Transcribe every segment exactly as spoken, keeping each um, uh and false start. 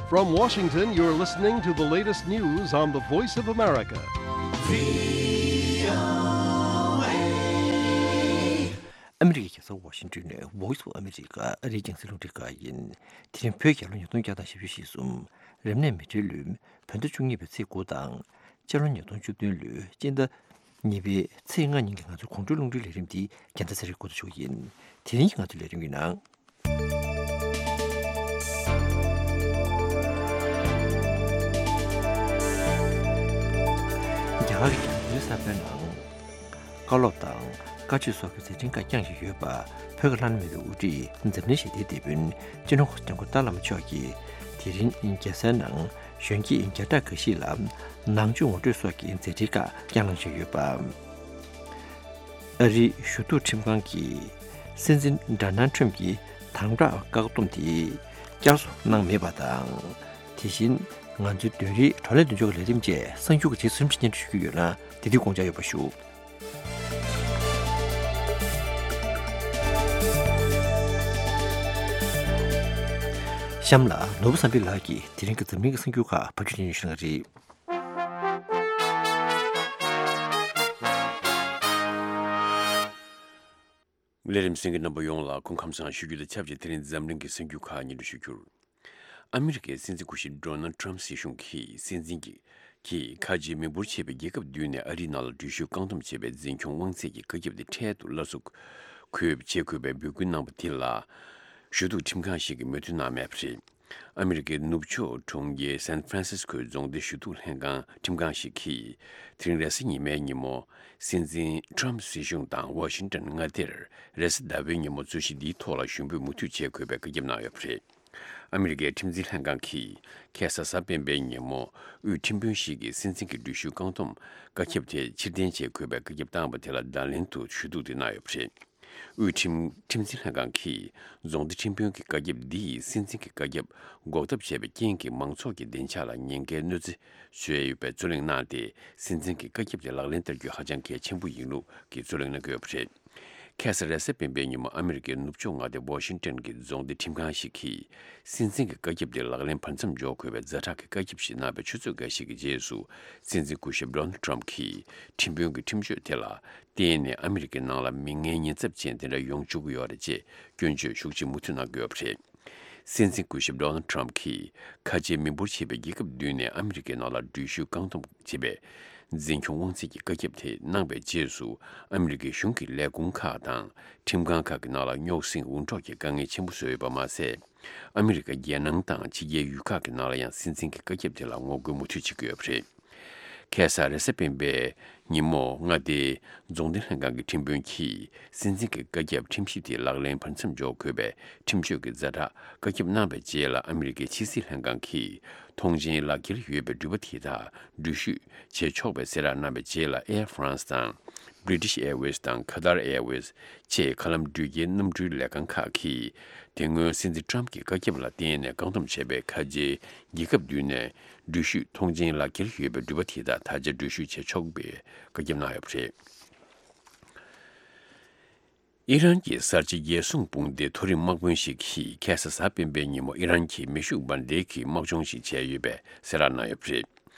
From Washington, you're listening to the latest news on the Voice of America. ཨ་མི་རི་ཀའི་རྒྱལ་ས་ཝ་ཤིང་ཏོན་ནས་Voice of America ཨ་རིའི་རྒྱང་སྲིང་རླུང་འཕྲིན་ཁང་ཡིན། དེ་རིང་བོད་རྒྱལ་ལོ་ཉིས་སྟོང་བརྒྱ་དང་བཞི་བཅུ་ཞེ་གསུམ། རབ་གནས་མེ་སྤྲེལ་ལོའི་བོད་ཟླ་བཅུ་གཉིས་པའི་ཚེས་དགུ་དང་། སྤྱི་ལོ་ཉིས་སྟོང་བཅུ་བདུན་ལོའི་སྤྱི་ཟླ་གཉིས་པའི་ཚེས་ལྔ་ཉིན་གྱི་ང་ཚོའི་དགོང་དྲོའི་རླུང་འཕྲིན་ལས་རིམ་འདི་རྒྱལ་མཚན་ཚེ་རིང་འགོ་འཛུགས་ཞུ་གི་ཡིན། དེ་རིང་གི་ང་ཚོའི་ལས་རིམ་གྱི་ནང་། རྒྱ་གར་གྱི་རྒྱལ་ཡོངས་གསར་པའི་ནང་། བཀའ་སློབ་དང་བཀའ་ཆོས་སོགས་ཀྱི་མཛད་འཕྲིན་ཁག་བསྐྱངས་བཞིན་ཡོད་པ། བོད་ཀྱི་བླ་ན་མེད་པའི་དབུ་ཁྲིད་འཛམ་གླིང་ཞི་བདེའི་དེད་དཔོན་སྤྱི་ནོར་གོང་ས་སྐྱབས་མགོན་ཏཱ་བླ་མ་མཆོག་གིས་དེ་རིང་རྒྱལ་སའི་ནང་གཞོན་སྐྱེས་བརྒྱ་ཕྲག་འགའ་ཞིག་ལ་ནང་ཆོས་ངོ་སྤྲོད་སོགས་ཀྱི་མཛད་འཕྲིན་ཁག་བསྐྱངས་གནང་བཞིན་ཡོད་པ། ཨ་རིའི་ཞུ་གཏུག་ཁྲིམས་ཁང་གིས་སྲིད་འཛིན་ཌོ་ནལ་ཁྲམ་གྱི་དམ་དྲག་བཀག་སྡོམ་དེ་བསྐྱར་གསོ་གནང་མེད་པ་དང་། དེ་བཞིན་ང་ཚོའི་བདུན་རེའི་བགྲོ་གླེང་མདུན་ལྕོག་གི་ལས་རིམ་བཅས་གསར་འགྱུར་གྱི་རྗེས་སུ་རིམ་གྱིས་སྙན་སྒྲོན་ཞུ་རྒྱུ་ཡོད་ལ། དེ་དུས་དགོངས་འཇགས་ཡོད་པ་ཞུ། གཤམ་ལ་ནོར་བུ་བསམ་འཕེལ་ལགས་ཀྱིས་དེ་རིང་གི་འཛམ་གླིང་གི་གསར་འགྱུར་ཁག་ཕབ་སྒྱུར་སྙན་སྒྲོན་ཞུ་གནང་གི་རེད། ལས་རིམ་གསན་མཁན་རྣམ་པ་ཡོངས་ལ་སྐུ་ཁམས་བཟང་ཞུ་རྒྱུ་དང་ཆབས་ཅིག་དེ་རིང་འཛམ་གླིང་གི་གསར་འགྱུར་ཁག་སྙན་སྒྲོན་ཞུ་རྒྱུར། ཨ་མི་རི་ཀའི་སྲིད་འཛིན་སྐུ་ཞབས་ཌོ་ནལ་ཊམ་སྲིད་གཞུང་གིས་སྲིད་འཛིན་གྱི་གིས་ཁ་ཆེའི་མི་འབོར་ཆེ་བའི་རྒྱལ་ཁབ་བདུན་ནས་ཨ་རིའི་ནང་ལ་འགྲུལ་བཞུད་བཀག་སྡོམ་བྱས་པའི་འཛིན་སྐྱོང་དབང་ཚད་ཀྱི་བཀའ་ཁྱབ་དེ་འཕྲལ་དུ་སླར་གསོ་དགོས་བྱེད་དགོས་པའི་འབོད་སྐུལ་གནང་བ་དེ་ལ། ཞུ་གཏུག་ཁྲིམས་ཁང་ཞིག་གིས་མོས་མཐུན་གནང་མེད་པ་རེད། ཨ་མི་རི་ཀའི་ནུབ་ཕྱོགས་གྲོང་ཁྱེར་སན་ཧྥ་རན་སིས་ཀོའི་རྫོང་སྡེ་ཞུ་གཏུག་ལྷན་ཁང་ཁྲིམས་ཁང་ཞིག་གིས། དེ་རིང་རེས་གཟའ་ཉི་མའི་ཉིན་མོ། སྲིད་འཛིན་ཊམ་སྲིད་གཞུང་དང་ཝ་ཤིང་ཏོན་མངའ་སྡེར་རེས་གཟའ་ཟླ་བའི་ཉིན་མོ་རྩོད་གཞི་འདིའི་ཐོག་ལ་ཞུ་འབོད་མུ་མཐུད་བྱེད་དགོས་པའི་བཀའ་ཁྱབ་གནང་ཡོད་པ་རེད། ཨ་མི་རི་ཀའི་ཁྲིམས་འཛིན་ལྷན་ཁང་གིས་ཁ་སང་གཟའ་སྤེན་པའི་ཉིན་མོ། དབུས་ཁྲིམས་དཔོན་ཞིག་གིས་སྲིད་འཛིན་གྱི་འགྲུལ་བཞུད་བཀག་སྡོམ་བཀའ་ཁྱབ་དེ་ཕྱིར་འཐེན་བྱེད་དགོས་པའི་བཀའ་ཁྱབ་བཏང་བ་དེ་ལ་བརྡ་ལན་དུ་ཞུ་གཏུག་དེ་གནང་ཡོད་པ་རེད། དབུས་ཁྲིམས་ཁྲིམས་འཛིན་ལྷན་ཁང་གིས་རྫོང་སྡེ་ཁྲིམས་དཔོན་གྱི་བཀའ་ཁྱབ་འདི་ཡིས་སྲིད་འཛིན་གྱི་བཀའ་ཁྱབ་འགོག་ཐབས་བྱས་པའི་རྐྱེན་གྱིས་མང་ཚོགས་ཀྱི་བདེ་འཇགས་ལ་ཉེན་ཁའི་གནོད་འཚེ་བཟོས་ཡོད་པའི་རྩོད་གླེང་གནང་སྟེ། སྲིད་འཛིན་གྱི་བཀའ་ཁྱབ་དེ་ལག་ལེན་བསྟར་རྒྱུ་ཧ་ཅང་གལ་ཆེན་པོ་ཡིན་ལུགས་ཀྱི་རྩོད་གླེང་གནང་གི་ཡོད་པ་རེད། ཁ་སང་རེས་གཟའ་སྤེན་པའི་ཉིན་མོ་ཨ་མི་རི་ཀའི་ནུབ་ཕྱོགས་མངའ་སྡེ་ཝ་ཤིང་ཏོན་གྱི་རྫོང་སྡེ་ཁྲིམས་ཁང་ཞིག་གིས། སྲིད་འཛིན་གྱི་བཀའ་ཁྱབ་དེ་ལག་ལེན་བར་མཚམས་འཇོག་དགོས་པའི་ཛ་དྲག་གི་བཀའ་ཁྱབ་ཞིག་གནང་བའི་ཆུ་ཚོད་འགའ་ཞིག་གི་རྗེས་སུ། སྲིད་འཛིན་སྐུ་ཞབས་ཌོ་ནལ་ཊམ་གྱིས་ཁྲིམས་དཔོན་གྱི་ཁྲིམས་གཅོད་དེ་ལ་བརྟེན་ནས་ཨ་མི་རི་ཀའི་ནང་ལ་མི་ངན་ཉེན་ཚབས་ཅན་དེ་འདྲ་ཡོང་བཅུག་གི་ཡོད་རེད་ཅེས་སྐྱོན་བརྗོད་ཤུགས་ཆེ་མུ་མཐུད་གནང་གི་ཡོད་པ་རེད། སྲིད་འཛིན་སྐུ་ཞབས་ཌོ་ནལ་ཊམ་གྱིས་ཁ་ཆེའི་མི་འབོར་ཆེ་བའི་རྒྱལ་ཁབ་བདུན་ནས་ཨ་མི་རི་ཀའི་ནང་ལ་འགྲུལ་བཞུད་བཀག་སྡོམ་བྱེད་པའི་འཛིན་སྐྱོང་དབང་ཚད་ཀྱི་བཀའ་ཁྱབ་དེ་གནང་བའི་རྗེས་སུ། ཨ་མི་རི་ཀའི་གཞུང་གི་ལས་ཁུངས་ཁག་དང་ཁྲིམས་ཁང་ཁག་གི་ནང་ལ་རྙོག་ཟིང་འུར་སྒྲོག་གི་དཀའ་ངལ་ཆེན་པོ་བཟོས་ཡོད་པ་མ་ཟད། ཨ་མི་རི་ཀ་རྒྱལ་ནང་དང་ཕྱི་རྒྱལ་ཡུལ་ཁག་གི་ནང་ལ་ཡང་སྲིད་འཛིན་གྱི་བཀའ་ཁྱབ་དེ་ལ་ངོ་རྒོལ་མུ་མཐུད་བྱེད་ཀྱི་ཡོད་པ་རེད། ཁ་སང་རེས་གཟའ་སྤེན་པའི་ཉིན་མོ། མངའ་སྡེའི་རྫོང་སྡེ་ལྷན་ཁང་གི་ཁྲིམས་དཔོན་གྱིས་སྲིད་འཛིན་གྱི་བཀའ་ཁྱབ་ཁྲིམས་གཞི་དེ་ལག་ལེན་བར་མཚམས་འཇོག་དགོས་པའི་ཁྲིམས་གཅོད་ཀྱི་ཛ་དྲག་བཀའ་ཁྱབ་གནང་བའི་རྗེས་ལ། ཨ་མི་རི་ཀའི་ཕྱི་སྲིད་ལྷན་ཁང་གིས་ཐོངས་མཆན་ལག་འཁྱེར་ཡོད་པའི་འགྲུལ་པ་དེ་དག་འགྲུལ་བཞུད་བྱེད་ཆོག་པའི་གསལ་བསྒྲགས་གནང་བའི་རྗེས་ལ། Air France དང་British Airways དང་Qatar Airways བཅས་མཁའ་ལམ་འགྲུལ་སྐྱེལ་གནམ་གྲུའི་ལས་ཁང་ཁག་གིས། དེ་སྔོན་སྲིད་འཛིན་ཊམ་གྱི་བཀའ་ཁྱབ་ལ་བརྟེན་ནས་བཀག་སྡོམ་བྱས་པའི་ཁ་ཆེའི་རྒྱལ་ཁབ་བདུན་ནས་འགྲུལ་བཞུད་ཐོངས་མཆན་ལག་འཁྱེར་ཡོད་པའི་འགྲུལ་པ་དེ་དག་ད་ཆ་འགྲུལ་བཞུད་བྱེད་ཆོག་པའི་བཀའ་ཁྱབ་གནང་ཡོད་པ་རེད། ཨི་རན་གྱི་གསར་བརྗེ་རྒྱལ་སྲུང་དཔུང་སྡེའི་མཐོ་རིམ་དམག་དཔོན་ཞིག་གིས་ཁ་སང་གཟའ་སྤེན་པའི་ཉིན་མོ་ཨི་རན་གྱི་མེ་ཤུགས་འབར་མདེལ་གྱི་དམག་སྦྱོང་ཞིག་བྱས་ཡོད་པའི་གསལ་བསྒྲགས་གནང་ཡོད་པ་རེད།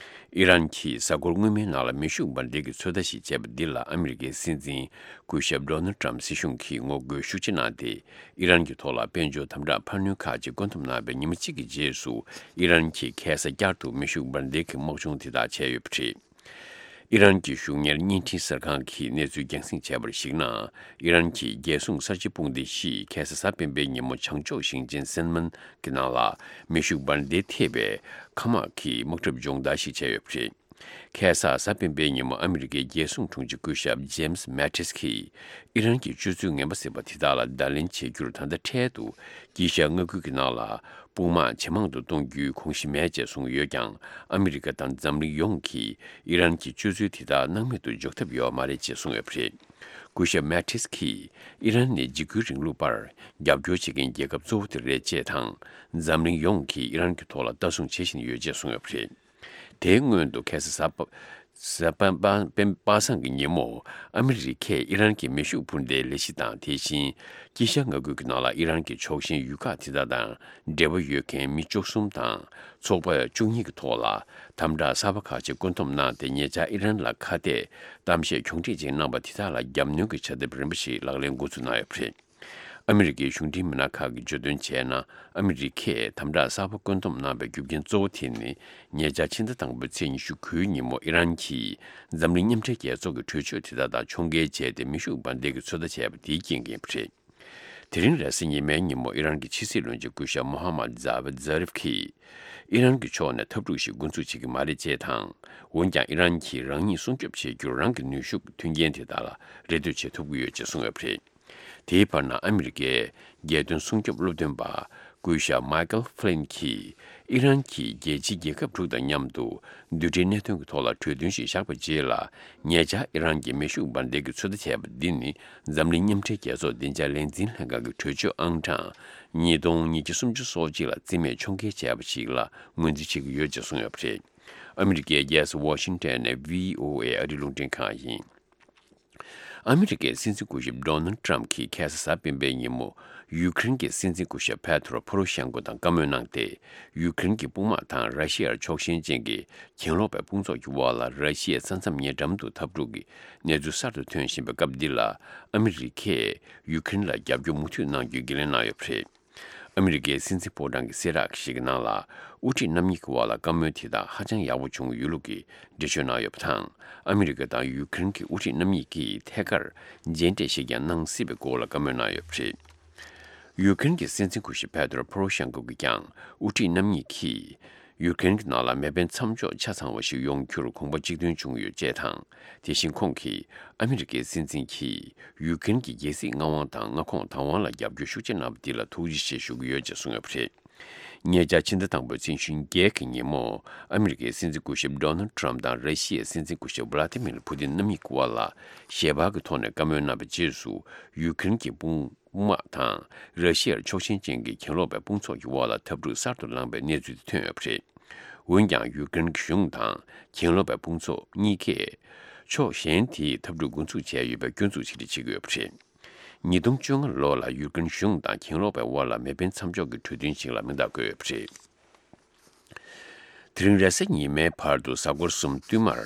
ཨི་རན་གྱིས་གཟའ་འཁོར་སྔོན་མའི་ནང་ལ་མེ་ཤུགས་འབར་མདེལ་གྱི་ཚོད་ལྟ་ཞིག་བྱས་པ་འདི་ལ་ཨ་མི་རི་ཀའི་སྲིད་འཛིན་སྐུ་ཞབས་ཌོ་ནལ་ཊམ་སྲིད་གཞུང་གིས་ངོ་རྒོལ་ཤུགས་ཆེ་གནང་སྟེ། ཨི་རན་གྱི་ཐོག་ལ་དཔལ་འབྱོར་དམ་དྲག་འཕར་སྣོན་ཁག་ཅིག་བཀོད་འདོམས་གནང་བའི་ཉི་མ་གཅིག་གི་རྗེས་སུ། ཨི་རན་གྱིས་ཁ་སང་བསྐྱར་དུ་མེ་ཤུགས་འབར་མདེལ་གྱི་དམག་སྦྱོང་དེ་དག་བྱས་ཡོད་པ་རེད། ཨི་རན་གྱི་གཞུང་གཉེར་བརྙན་འཕྲིན་གསར་ཁང་གིས་གནས་ཚུལ་རྒྱང་སྲིང་བྱས་པར་གཞིགས་ན། ཨི་རན་གྱི་རྒྱལ་སྲུང་གསར་བརྗེ་དཔུང་སྡེ་ཞིག་ཁ་སང་གཟའ་སྤེན་པའི་ཉིན་མོ་བྱང་ཕྱོགས་ཞིང་ཆེན་སན་མན་གྱི་ནང་ལ་མེ་ཤུགས་འབར་མདེལ་ཐེབས་པའི་མཁའ་དམག་གི་དམག་གྲབས་སྦྱོང་བརྡར་ཞིག་བྱས་ཡོད་པ་རེད། ཁ་སང་གཟའ་སྤེན་པའི་ཉིན་མོ་ཨ་མི་རི་ཀའི་རྒྱལ་སྲུང་དྲུང་ཆེ་སྐུ་ཞབས་ཇེམ་སི་མེ་ཏིས་ཀྱིས་ཨི་རན་གྱི་སྤྱོད་ཚུལ་ངན་པ་ཟེར་བ་དེ་དག་ལ་བརྡ་ལན་བྱེད་རྒྱུར། ད་ལྟ་འཕྲལ་དུ་དཀྱིལ་ཤར་མངའ་ཁུལ་གྱི་ནང་ལ་དཔུང་དམག་ཇེ་མང་དུ་གཏོང་རྒྱུའི་དགོངས་གཞི་མེད་ཅེས་གསུངས་ཡོད་ཀྱང་། ཨ་མི་རི་ཀ་དང་འཛམ་གླིང་ཡོངས་ཀྱིས་ཨི་རན་གྱི་སྤྱོད་ཚུལ་དེ་དག་སྣང་མེད་དུ་འཇོག་ཐབས་ཡོད་མ་རེད་ཅེས་གསུངས་ཡོད་པ་རེད། སྐུ་ཞབས་མེ་ཏིས་ཀྱིས། ཨི་རན་ནི་འཇིགས་སྐུལ་རིང་ལུགས་པར་རྒྱབ་སྐྱོར་བྱེད་མཁན་རྒྱལ་ཁབ་གཙོ་བོ་དེ་རེད་ཅེས་དང་། འཛམ་གླིང་ཡོངས་ཀྱིས་ཨི་རན་གྱི་ཐོག་ལ་ལྟ་སྲུང་བྱེད་བཞིན་ཡོད་ཅེས་གསུངས་ཡོད་པ་རེད། དེའི་སྔོན་དུ་ཁ་སང་གཟའ་པ། གཟའ་པ་པ་པ་སངས་ཀྱི་ཉིན་མོ། ཨ་མི་རི་ཀས་ཨི་རན་གྱི་མེ་ཤུགས་འཕུར་མདེལ་ལས་གཞི་དང་། དེ་བཞིན་དཀྱིལ་ཤར་མངའ་ཁུལ་གྱི་ནང་ལ་ཨི་རན་གྱི་ཕྱོགས་ཞེན་ཡུལ་ཁག་དེ་དག་དང་འབྲེལ་བ་ཡོད་མཁན་མི་བཅུ་གསུམ་དང་ཚོགས་པ་བཅུ་གཉིས་ཀྱི་ཐོག་ལ་དམ་དྲག་གསར་པ་ཁག་ཅིག་བཀོད་འདོམས་གནང་སྟེ། ཉེ་ཆར་ཨི་རན་ལ་ཁ་གཏད་གཏམ་བཤད་གྱོང་ཁྲིད་ཅིག་གནང་པ་དེ་དག་ལ་རྒྱབ་གནོན་གྱི་བྱ་ཐབས་རིམ་པ་ཞིག་ལག་ལེན་འགོ་འཛུགས་གནང་ཡོད་པ་རེད། ཨ་མི་རི་ཀའི་གཞུང་འབྲེལ་མི་སྣ་ཁག་གིས་བརྗོད་དོན་བྱས་ན། ཨ་མི་རི་ཀས་དམ་དྲག་གསར་པ་བཀོད་འདོམས་གནང་པའི་རྒྱུ་རྐྱེན་གཙོ་བོ་དེ་ནི། ཉེ་ཆར་ཕྱི་ཟླ་དང་པོའི་ཚེས་ཉི་ཤུ་དགུའི་ཉིན་མོ། ཨི་རན་གྱིས་འཛམ་གླིང་མཉམ་འབྲེལ་རྒྱལ་ཚོགས་ཀྱི་གྲོས་ཆོད་དེ་དག་དང་ཕྱོགས་འགལ་བྱས་ཏེ། མེ་ཤུགས་འབར་མདེལ་གྱི་ཚོད་ལྟ་བྱས་པ་དེའི་རྐྱེན་གྱིས་ཡིན་པ་རེད། དེ་རིང་རེས་གཟའ་ཉི་མའི་ཉིན་མོ། ཨི་རན་གྱི་ཕྱི་སྲིད་བློན་ཆེན་སྐུ་ཞབས་མོ་ཧ་མད་ཛ་བད་ཛ་རིབ་ཀྱིས། ཨི་རན་གྱི་ཕྱོགས་ནས་འཐབ་འཁྲུག་ཞིག་འགོ་འཛུགས་བྱེད་ཀྱི་མ་རེད་ཅེས་དང་། འོན་ཀྱང་ཨི་རན་གྱིས་རང་ཉིད་སྲུང་སྐྱོབ་བྱེད་རྒྱུར་རང་གི་ནུས་ཤུགས་མཐུན་རྐྱེན་དེ་དག་ལ་རེ་ལྟོས་བྱེད་ཐུབ་ཀྱི་ཡོད་ཅེས་གསུངས་ཡོད་པ་རེད། དེའི་བར་ན། ཨ་མི་རི་ཀའི་རྒྱལ་དོན་སྲུང་སྐྱོབ་སློབ་སྟོན་པ་སྐུ་ཞབས་མའི་ཀལ་ཧྥི་ལིན་གྱིས། ཨི་རན་གྱིས་རྒྱལ་སྤྱིའི་རྒྱལ་ཁབ་དྲུག་དང་མཉམ་དུ་རྡུལ་ཕྲན་གནད་དོན་གྱི་ཐོག་ལ་གྲོས་མཐུན་ཞིག་བཞག་པའི་རྗེས་ལ། ཉེ་ཆར་ཨི་རན་གྱིས་མེ་ཤུགས་འབར་མདེལ་གྱི་ཚོད་ལྟ་བྱས་པ་འདི་ནི། འཛམ་གླིང་མཉམ་འབྲེལ་རྒྱལ་ཚོགས་བདེ་འཇགས་ལས་འཛིན་ལྷན་ཁང་གི་གྲོས་ཆོད་ཨང་གྲངས་ཉིས་སྟོང་ཉིས་བརྒྱ་སུམ་ཅུ་སོ་གཅིག་ལ་རྩིས་མེད་ཕྱོགས་འགལ་བྱས་པ་ཞིག་ལ་ངོས་འཛིན་བྱེད་ཀྱི་ཡོད་ཅེས་གསུངས་ཡོད་པ་རེད། ཨ་མི་རི་ཀའི་རྒྱལ་ས་ཝ་ཤིང་ཊོན་ནས་བྷི་ཨོ་ཨེ་ཨ་རིའི་རླུང་འཕྲིན་ཁང་ཡིན། ཨ་མི་རི་ཀའི་སྲིད་འཛིན་སྐུ་ཞབས་ཌོ་ནལ་ཌི་ཊརམ་ཕི་གྱིས་ཁ་སང་གཟའ་སྤེན་པའི་ཉིན་མོ། ཡུ་ཀེ་རེན་གྱི་སྲིད་འཛིན་སྐུ་ཞབས་པེ་ཏྲོ་པོ་རོ་ཤན་ཀོ་དང་བཀའ་མོལ་གནང་སྟེ། ཡུ་ཀེ་རེན་གྱི་དཔུང་དམག་དང་ར་ཤི་ཡར་ཕྱོགས་ཞེན་ཅན་གྱི་གྱེན་ལོག་པའི་དཔུང་ཚོགས་ཀྱི་དབར་ལ། ར་ཤི་ཡའི་ས་མཚམས་ཉེ་འགྲམ་དུ་འཐབ་འཁྲུག་གི་གནས་ཚུལ་གསར་དུ་ཐོན་བཞིན་པའི་སྐབས་འདི་ལ། ཨ་མི་རི་ཀས་ཡུ་ཀེ་རེན་ལ་རྒྱབ་སྐྱོར་མུ་མཐུད་གནང་རྒྱུའི་འགན་ལེན་གནང་ཡོད་པ་རེད། ཨ་མི་རི་ཀའི་སྲིད་འཛིན་ཕོ་བྲང་གི་གསལ་བསྒྲགས་ཤིག་གི་ནང་ལ། དབུ་ཁྲིད་རྣམ་གཉིས་ཀྱི་དབར་ལ་བཀའ་མོལ་དེ་དག་ཧ་ཅང་ཡག་པོ་བྱུང་ཡོད་ལུགས་ཀྱི་འགྲེལ་བརྗོད་གནང་ཡོད་པ་དང་། ཨ་མི་རི་ཀ་དང་ཡུ་ཀེ་རེན་གྱི་དབུ་ཁྲིད་རྣམ་གཉིས་ཀྱིས་ཐད་ཀར་མཇལ་འཕྲད་ཞིག་ཀྱང་གནང་སྲིད་པའི་སྐོར་ལ་བཀའ་མོལ་གནང་ཡོད་པ་རེད། ཡུ་ཀེ་རེན་གྱི་སྲིད་འཛིན་སྐུ་ཞབས་པེ་ཏྲོ་པོ་རོ་ཤན་ཀོ་གིས་ཀྱང་། དབུ་ཁྲིད་རྣམ་གཉིས་ཀྱིས་ཡུ་ཀེ་རེན་གྱི་ནང་ལ་མེ་འཕེན་མཚམས་འཇོག་ཆ་ཚང་བ་ཞིག་ཡོང་རྒྱུར་དགོངས་པ་གཅིག་མཐུན་བྱུང་ཡོད་ཅེས་དང་། དེ་བཞིན་ཁོང་གིས། ཨ་མི་རི་ཀའི་སྲིད་འཛིན་གྱིས་ཡུ་ཀེ་རེན་གྱི་རྒྱལ་སྲིད་མངའ་དབང་དང་མངའ་ཁོངས་བདག་དབང་ལ་རྒྱབ་སྐྱོར་ཤུགས་ཆེ་གནང་བ་འདི་ལ་ཐུགས་རྗེ་ཆེ་ཞུ་གི་ཡོད་ཅེས་གསུངས་ཡོད་པ་རེད། ཉེ་ཆར་ཕྱི་ཟླ་དང་པོའི་ཚེས་ཉི་ཤུ་བརྒྱད་ཀྱི་ཉིན་མོ། ཨ་མི་རི་ཀའི་སྲིད་འཛིན་སྐུ་ཞབས་ཌོ་ནལ་ཌི་ཊརམ་དང་ར་ཤི་ཡའི་སྲིད་འཛིན་སྐུ་ཞབས་ཝ་ལ་ཏི་མིར་ཕུ་ཏིན་རྣམ་གཉིས་ཀྱི་དབར་ལ་ཞལ་པར་གྱི་ཐོག་ནས་བཀའ་མོལ་གནང་བའི་རྗེས་སུ། ཡུ་ཀེ་རེན་གྱི་དཔུང་དམག་དང་ར་ཤི་ཡར་ཕྱོགས་ཞེན་ཅན་གྱི་གྱེན་ལོག་པའི་དཔུང་ཚོགས་ཀྱི་དབར་ལ་འཐབ་འཁྲུག་གསར་དུ་ལངས་པའི་གནས་ཚུལ་དེ་ཐོན་ཡོད་པ་རེད། འོན་ཀྱང་། ཡུ་ཀེ་རེན་གྱི་གཞུང་དང་གྱེན་ལོག་པའི་དཔུང་ཚོགས་གཉིས་ཀས་ཕྱོགས་གཞན་དེའི་འཐབ་འཁྲུག་འགོ་འཛུགས་བྱས་ཡོད་པའི་སྐྱོན་འཛུགས་ཆེ་རེ་བྱེད་ཀྱི་ཡོད་པ་རེད། ཉིས་སྟོང་བཅོ་ལྔ་ལོ་ལ་ཡུ་ཀེ་རེན་གཞུང་དང་གྱེན་ལོག་པའི་དབར་ལ་མེ་འཕེན་མཚམས་འཇོག་གི་གྲོས་མཐུན་ཞིག་ལ་མིང་རྟགས་བཀོད་ཡོད་པ་རེད། དེ་རིང་རེས་གཟའ་ཉི་མའི་བར་དུ་གཟའ་འཁོར་གསུམ་བསྟུད་མར།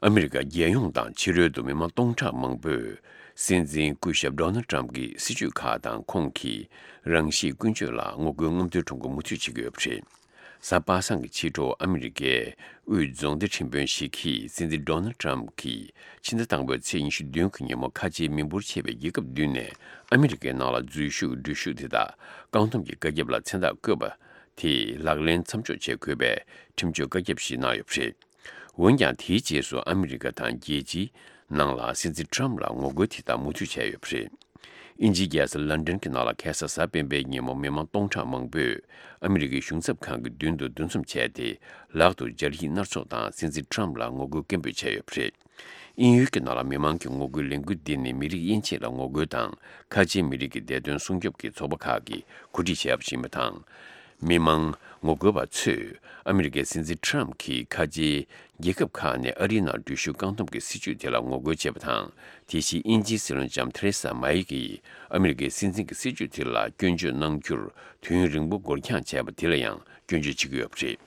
ཨ་མི་རི་ཀ་རྒྱལ་ཡོངས་དང་ཕྱི་རོལ་དུ་མི་མང་སྟོང་ཕྲག་མང་པོས། སྲིད་འཛིན་སྐུ་ཞབས་ཌོ་ནལ་ཌི་ཊརམ་གྱི་སྲིད་བྱུས་ཁག་དང་ཁོང་གི་རང་ཤེས་ཀུན་སྤྱོད་ལ་ངོ་རྒོལ་རྔམ་སྟོན་ཁྲོམ་སྐོར་མུ་མཐུད་བྱེད་ཀྱི་ཡོད་པ་རེད། གཟའ་པ་སངས་ཀྱི་ཕྱི་དྲོ། ཨ་མི་རི་ཀའི་དབུས་རྫོང་སྡེ་ཁྲིམས་དཔོན་ཞིག་གིས། སྲིད་འཛིན་ཌོ་ནལ་ཌི་ཊརམ་གྱིས་ཕྱི་ཟླ་དང་པོའི་ཚེས་ཉི་ཤུ་བདུན་གྱི་ཉིན་མོ། ཁ་ཆེའི་མི་འབོར་ཆེ་བའི་རྒྱལ་ཁབ་བདུན་ནས་ཨ་མི་རི་ཀའི་ནང་ལ་འཛུལ་ཞུགས་འགྲུལ་བཞུད་དེ་དག་བཀག་སྡོམ་གྱི་བཀའ་ཁྱབ་ལ་མཚན་རྟགས་བཀོད་པ་དེ་ལག་ལེན་མཚམས་འཇོག་བྱེད་དགོས་པའི་ཁྲིམས་གཅོད་བཀའ་ཁྱབ་ཞིག་གནང་ཡོད་པ་རེད། འོན་ཀྱང་། དེའི་རྗེས་སུ་ཨ་མི་རི་ཀ་དང་རྒྱལ་སྤྱིའི་ནང་ལ་སྲིད་འཛིན་ཊརམ་ལ་ངོ་རྒོལ་དེ་དག་མུ་མཐུད་བྱས་ཡོད་པ་རེད། དབྱིན་ཇིའི་རྒྱལ་ས་ལན་ཌན་གྱི་ནང་ལ་ཁ་སང་གཟའ་སྤེན་པའི་ཉིན་མོ། མི་མང་སྟོང་ཕྲག་མང་པོས་ཨ་མི་རི་ཀའི་གཞུང་ཚབ་ཁང་གི་མདུན་དུ་འདུ་འཛོམས་བྱས་ཏེ། ལག་ཏུ་སྦྱར་ཡིག་སྣ་ཚོགས་དང་སྲིད་འཛིན་ཊརམ་ལ་ངོ་རྒོལ་སྐད་འབོད་བྱས་ཡོད་པ་རེད། དབྱིན་ཡུལ་གྱི་ནང་ལ་མི་མང་གི་ངོ་རྒོལ་ལས་འགུལ་འདི་ནི། མི་རིགས་དབྱེ་འབྱེད་ལ་ངོ་རྒོལ་དང་། ཁ་ཆེའི་མི་རིགས་ཀྱི་བདེ་དོན་སྲུང་སྐྱོབ་ཀྱི་ཚོགས་པ་ཁག་གིས་གོ་སྒྲིག་བྱས་པ་ཞིག་ཡིན་པ་དང་། མི་མང་ངོ་རྒོལ་བ་ཚོས་ཨ་མི་རི་ཀའི་སྲིད་འཛིན་ཊརམ་གྱིས་ཁ་ཆེའི་རྒྱལ་ཁབ་ཁག་ནས་ཨ་རིའི་ནང་འགྲུལ་བཞུད་བཀག་སྡོམ་གྱི་སྲིད་བྱུས་དེ་ལ་ངོ་རྒོལ་བྱས་པ་དང་། དེ་བཞིན་དབྱིན་ཇིའི་སྲིད་བློན་ལྕམ་ཐེ་རེ་ས་མཱེ་ཡི་གིས་ཨ་མི་རི་ཀའི་སྲིད་འཛིན་གྱི་སྲིད་བྱུས་དེ་ལ་སྐྱོན་བརྗོད་གནང་རྒྱུར་དུས་ཡུན་རིང་པོ་འགོར་འགྱངས་བྱས་པ་དེ་ལ་ཡང་སྐྱོན་བརྗོད་བྱེད་ཀྱི་ཡོད་པ་རེད།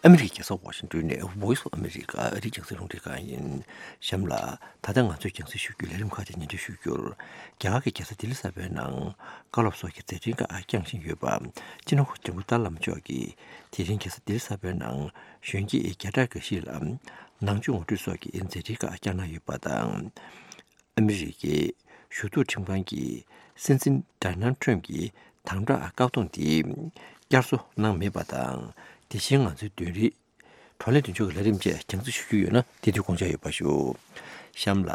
ཨ་མི་རི་ཀའི་རྒྱལ་ས་ཝ་ཤིང་ཏོན་ནས་Voice of America ཨ་རིའི་རྒྱང་སྲིང་རླུང་འཕྲིན་ཁང་ཡིན། གཤམ་ལ། ད་ལྟ་ང་ཚོས་རྒྱང་སྲིང་ཞུ་རྒྱུའི་ལས་རིམ་ཁག་ཅིག་སྙན་སྒྲོན་ཞུ་རྒྱུར། རྒྱ་གར་གྱི་རྒྱལ་ས་ལྡི་ལི་གསར་པའི་ནང་བཀའ་སློབ་སོགས་ཀྱི་མཛད་འཕྲིན་ཁག་བསྐྱངས་བཞིན་ཡོད་པ། སྤྱི་ནོར་གོང་ས་སྐྱབས་མགོན་ཏཱ་ལའི་བླ་མ་མཆོག་གིས་དེ་རིང་རྒྱལ་ས་ལྡི་ལི་གསར་པའི་ནང་གཞོན་སྐྱེས་བརྒྱ་ཕྲག་འགའ་ཞིག་ལ་ནང་ཆོས་ངོ་སྤྲོད་སོགས་ཀྱི་མཛད་འཕྲིན་ཁག་བསྐྱངས་གནང་ཡོད་པ་དང་། ཨ་མི་རི་ཀའི་ཞུ་གཏུག་ཁྲིམས་ཁང་གིས་སྲིད་འཛིན་ཌོ་ནལ་ཌི་ཊརམ་གྱི་དམ་དྲག་བཀག་སྡོམ་དེ་བསྐྱར་གསོ་གནང་མེད་པ་དང་། དེ་བཞིན་ང་ཚོའི་བདུན་རེའི་བགྲོ་གླེང་མདུན་ལྕོག་གི་ལས་རིམ་བཅས་རྒྱང་སྲིང་ཞུ་རྒྱུ་ཡོད་ན། དེ་དུས་དགོངས་འཇགས་ཡོད་པ་ཞུ། གཤམ་ལ།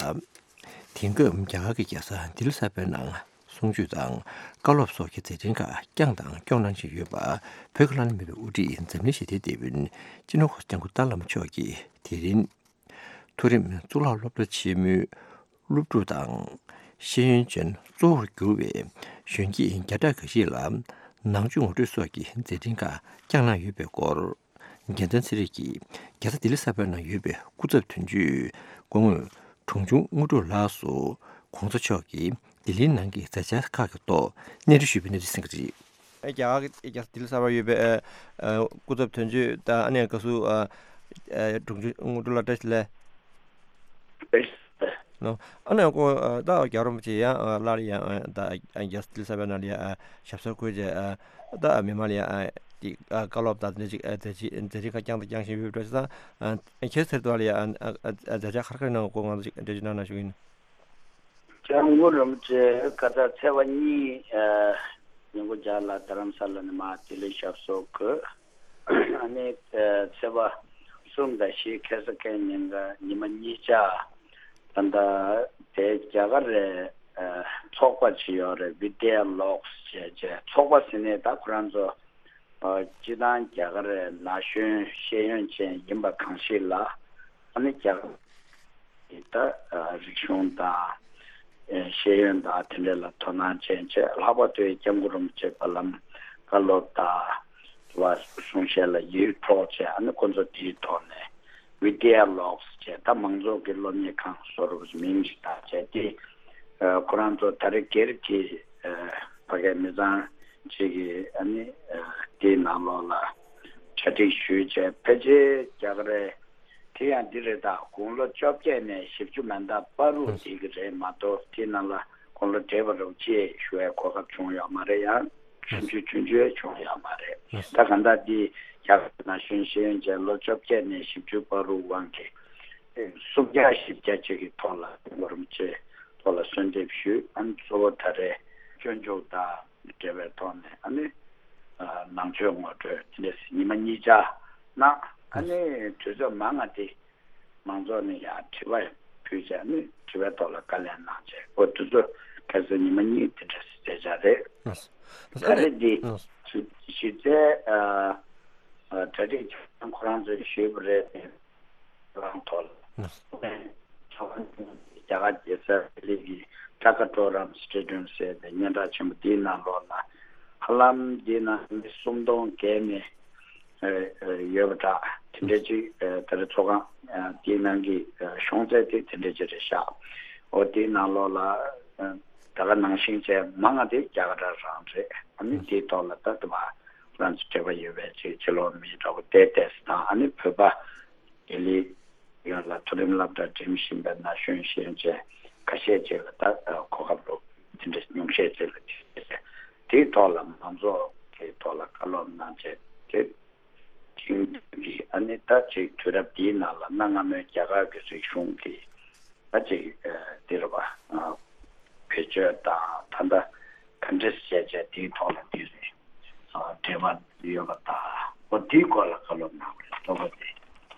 དེང་སྐབས་རྒྱ་གར་གྱི་རྒྱལ་ས་ལྡི་ལི་གསར་པའི་ནང་གསུང་ཆོས་དང་བཀའ་སློབ་སོགས་ཀྱི་མཛད་འཕྲིན་ཁག་བསྐྱངས་དང་སྐྱོང་གནང་བཞིན་ཡོད་པ། བོད་ཀྱི་ལྷ་ནས་མེད་པའི་དབུ་ཁྲིད་འཛམ་གླིང་ཞི་བདེའི་དེད་དཔོན་སྤྱི་ནོར་གོང་ས་སྐྱབས་མགོན་ཏཱ་ལའི་བླ་མ་མཆོག་གིས་དེ་རིང་མཐོ་རིམ་གཙུག་ལག་སློབ་གྲྭ་ཆེན་མོའི་སློབ་ཕྲུག་དང་ཤེས་ཡོན་ཅན་གཙོ་བོར་གྱུར་བའི་གཞོན་སྐྱེས་བརྒྱ་ཕྲག་འགའ་ཞིག་ལ་ ནང་ཆོས་ངོ་སྤྲོད་སོགས་ཀྱི་མཛད་འཕྲིན་ཁག་བསྐྱངས་གནང་ཡོད་པའི་སྐོར། རྒྱལ་མཚན་ཚེ་རིང་གིས་རྒྱལ་ས་ལྡི་ལི་གསར་པའི་ནང་ཡོད་པའི་སྐུ་ཚབ་དོན་གཅོད་སྐུ་ངོ་དྲུང་ཆུང་དངོས་གྲུབ་ལགས་སུ་གོང་ས་མཆོག་གིས་ལྡི་ལིའི་ནང་གི་མཛད་འཆར་ཁག་གི་ཐོག་གནས་འདྲི་ཞུས་པའི་གནས་ཚུལ་གསན་གྱི་རེད། ཨེ་རྒྱ་གར་གྱི་རྒྱལ་ས་ལྡི་ལི་གསར་པར་ཡོད་པའི་ཨ་ཨ་སྐུ་ཚབ་དོན་གཅོད་དང་ཨ་ནེ་བཀའ་ཟུར་ཨ་ཨ་དྲུང་ཆུང་དངོས་གྲུབ་ལགས་བཀྲ་ཤིས་བདེ་ལེགས། ལགས། ཨ་ནེ་ཁོ་ཨ་ད་རྒྱལ་བ་རིན་པོ་ཆེ་ཡང་ཨ་སླར་ཡང་ཨ་ད་ཨ་རྒྱལ་ས་ལྡི་ལི་གསར་པའི་ནང་ལ་ཡང་ཨ་ཞབས་སོར་འཁོད་བྱས་ཨ་ད་མི་མང་ལ་ཡང་ཨ་དེ་ཨ་བཀའ་སློབ་དང་དེ་འདྲ་ཅིག་ཨ་མཛད་རྗེས་མཛད་རྗེས་ཁག་བསྐྱངས་དང་བསྐྱང་བཞིན་ཡོད་པ་འདྲ་ཞིག་དང་ཨ་ཁྱེད་ཚེ་རིང་ལགས་ལ་ཡང་ཨ་ཨ་ཨ་མཛད་འཆར་ག་རེ་ག་རེ་གནང་བ་སྐོར་ང་ཚོ་ཅིག་འགྲེལ་བརྗོད་གནང་གནང་ཞུ་གི་ཡིན། སྐྱབས་མགོན་རིན་པོ་ཆེ་ཁ་སང་ཚེས་པ་གཉིས་ཨ་ཉིན་གུང་རྒྱབ་ལ་རྡ་རམ་ས་ལ་ནས་མར་ལྡི་ལི་ཞབས་སོར་འཁོད། ཨ་ནི་ཨ་ཚེས་པ་གསུམ་དང་བཞི་ཁ་སང་ཁ་ཉིན་ག་ཉི་མ་གཉིས་ཆ་ད་ལྟ་དེ་རྒྱ་གར་རེ་ཨ་ཚོགས་པ་ཅིག་ཡོད་རེད། བི་དི་ཨེ་ལོག་སི་བྱས་བྱས་ཚོགས་པ་ཟེར་ནས་ད་ཁོ་རང་ཚོ་ཨ་སྤྱི་བཏང་རྒྱ་གར་རེ་ན་གཞོན་ཤེས་ཡོན་ཅན་ཡིན་པ་གང་ཞིག་ལ་ཨ་ནི་རྒྱ་གར་གྱི་ད་རིག་གཞུང་དང་ཤེས་ཡོན་དང་དེ་འདྲ་ལ་དོ་སྣང་ཅན་བྱས། ལྷག་པར་དུ་སྐྱབས་མགོན་རིན་པོ་ཆེ་བར་ལམ་བཀའ་སློབ་དང་དུ་བ་གསུང་བཤད་ལ་ཡིད་འཕྲོག་བྱས། ཨ་ནི་ཁོ་ཚོ་དེའི་ཐོག་ནས་བི་དི་ཨེ་ལོག་སི་བྱས་ད་མང་ཚོགས་ཀྱི་སློབ་གཉེར་ཁང་བཟོ་རུབ་མིང་ཞིག་བཏགས་བྱས་ཏེ་ཁོ་རང་ཚོ་ད་རེས་སྒེར་གྱི་ཕ་གའི་མི་ཚང་གཅིག་གིས་ཨ་ནི་དེའི་ནང་ལོགས་ལ་གྲ་སྒྲིག་ཞུས་བྱས་ཕལ་ཆེར་རྒྱ་གར་རེ། དེ་ཡང་འདི་རེད། ད་དགུང་ལོ་བཅོ་བརྒྱད་ནས་བཞི་བཅུ་མན་འདག་བར་དུ་བསྡད་ཀྱི་རེད་མ་གཏོགས་དེ་ནང་ལ་དགུང་ལོ་བགྲེས་པ་རུ་ཅེས་ཞུ་བའི་གོ་སྐབས་བྱུང་ཡོད་མ་རེད། ཡང་ཆུང་ཆུང་ཆུང་ཆུང་བྱུང་ཡོད་མ་རེད། ད་གང་ལྟར་འདི་རྒྱ་གར་ན་གཞོན་ཤེས་ཡོན་ཅན་ལོ་བཅོ་བརྒྱད་ནས་བཞི་བཅུ་བར་དུ་དབང་གིས་སུམ་བརྒྱ་བཞི་བརྒྱ་ཅིག་གི་ཐོག་ལ་སྐྱབས་མགོན་རིན་པོ་ཆེའི་ཐོག་ལ་གསོལ་འདེབས་ཞུས། ཨ་ནི་གཙོ་བོ་ད་རེས་སྤྱོད་འཇུག་དང་འབྲེལ་བའི་ཐོག་ནས་ཨ་ནི་ནང་ཆོས་ངོ་སྤྲོད་དེ་འདྲས་ཉི་མ་གཉིས་ཆ་གནང་། ཨ་ནི་དུས་ཚོད་མང་ང་དེ་མང་ཚོགས་ནས་ཡང་དྲི་བ་ཕུལ་བྱས་ནས་དྲི་བའི་ཐོག་ལ་བཀའ་ལན་གནང་བྱས། ཨོ་དུས་ཚོད་ཁ་སང་ཉི་མ་གཉིས་དེ་འདྲ་ཞིག་བསྡད་བྱ་རེད། ད་རེས་འདི་གཞི་རྩའི་གྲ་སྒྲིག་ཁྱོན་ཁོ་རང་ཚོས་ཞུས་པ་རེད་དེ། རང་ཐོག་ལ། རྒྱ་གར་རྒྱལ་ས་ལྡི་ལི་གི་ཊ་ཀ་ཊོ་རམ་སི་ཊེ་ཌི་ཡམ་ཟེར་བའི་སྙན་གྲགས་ཆེན་པོ་འདིའི་ནང་ལོགས་ལ། ཧ་ལམ་འདིའི་ནང་མི་སུམ་སྟོང་བརྒལ་ནས་ཡོད་པ་འདྲ། དེ་འདྲ་ཅིག་ད་རེས་ཚོགས་ཁང་འདིའི་ནང་གི་གཞུང་ཚད་དེ་དེ་འདྲ་ཅིག་རེད་ཤག་འོ་འདིའི་ནང་ལོགས་ལ་ད་ག་ནང་བཞིན་བྱས་མང་ང་དེ་རྒྱ་གར་རང་རེད། ཨ་ནི་འདིའི་ཐོག་ལ་ད་དུ་མ་ང་ཚོ་འབྲེལ་བ་ཡོད་པའི་ཅིག་ཕྱི་ལོགས་མི་འདྲ་བོ་བལྟས་བལྟས་དང་། ཨ་ནི་བོད་པ་ལྡི་ལི་ཡོངས་ལ་མཐོ་རིམ་སློབ་གྲྭ་འགྲིམ་བཞིན་པའི་ན་གཞོན་ཤེས་ཡོན་ཅན་ཁ་ཤས་ཅིག་ལ་ད་གོ་སྐབས་རོགས་དེ་འདྲ་ཉུང་ཤས་ཅིག་ལ་དེ་དེའི་ཐོག་ལ་མང་ཚོགས་ཀྱི་ཐོག་ལ་བཀའ་སློབ་གནང་བྱས་དེ་དེང་དུས་ཀྱི་ཨ་ནི་ད་ཅིག་དུས་རབས་འདིའི་ནང་ལ་གནའ་སྔ་མོའི་རྒྱ་གར་གྱི་རིག་གཞུང་གི་ད་ཅིག་འདི་རུ་བ་བེད་སྤྱོད་དང་ད་ལྟ་ག་འདྲས་བྱས་བྱས་དེའི་ཐོག་ལ་འདི་རེད། འབྲེལ་བ་ཡོད་པ་དང་འོ་དེའི་སྐོར་ལ་བཀའ་སློབ་གནང་བ་རེད། ལྟོ་གོ་དེ་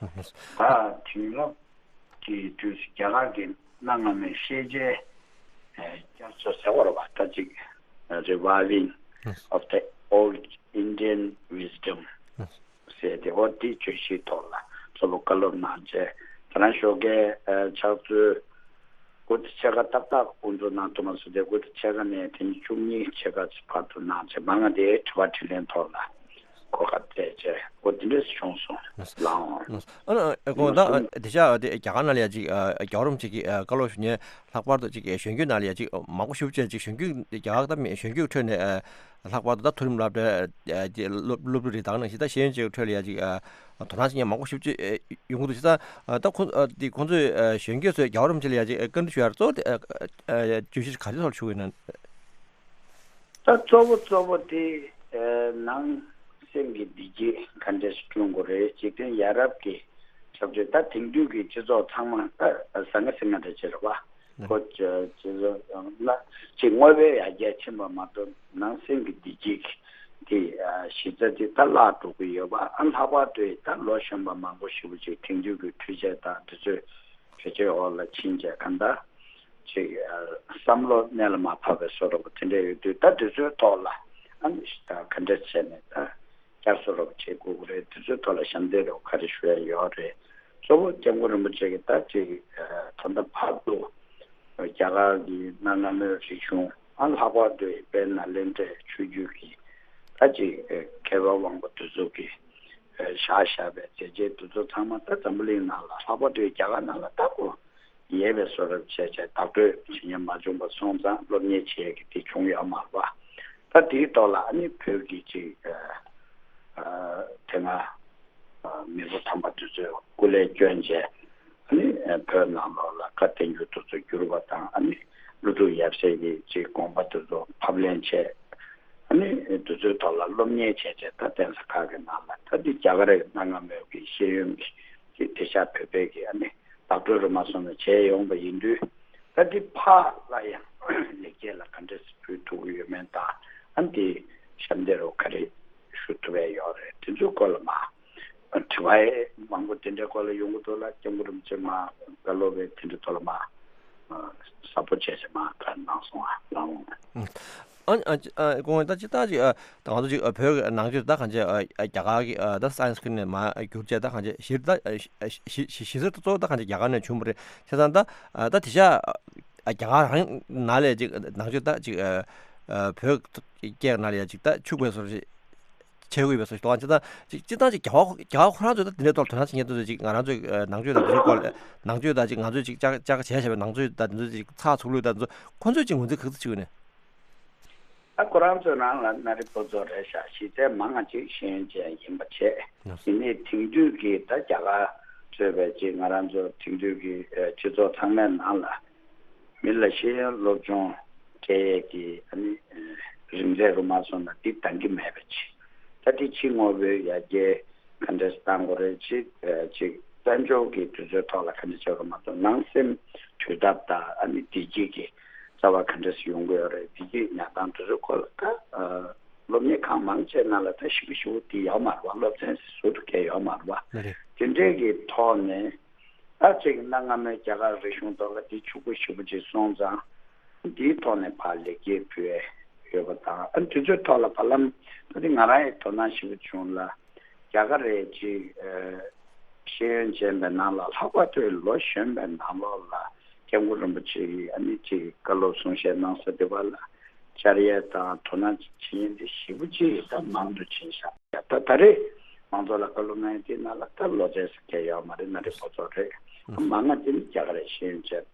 ད་དེང་རབས་ཀྱི་དུས་སུ་རྒྱ་གར་གྱི་གནའ་སྔ་མོའི་ཤེས་བྱའི་བསྐྱར་གསོ་ཟེར་བ་རེད་བ། ད་ཅིག་Reviving of the Old Indian Wisdom ཟེར་ཏེ་འོ་དེའི་བརྗོད་གཞིའི་ཐོག་ལ་གཙོ་བོ་བཀའ་སློབ་གནང་བྱས། ད་རང་ཞོགས་ཀའི་ཕྱག་ཚོད་དགུ་དང་ཕྱེད་ཀ་ཏག་ཏག་དབུ་འཛུགས་གནང་ཐུབ་མ་སོང་སྟེ་དགུ་དང་ཕྱེད་ཀ་ནས་དེ་ནས་བཅུ་གཉིས་ཕྱེད་ཀ་བར་དུ་གནང་བྱས་མང་ང་དེའི་དྲི་བ་དྲིས་ལན་ཐོག་ལ་གོ་སྐབས་སྤྲད་བྱས་འོ་དེ་འདྲས་བྱུང་སོང་། ལགས་འོང་། ཨ་ནི་ཨ་ཁོང་ད་དེ་ཤ་དེ་རྒྱ་གར་ནང་ལ་ཡ་ཅིག་རྒྱལ་བ་རིན་པོ་ཆེ་གི་བཀའ་སློབ་ཞུ་མཁན་ལྷག་པར་དུ་ཅིག་གཞོན་སྐྱེས་ནང་ལ་ཡ་ཅིག་མང་པོ་ཞེ་པོ་ཅིག་གཞོན་སྐྱེས་རྒྱ་གར་ད་མི་གཞོན་སྐྱེས་ཁྲོད་ནས་ལྷག་པར་དུ་ད་མཐོ་རིམ་སློབ་གྲྭ་དེ་སློབ་སློབ་ཕྲུག་རེ་དང་ནང་བཞིན་ད་ཤེས་ཡོན་ཅན་ཁྲོད་ལ་ཡ་ཅིག་དོ་སྣང་བྱེད་མཁན་མང་པོ་ཞེ་པོ་ཅིག་ཡོང་གི་འདུག་ཅིག་ད་ད་ཁོང་དེ་ཁོང་ཚོས་གཞོན་སྐྱེས་ཚོས་རྒྱལ་བ་རིན་པོ་ཆེ་ལ་ཡ་ཅིག་བཀའ་འདྲི་ཞུ་ཡ་གཙོ་བོ་དེ་བརྗོད་གཞི་ག་རེ་ཐོག་ཞུ་གི་ཡིན་ན། ད་གཙོ་བོ་གཙོ་བོ་དེ་ནང་སེམས་ཀྱི་བདེ་སྐྱིད་ག་འདྲས་སྐྲུན་དགོས་རེད། འཇིག་རྟེན་ཡ་རབས་ཀྱི་ཁྱབ་ཆོས་ད་དེང་དུས་ཀྱི་སྤྱི་ཚོགས་ཚང་མ་ད་ཟང་ངེ་ཟིང་ངེ་འདྲ་ཅིག་རེད་བ། ཁོ་སྤྱི་ཚོགས་ལ་ཅིག་དངོས་པོའི་ཡར་རྒྱས་ཕྱིན་པ་མ་གཏོགས་ནང་སེམས་ཀྱི་བདེ་སྐྱིད་དེ་གཞི་རྩ་དེ་ད་བརླག་འགྲོ་གི་ཡོད་པ། ཨ་ལྷག་པར་དུ་ད་ལོ་གཞོན་པ་མང་པོ་ཞེ་པོ་ཅིག་དེང་དུས་ཀྱི་འཕྲུལ་ཆས་དང་དེ་ཚོའི་བེད་སྤྱོད་འོག་ལ་ཕྱིན་བྱས་གང་ལྟར་ཅིག་བསམ་བློ་གནད་ལ་མ་ཕབ་པའི་བཟོ་འདྲ་པོ་དེ་འདྲ་ཡོད་དུས་ད་དེ་ཚོའི་ཐོག་ལ་ཨ་ནི་ག་འདྲ་བྱས་ནས་ད་བསྐྱར་གསོ་འདྲ་པོ་བྱེད་དགོས་ཀྱི་རེད། དེ་ཚོའི་ཐོག་ལ་ཞབས་འདེགས་འདྲ་པོ་ག་རེ་ཞུ་ཡ་ཡོད་རེད། གཙོ་བོ་སྐྱབས་མགོན་རིན་པོ་ཆེ་གིས་ད་ཅིག་ད་ལྟ་བར་དུ་རྒྱ་གར་གྱི་གནའ་སྔ་མོའི་རིག་གཞུང་ཨ་ལྷག་པར་དུ་དཔལ་ནཱ་ལེནྡྲའི་ཆོས་བརྒྱུད་ཀྱི་ད་ ད་ཅིག་མཁས་པ་དབང་པོ་དེ་ཚོ་གིས་བཞག་བཞག་པའི་མཛད་རྗེས་དེ་ཚོ་ཚང་མ་ད་འཛམ་བུ་གླིང་ནང་ལ་ལྷག་པར་དུ་རྒྱ་གར་ནང་ལ་ད་ཁོ་ཡས་པའི་བཟོ་འདྲ་བྱས་བྱས་བདག་སྤྲོད་བྱེད་མཁན་མ་བྱུང་བ་སོང་ཙང་སློབ་གཉེར་བྱེད་ཡས་ཀྱི་དེ་བྱུང་ཡོད་མ་རེད་པ། ད་དེའི་ཐོག་ལ་ཨ་ནི་བོད་ཀྱི་ཅིག་དེ་སྔ་མི་བོ་དམ་པ་དེ་ཚོས་སྐུ་ལས་བསྐྱོན་བྱས་ཨ་ནི་བོད་ནང་ལོགས་ལ་བཀའ་བསྟན་འགྱུར་དེ་ཚོ་བསྒྱུར་བ་དང་ཨ་ནི་ཀླུ་སྒྲུབ་ཡབ་སྲས་ཀྱི་ཅིག་དགོངས་པ་དེ་ཚོ་ཕབ་ལེན་བྱས། ཨ་ནི་དེ་ཚོའི་ཐོག་ལ་སློབ་གཉེར་བྱས་བྱས་ད་གདན་ས་ཁག་གི་ནང་ལ་ད་འདི་རྒྱ་གར་རེད་གནའ་སྔ་མོའི་གི་ཤེས་ཡོན་གྱི་དེ་ཤ་བོད་པའི་གི་ཨ་ནི་བདག་སྤྲོད་རུ་མ་སོང་ནས་བྱས་ཡོང་པ་ཡིན་དུས་ད་འདི་ཕར་ལ་ཡང་ལེགས་སྐྱེས་ལ་ག་འདྲས་སེ་ཕུལ་ཐུབ་ཀྱི་ཡོད་མེད་དང་ཨ་ནི་དེ་ཞབས་འདེགས་རུ་ག་རེ་ཞུ་ཐུབ་པ་ཡོད་རེད། དེ་ཚོའི་སྐོར་ལ་མ་དྲི་བ་མང་པོ་དེ་འདྲའི་སྐོར་ལ་ཡོང་གི་འདུག་ལ། སྐྱབས་མགོན་རིན་པོ་ཆེ་མ་བཀའ་སློབ་པའི་དེ་འདྲའི་ཐོག་ལ་མ་གསལ་པོ་བྱས་བྱས་མ་ག་གནང་སོང་ཨ་ལགས་འོང་། ཨ་ཨ་ཨ་ཁོང་ད་ཅི་ལྟར་ཅིག་ཨ་ད་ང་ཚོ་ཅིག་ཨ་བོད་ཀྱི་ནང་ཆོས་ད་གང་ཅི་ཨ་ཨ་རྒྱ་གར་གྱི་ཨ་ད་སའེན་སི་ཀི་ནས་མ་བསྒྱུར་བྱས་ད་གང་ཅི་གཞི་ད་ཨ་གཞི་གཞི་གཞི་གཞི་རྩ་གཙོ་བོ་ད་གང་ཅི་རྒྱ་གར་ནས་བྱུང་བ་རེད། བྱས་ཙང་ད་ཨ་ད་དེ་ཤ་ཨ་རྒྱ་གར་རང་ནང་ལས་ཅིག་ནང་ཆོས་ད་ཅིག་ཨ་ཨ་བོད་སྐད་ནང་ལས་ཡ་ཅིག་ད་ཕྱུག་པའི་བཟོ་འདྲ་ཞིག་བྱེད་དགོས་པའི་བཟོ་ཞིག་འདུག་ཨ། སྤྱིར་བཏང་ཅིག་སྤྱིར་བཏང་ཅིག་རྒྱ་གར་རྒྱ་གར་ཁོ་རང་ཚོས་ད་དེ་འདྲའི་ཐོག་ལ་དོ་སྣང་བྱེད་མཁན་དེ་ཚོ་ཅིག་ང་རང་ཚོའི་ཨ་ནང་ཆོས་དང་དེ་ཚོའི་སྐོར་ལ་ནང་ཆོས་དང་ཅིག་ང་ཚོས་ཅིག་བཅར་བཅར་བྱས་བྱས་པའི་ནང་ཆོས་དང་དེ་ཚོ་ཅིག་ཚགས་ཚུགས་ལུགས་དང་དེ་ཚོ་ཁོ་ཚོས་ཅིག་ངོས་འཛིན་ག་ཚོད་བྱེད་དགོས་ནས། ད་ཁོ་རང་ཚོའི་ནང་ལ་མངའ་རིས་ཕོ་ཚོགས་རེད་ཤག་གཞི་རྩའི་མང་ང་ཅིག་ཤེས་ཡོན་ཅན་ཡིན་པ་བྱས། ཡིན་ནའི་དེང་དུས་ཀྱི་ད་རྒྱ་གར་གཙོས་པའི་ཅིག་ང་རང་ཚོ་དེང་དུས་ཀྱི་ཨ་སྤྱི་ཚོགས་ཚང་མའི་ནང་ལ། མི་ལ་ཤེས་ཡོན་སློབ་སྦྱོང་སྤྲད་ཡས་ཀྱི་ཨ་ནི་རིམ་ཚད་རུ་མ་སོང་ན་འདི་འདང་གི་མེད་པ་ཅིག་ད་འདི་ཕྱི་དངོས་པོའི་ཡར་རྒྱས་ག་འདྲས་བཏང་དགོས་རེད། ཅིག་ཅིག་དཔལ་འབྱོར་གྱི་དུས་ཚོད་ཐོག་ལ་ག་འདྲས་བྱེད་རུ་མ་སོང་ནང་སེམས་དུས་ཐབས་དང་ཨ་ནི་བདེ་སྐྱིད་ཀྱི་རྩ་བ་ག་འདྲས་ཡོང་གི་ཡོད་རེད། བདེ་སྐྱིད་ཉར་སྟངས་དེ་ཚོའི་སྐོར་ལ་ད་སློབ་གཉེར་ཁང་མང་ཆེ་ནང་ལ་ད་ཞེ་པོ་ཞེ་པོ་འདི་ཡོད་མ་རེད་བ། སློབ་ཚན་ཟུར་དུ་བཀལ་ཡོད་མ་རེད་བ། དེ་འདྲས་ཀྱི་ཐོག་ནས། ད་ཅིག་གནའ་སྔ་མོའི་རྒྱ་གར་རིག་གཞུང་ཐོག་ལ་འདི་ཕྱུག་པོ་ཞེ་པོ་ཅིག་སོང་ཙང་། འདིའི་ཐོག་ནས་ཕར་ལེགས་སྐྱེས་ཕུལ་ཡས་ཡོད་པ་དང་ཨ་དུས་ཚོད་ཐོག་ལ་བར་ལམ་ད་འདི་ང་རང་ཡི་དོ་སྣང་ཞེ་པོ་བྱུང་ལ། རྒྱ་གར་རེད་ཅིག་ཨ་ཤེས་ཡོན་ཅན་པའི་ནང་ལ་ལྷག་པར་དུ་ལོ་གཞོན་པའི་ནང་ལོགས་ལ་སྐྱབས་མགོན་རིན་པོ་ཆེ་ཡིས་ཨ་ནི་ཅིག་བཀའ་སློབ་གསུང་བཤད་གནང་ས་འདི་བ་ལ་བཅར་ཡས་དང་དོ་སྣང་བྱེད་ཡས་འདི་ཞེ་པོ་ཅིག་ད་མང་དུ་ཕྱིན་ཤག་ད་ད་རེས་མང་ཚོགས་ལ་བཀའ་སློབ་གནང་ཡས་དེའི་ནང་ལ་ད་ལོ་ཙཱའི་ཟེར་མཁན་ཡོད་མ་རེད། མངའ་རིས་ཕོ་ཚོགས་རེད། མང་ང་དེ་ནི་རྒྱ་གར་རེད། ཤེས་ཡོན་ཅན་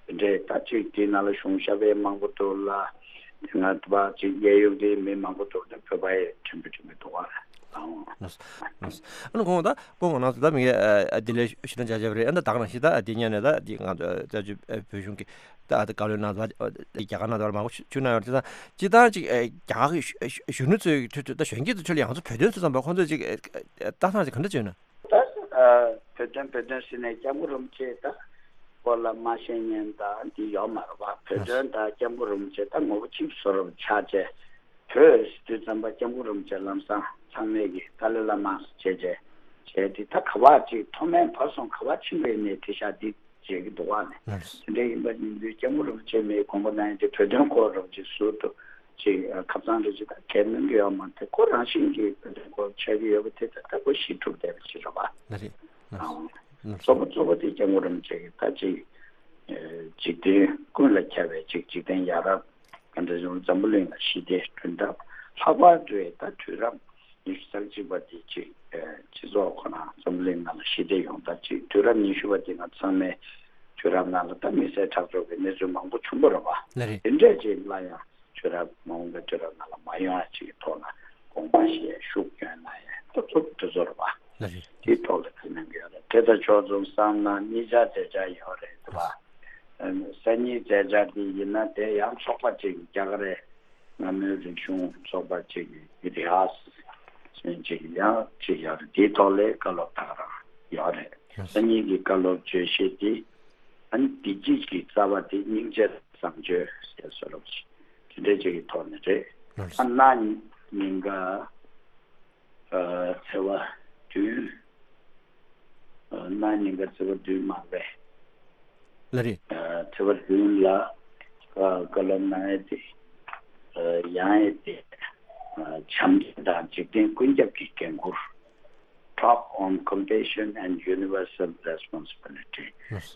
དང་དེ་འདྲའི་ད་ཅིག་དེའི་ནང་ལ་གཞུང་ཞབས་པའི་མང་པོ་འདུག་ལ་དེ་སྔ་བ་ཅིག་གཡས་གཡོན་གྱི་མི་མང་པོ་འདུག་ད་བོད་པ་ཡི་ཕྲན་བུ་ཕྲན་བུ་འདུག་བ་རེད། ཨ་ནི་ཁོང་ད་ཁོང་ནང་སུ་ད་མི་ངས་བདེ་ལེགས་ཞུ་ན་བྱ་བྱ་བ་རེད། ཨ་ད་ད་ག་ནང་བཞིན་ད་དེ་ཉན་ནས་ད་དེ་ང་ཚོ་བོད་གཞུང་གི་ད་ཨ་ད་བཀའ་བློན་གནང་བ་རྒྱ་གར་གནང་བ་མང་པོ་ཞུ་གནང་ཡོད་རེད། ད་སྤྱིར་བཏང་ཅིག་ཨ་རྒྱ་གར་གྱི་གཞོན་གཞོན་ནུ་ཚོའི་ཁྲོད་དུ་ད་གཞོན་སྐྱེས་ཚོའི་ཁྲོད་ལ་ཡང་ཚོ་བོད་དོན་ཚོ་ཙམ་པ་ཁོང་ཚོས་ཅིག་ལྟ་སྟངས་ཅིག་ག་འདྲ་བྱུང་ན། ད་བོད་དོན་བོད་དོན་ཟེར་ནས་སྐྱབས་མགོན་རིན་པོ་ཆེ་ད་སྐོར་ལ་མ་ཤེས་མཁན་ད་འདི་ཡོད་མ་རེད་བ། བོད་དོན་ད་སྐྱབས་མགོན་རིན་པོ་ཆེ་ད་ངོ་བོ་གཅིག་བཟོ་འདྲ་ཆགས་བྱས། བོད་ཟེར་དུས་ཙམ་པ་སྐྱབས་མགོན་རིན་པོ་ཆེ་ལམ་སང་ཚང་མས་ཀྱི་ཏཱ་ལའི་བླ་མ་བྱས་བྱས་བྱས་ཏེ་ད་ག་བ་ཅིག་མཐོ་དམན་བར་གསུམ་ག་བ་ཕྱིན་པའི་ནས་དེ་ཤ་འདི་བྱེད་ཀྱི་འདུག་བ་ནས། དེ་འདྲ་ཡིན་པ་ཡིན་དུས་སྐྱབས་མགོན་རིན་པོ་ཆེ་མིའི་དགོངས་པ་གནང་ཡས་དེ་བོད་དོན་སྐོར་རོགས་ཅིག་ཟུར་དུ་ཅིག་ཁ་སང་རེ་ཅིག་ད་གལ་གནང་གི་ཡོད་མ་རེད། ཁོ་རང་བཞིན་གྱིས་བོད་དོན་སྐོར་ཆགས་ཀྱི་ཡོད་པ་དེ་ད་ལྟ་ཁོ་ཞི་གྲུབ་བསྡད་པ་ཅིག་རེད་བ། ལགས་རེད། ཨང་། གཙོ་བོ་གཙོ་བོ་དེ་སྐྱབས་མགོན་རིན་པོ་ཆེ་གིས་ད་ཅིག་འཇིག་རྟེན་ཀུན་ལ་ཁྱབ་པའི་ཅིག་འཇིག་རྟེན་ཡ་རབས་ག་འདྲ་བྱུང་འཛམ་བུ་གླིང་ལ་ཞི་བདེ་བསྐྲུན་ཐབས། ལྷག་པར་དུ་ད་དུས་རབས་ཉི་ཤུ་རྩ་གཅིག་པ་དེ་ཅིག་སྤྱི་ཚོགས་ཁོ་ན་འཛམ་བུ་གླིང་ནང་ལ་ཞི་བདེ་ཡོང་ཐབས་ཅིག་དུས་རབས་ཉི་ཤུ་པ་དེ་ང་ཚང་མའི་དུས་རབས་ནང་ལ་ད་མི་བསད་ཁྲག་སྦྱོར་གྱི་གནས་ཚུལ་མང་པོ་བྱུང་བ་རེད་བ། ལགས་རེད། དེ་འདྲས་ཅིག་ལ་ཡང་དུས་རབས་མ་འོངས་པའི་དུས་རབས་ནང་ལ་མ་ཡོང་ཡ་ཅིག་གི་ཐོག་ལ་དགོངས་པ་བཞེས་ཤུགས་སྐྱོན་གནང་ཡ་ཏོག་ཙམ་དེ་ཚོ་རེད་བ། ལགས་རེད། དེའི་ཐོག་ལ་ཁས་ལེན་གྱི་ཡོད་རེད། དེ་དང་ཕྱོགས་མཚུངས་བསམ་ན་གཉིས་ཆར་མཛད་འཆར་ཡོད་རེད་བ། སང་ཉིན་མཛད་འཆར་དེ་ཡིན་ན་དེ་ཡང་ཚོགས་པ་གཅིག་རྒྱ་གར་རེད། སྔ་མོའི་རིག་གཞུང་ཚོགས་པ་གཅིག་གི་ཨི་ཏི་ཧཱས་ཟེར་གཅིག་ཡང་གཅིག་ཡོད་རེད། དེའི་ཐོག་ལ་བཀའ་སློབ་ད་ག་རང་ཡོད་རེད། སང་ཉིན་གྱི་བཀའ་སློབ་བརྗོད་གཞི་དེ་ཨ་ནི་བདེ་སྐྱིད་ཀྱི་རྩ་བ་དེ་སྙིང་རྗེ་བཟང་སྤྱོད་ཟེར་བཟོ་འདྲ་ཅིག་དེ་འདྲ་ཅིག་གི་ཐོག་ནས་རེད། ཨ་གནའ་ཉིན་ག་ཚེས་པ་བདུན། གནའ་ཉིན་ག་ཚེས་པ་བདུན་མ་རེད། ལགས་རེད། ཚེས་པ་བདུན་ལ་བཀའ་སློབ་གནང་ཡས་དེ་ཡང་ཡས་དེ་བྱམས་བརྩེ་དང་འཇིག་རྟེན་ཀུན་ཁྱབ་ཀྱི་འགན་ཁུར། Talk on Compassion and Universal Responsibility.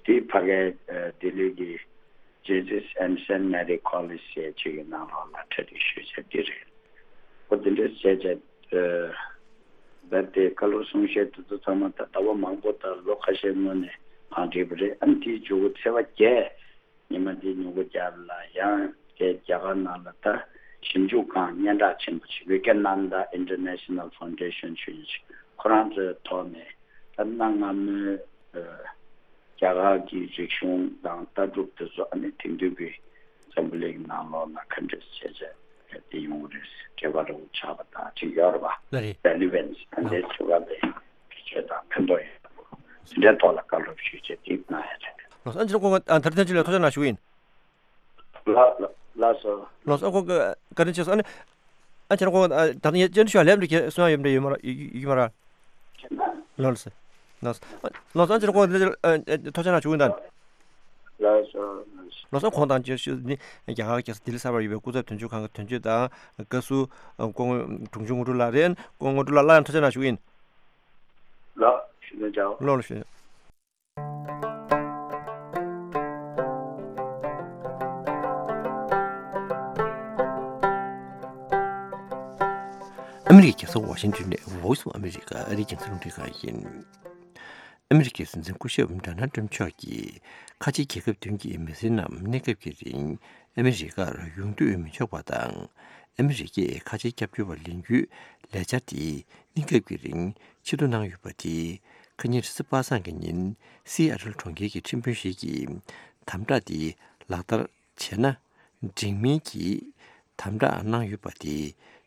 དེ་ཕ་གའི་ལྡི་ལི་གི་Jesus and Saint Mary College ཟེར་ཅིག་གི་ནང་ལོགས་ལ་གྲ་སྒྲིག་ཞུས་བྱས་འདི་རེད། འོ་དེ་འདྲས་བྱས་བྱས། རྦད་དེ་བཀའ་སློབ་གསུང་བཤད་དེ་ཚོ་ཚང་མ་ད་ཟླ་བ་མང་པོ་དང་ལོ་ཁ་ཤས་སྔོན་ནས་གང་བྲིས་པ་རེད། ཨ་ནི་དེའི་མཇུག་གུ་ཚེས་པ་བརྒྱད། ཉི་མ་འདིའི་ཉིན་གུང་རྒྱབ་ལ་ཡང་དེ་རྒྱ་གར་ནང་ལ་ད་ཞིབ་འཇུག་ཁང་སྙན་གྲགས་ཆེན་པོ་ཞིག Vivekananda International Foundation ཞུ་ཡ་ཞིག་ཁོ་རང་ཚོའི་ཐོག་ནས་ད་གནའ་སྔ་མོའི་རྒྱ་གར་གྱི་རིག་གཞུང་དང་ལྟ་གྲུབ་དེ་ཚོ་ཨ་ནི་དེང་དུས་ཀྱི་འཛམ་བུ་གླིང་ནང་ལོགས་ལ་ག་འདྲས་བྱས་བྱས་དེ་ཡོང་གི་རེད། འབྲེལ་བ་རིང་པོ་ཆགས་པ་དང་ཅིག་ཡོད་རེད་པ། ལགས་རེད། Relevance ཨ་འདྲས་བྱུང་བ་ལས་བེད་སྤྱོད་དང་ཕན་ཐོགས་ཡོད་པ་དེ་འདྲའི་ཐོག་ལ་བཀའ་སློབ་ཞུས་བྱས་དེ་གནང་ཡ་རེད། ལགས་སོ། ཨ་ཅེ་ལགས་ཁོང་ཨ་ད་ཐེངས་ཅིག་ལ་ཐུགས་རྗེ་གནང་ཞུ་གི་ཡིན། ལགས་ལགས་ལགས་སོ། ལགས་སོ། ཨ་ཁོང་གི་བཀའ་དྲིན་ཆེ་སོང་། ཨ་ནི་ཨ་ཅེ་ལགས་ཁོང་ཨ་ད་ཐེངས་ཡ་ཅན་ཤོ་ལེབ་འདི་གས་གསུང་ཡ་ཡོད་འདྲ་ཡོད་མ་ར་ཡོད་ཡོད་མ་ར། ལགས་སོ། ལགས་སོ། ལགས་སོ། ཨ་ཅེ་ལགས་ཁོང་ཐུགས་རྗེ་གནང་ཞུ་གི་ཡིན་ད། ལགས་སོ། ལགས་སོ། ཁོང་དང་བཅས་ནི་རྒྱ་གར་རྒྱལ་ས་ལྡི་ལི་གསར་པར་ཡོད་པའི་སྐུ་ཚབ་དོན་གཅོད་ཁང་གི་དོན་གཅོད་དང་བཀའ་ཟུར་སྐུ་ངོ་དྲུང་ཆུང་དངོས་གྲུབ་ལགས་རེད། སྐུ་ངོ་དངོས་གྲུབ་ལགས་སླར་ཡང་ཐུགས་རྗེ་གནང་ཞུ་གི་ཡིན། ལགས་ཞུ་ནས་ཅའོ། ལགས་ལགས་ཞུ། ཨ་མི་རི་ཀའི་རྒྱལ་ས་ཝ་ཤིང་ཏོན་ནས་Voice of America ཨ་རིའི་རྒྱང་སྲིང་རླུང་འཕྲིན་ཁང་ཡིན། ཨ་མི་རི་ཀའི་སྲིད་འཛིན་སྐུ་ཞབས་ཌོ་ནལ་ཊམ་མཆོག་གིས་ཁ་ཆེ་རྒྱལ་ཁབ་བདུན་གྱི་མི་སེར་རྣམས་གནས་སྐབས་ཀྱི་རིང་ཨ་མི་རི་ཀར་ཡོང་འདོད་མི་ཆོག་པ་དང་། ཨ་མི་རི་ཀས་ཁ་ཆེ་སྐྱབས་བཅོལ་བ་ལེན་རྒྱུའི་ལས་འཆར་དེ་གནས་སྐབས་ཀྱི་རིང་ཕྱིར་བསྡུ་གནང་ཡོད་པ་དེ་ཁ་ཉིན་རེས་གཟའ་པ་སངས་ཀྱི་ཉིན་སི་ཨ་ཊལ་གྲོང་ཁྱེར་གྱི་ཁྲིམས་དཔོན་ཞིག་གིས་དམ་དྲག་དེ་ལག་བསྟར་བྱས་ན་འགྲིག་མིན་གྱི་དམ་དྲག་གནང་ཡོད་པ་དེ་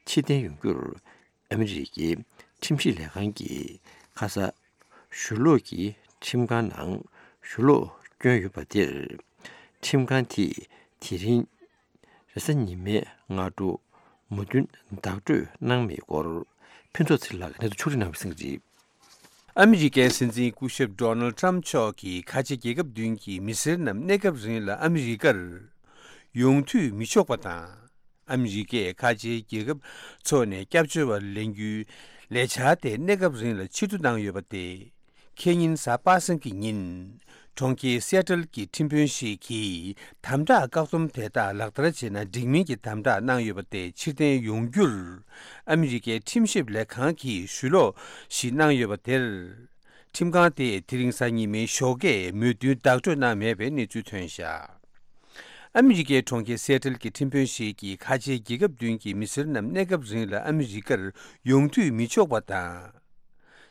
ཕྱིར་འཐེན་ཡོང་རྒྱུར། ཨ་མི་རི་ཀའི་ཁྲིམས་ཞིབ་ལས་ཁང་གིས་ཁ་ས་ཞུ་ལོག་གི་ཁྲིམས་ཁང་ནང་ཞུ་ལོག་བསྐྱོན་ཡོད་པ་དེར། ཁྲིམས་ཁང་དེས་དེ་རིང་རེས་གཟའ་ཉི་མའི་སྔ་དྲོ་མོས་མཐུན་བདག་སྤྲོད་གནང་མེད་སྐོར་ཕུན་ཚོགས་ཚེ་རིང་ལགས་ཀྱིས་གནས་ཚུལ་ཕྱོགས་སྒྲིག་གནང་བའི་གསལ་བསྒྲགས་རེད། ཨ་མི་རི་ཀའི་སྲིད་འཛིན་སྐུ་ཞབས་ཌོ་ནལ་ཊམ་མཆོག་གིས་ཁ་ཆེ་རྒྱལ་ཁབ་བདུན་གྱི་མི་སེར་རྣམས་གནས་སྐབས་རིང་ལ་ཨ་མི་རི་ཀར་ཡོང་འཐུས་མི་ཆོག་པ་དང་། ཨ་མི་རི་ཀས་ཁ་ཆེའི་རྒྱལ་ཁབ་ཚོ་ནས་སྐྱབས་བཅོལ་བ་ལེན་རྒྱུའི་ལས་འཆར་དེ་གནས་སྐབས་རིང་ལ་ཕྱིར་བསྡུ་གནང་ཡོད་པ་དེ། ཁེ་ཉིན་གཟའ་པ་སངས་ཀྱི་ཉིན། གྲོང་ཁྱེར་སི་ཨ་ཊལ་གྱི་ཁྲིམས་དཔོན་ཞིག་གིས་དམ་དྲག་བཀག་སྡོམ་དེ་དག་ལག་བསྟར་བྱས་ན་འགྲིག་མིན་གྱི་དམ་དྲག་གནང་ཡོད་པ་དེ་ཕྱིར་འཐེན་ཡོང་རྒྱུར། ཨ་མི་རི་ཀའི་ཁྲིམས་ཞིབ་ལས་ཁང་གིས་ཞུ་ལོག་ཞིག་གནང་ཡོད་པ་དེར། ཁྲིམས་ཁང་དེས་དེ་རིང་གཟའ་ཉི་མའི་ཞོགས་ཀས་མོས་མཐུན་བདག་སྤྲོད་གནང་མེད་པའི་གནས་ཚུལ་ཐོན་བཞག་ཨ་མི་རི་ཀའི་གྲོང་ཁྱེར་སི་ཨ་ཊལ་གྱི་ཁྲིམས་དཔོན་ཞིག་གིས་ཁ་ཆེའི་རྒྱལ་ཁབ་བདུན་གྱི་མི་སེར་རྣམས་གནས་སྐབས་རིང་ལ་ཨ་མི་རི་ཀར་ཡོང་འཐུས་མི་ཆོག་པ་དང་།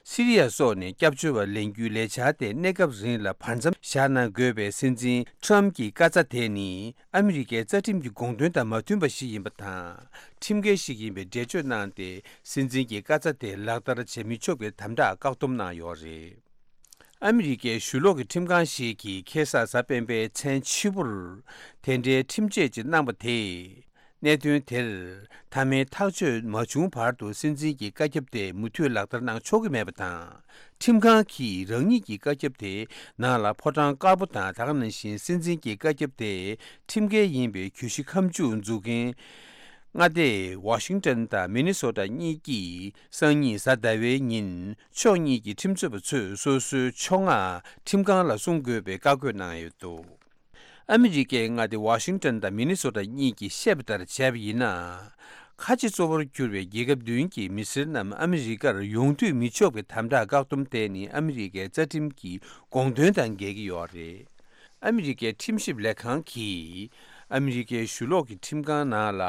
སི་རི་ཡ་སོགས་ནས་སྐྱབས་བཅོལ་བ་ལེན་རྒྱུའི་ལས་འཆར་དེ་གནས་སྐབས་རིང་ལ་བར་མཚམས་བཞག་གནང་དགོས་པའི་སྲིད་འཛིན་ཊམ་གྱི་བཀའ་རྩ་དེ་ནི་ཨ་མི་རི་ཀའི་རྩ་ཁྲིམས་ཀྱི་དགོངས་དོན་དང་མ་མཐུན་པ་ཞིག་ཡིན་པ་དང་། ཁྲིམས་འགལ་ཞིག་ཡིན་པའི་འགྲེལ་བརྗོད་གནང་སྟེ། སྲིད་འཛིན་གྱི་བཀའ་རྩ་དེ་ལག་བསྟར་བྱེད་མི་ཆོག་པའི་དམ་དྲག་བཀག་སྡོམ་གནང་ཡོད་རེད། ཨ་མི་རི་ཀའི་ཞུ་ལོག་གི་ཁྲིམས་ཁང་ཞིག་གིས་ཁ་སང་གཟའ་སྤེན་པའི་མཚན་ཕྱི་པོར་དེ་འདྲའི་ཁྲིམས་ཆད་ཅིག་གནང་པ་དེས། གནད་དོན་དེར་མཐའ་མའི་ཐག་གཅོད་མ་བྱུང་བར་དུ་སྲིད་འཛིན་གྱི་བཀའ་ཁྱབ་དེ་མུ་མཐུད་ལག་བསྟར་གནང་ཆོག་གི་མེད་པ་དང་། ཁྲིམས་ཁང་གིས་རང་ཉིད་ཀྱི་བཀའ་ཁྱབ་དེ་ནང་ལ་ཕོ་བྲང་དཀར་པོ་དང་། ད་ག་ནང་བཞིན་སྲིད་འཛིན་གྱི་བཀའ་ཁྱབ་དེ་ཁྲིམས་འགལ་ཡིན་པའི་གྱོད་གཞི་ཁ་མཆུ་འཛུགས་མཁན། མངའ་སྡེ་ཝ་ཤིང་ཊོན་དང་མི་ནི་སོ་ཊ་གཉིས་ཀྱིས་སང་ཉིན་གཟའ་ཟླ་བའི་ཉིན་ཕྱོགས་གཉིས་ཀྱི་ཁྲིམས་རྩོད་པ་ཚོས་སོ་སོའི་ཕྱོགས་སྔ་ཁྲིམས་ཁང་ལ་གསུང་དགོས་པའི་བཀའ་བཀོད་གནང་ཡོད་འདུག་ཨ་མི་རི་ཀའི་མངའ་སྡེ་ཝ་ཤིང་ཊོན་དང་མི་ནི་སོ་ཊ་གཉིས་ཀྱིས་བཤད་པ་ལྟར་བྱས་པ་ཡིན་ན། ཁ་ཆེ་གཙོ་བོར་གྱུར་བའི་རྒྱལ་ཁབ་བདུན་གྱི་མི་སེར་རྣམས་ཨ་མི་རི་ཀར་ཡོང་འཐུས་མི་ཆོག་པའི་དམ་དྲག་བཀག་སྡོམ་དེ་ནི་ཨ་མི་རི་ཀའི་རྩ་ཁྲིམས་ཀྱི་དགོངས་དོན་དང་འགལ་གྱི་ཡོད་རེད། ཨ་མི་རི་ཀའི་ཁྲིམས་ཞིབ་ལས་ཁང་གིས་ཨ་མི་རི་ཀའི་ཞུ་ལོག་གི་ཁྲིམས་ཁང་ནང་ལ་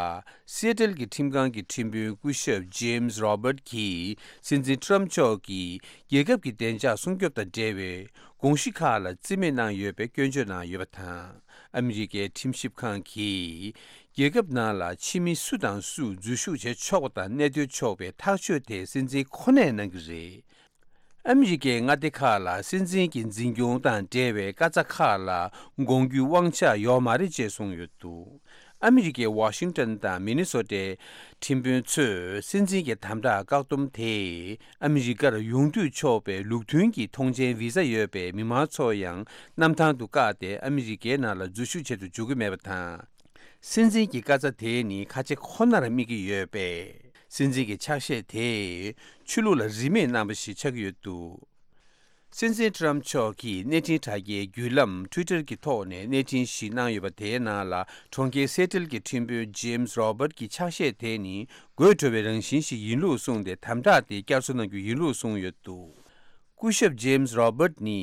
སི་ཨེ་ཊལ་གྱི་ཁྲིམས་ཁང་གི་ཁྲིམས་དཔོན་སྐུ་ཞབས་ཇེམ་སི་རོ་བར་ཊི་གིས་སྲིད་འཛིན་ཊམ་མཆོག་གིས་རྒྱལ་ཁབ་ཀྱི་བདེ་འཇགས་སྲུང་སྐྱོབ་དང་འབྲེལ་བའི་དགོངས་གཞི་ཁག་ལ་རྩིས་མེད་གནང་ཡོད་པའི་སྐྱོན་བརྗོད་གནང་ཡོད་པ་དང་། ཨ་མི་རི་ཀའི་ཁྲིམས་ཞིབ་ཁང་གིས་རྒྱལ་ཁབ་ནང་ལ་ཕྱི་མི་སུ་དང་སུ་འཛུལ་ཞུགས་བྱེད་ཆོག་པ་དང་གནས་སྡོད་ཆོག་པའི་ཐག་གཅོད་དེ་སྲིད་འཛིན་ཁོ་ནས་གནང་གི་རེད། ཨ་མི་རི་ཀའི་མངའ་སྡེ་ཁག་ལ་སྲིད་འཛིན་གྱི་འཛིན་སྐྱོང་དང་འབྲེལ་བའི་བཀའ་རྩ་ཁག་ལ་དགོངས་རྒྱུའི་དབང་ཆ་ཡོད་མ་རེད་ཅེས་གསུངས་ཡོད་འདུག་ཨ་མི་རི་ཀའི་ཝ་ཤིང་ཊོན་དང་མི་ནི་སོ་ཊའི་ཁྲིམས་དཔོན་ཚོས་སྲིད་འཛིན་གྱི་དམ་དྲག་བཀག་སྡོམ་དེས་ཨ་མི་རི་ཀར་ཡོང་འདོད་ཆོག་པའི་ལུགས་མཐུན་གྱི་ཐོངས་མཆན་བི་ཟ་ཡོད་པའི་མི་མང་ཚོ་ཡང་གནམ་ཐང་དུ་བཀག་སྟེ་ཨ་མི་རི་ཀའི་ནང་ལ་འཛུལ་ཞུགས་བྱེད་དུ་འཇུག་གི་མེད་པ་དང་། སྲིད་འཛིན་གྱི་བཀའ་རྩ་དེ་ནི་ཁ་ཆེ་ཁོ་ནར་དམིགས་ཀྱི་ཡོད་པས། སྲིད་འཛིན་གྱི་ཕྱག་བཞེས་དེས་ཆོས་ལུགས་ལ་རིས་མེད་གནང་བ་ཞིག་ཆགས་ཀྱི་ཡོད་འདུག་སྲིད་འཛིན་ཊམ་མཆོག་གིས་གནས་འཕྲིན་དྲ་རྒྱའི་བརྒྱུད་ལམ་Twitter་གྱི་ཐོག་ནས་གནས་འཕྲིན་ཞིག་གནང་ཡོད་པ། དེའི་ནང་ལ་གྲོང་ཁྱེར་སེ་ཊལ་གྱི་ཁྲིམས་དཔོན་James Roberts་གྱི་ཕྱག་བཞེས་དེ་ནི་དགོད་བྲོ་བའི་རང་བཞིན་ཞིག་ཡིན་ལུགས་གསུངས་ཏེ། དམ་དྲག་དེ་བསྐྱར་གསོ་གནང་རྒྱུ་ཡིན་ལུགས་གསུངས་ཡོད་འདུག་སྐུ་ཞབས་James Roberts་ནི་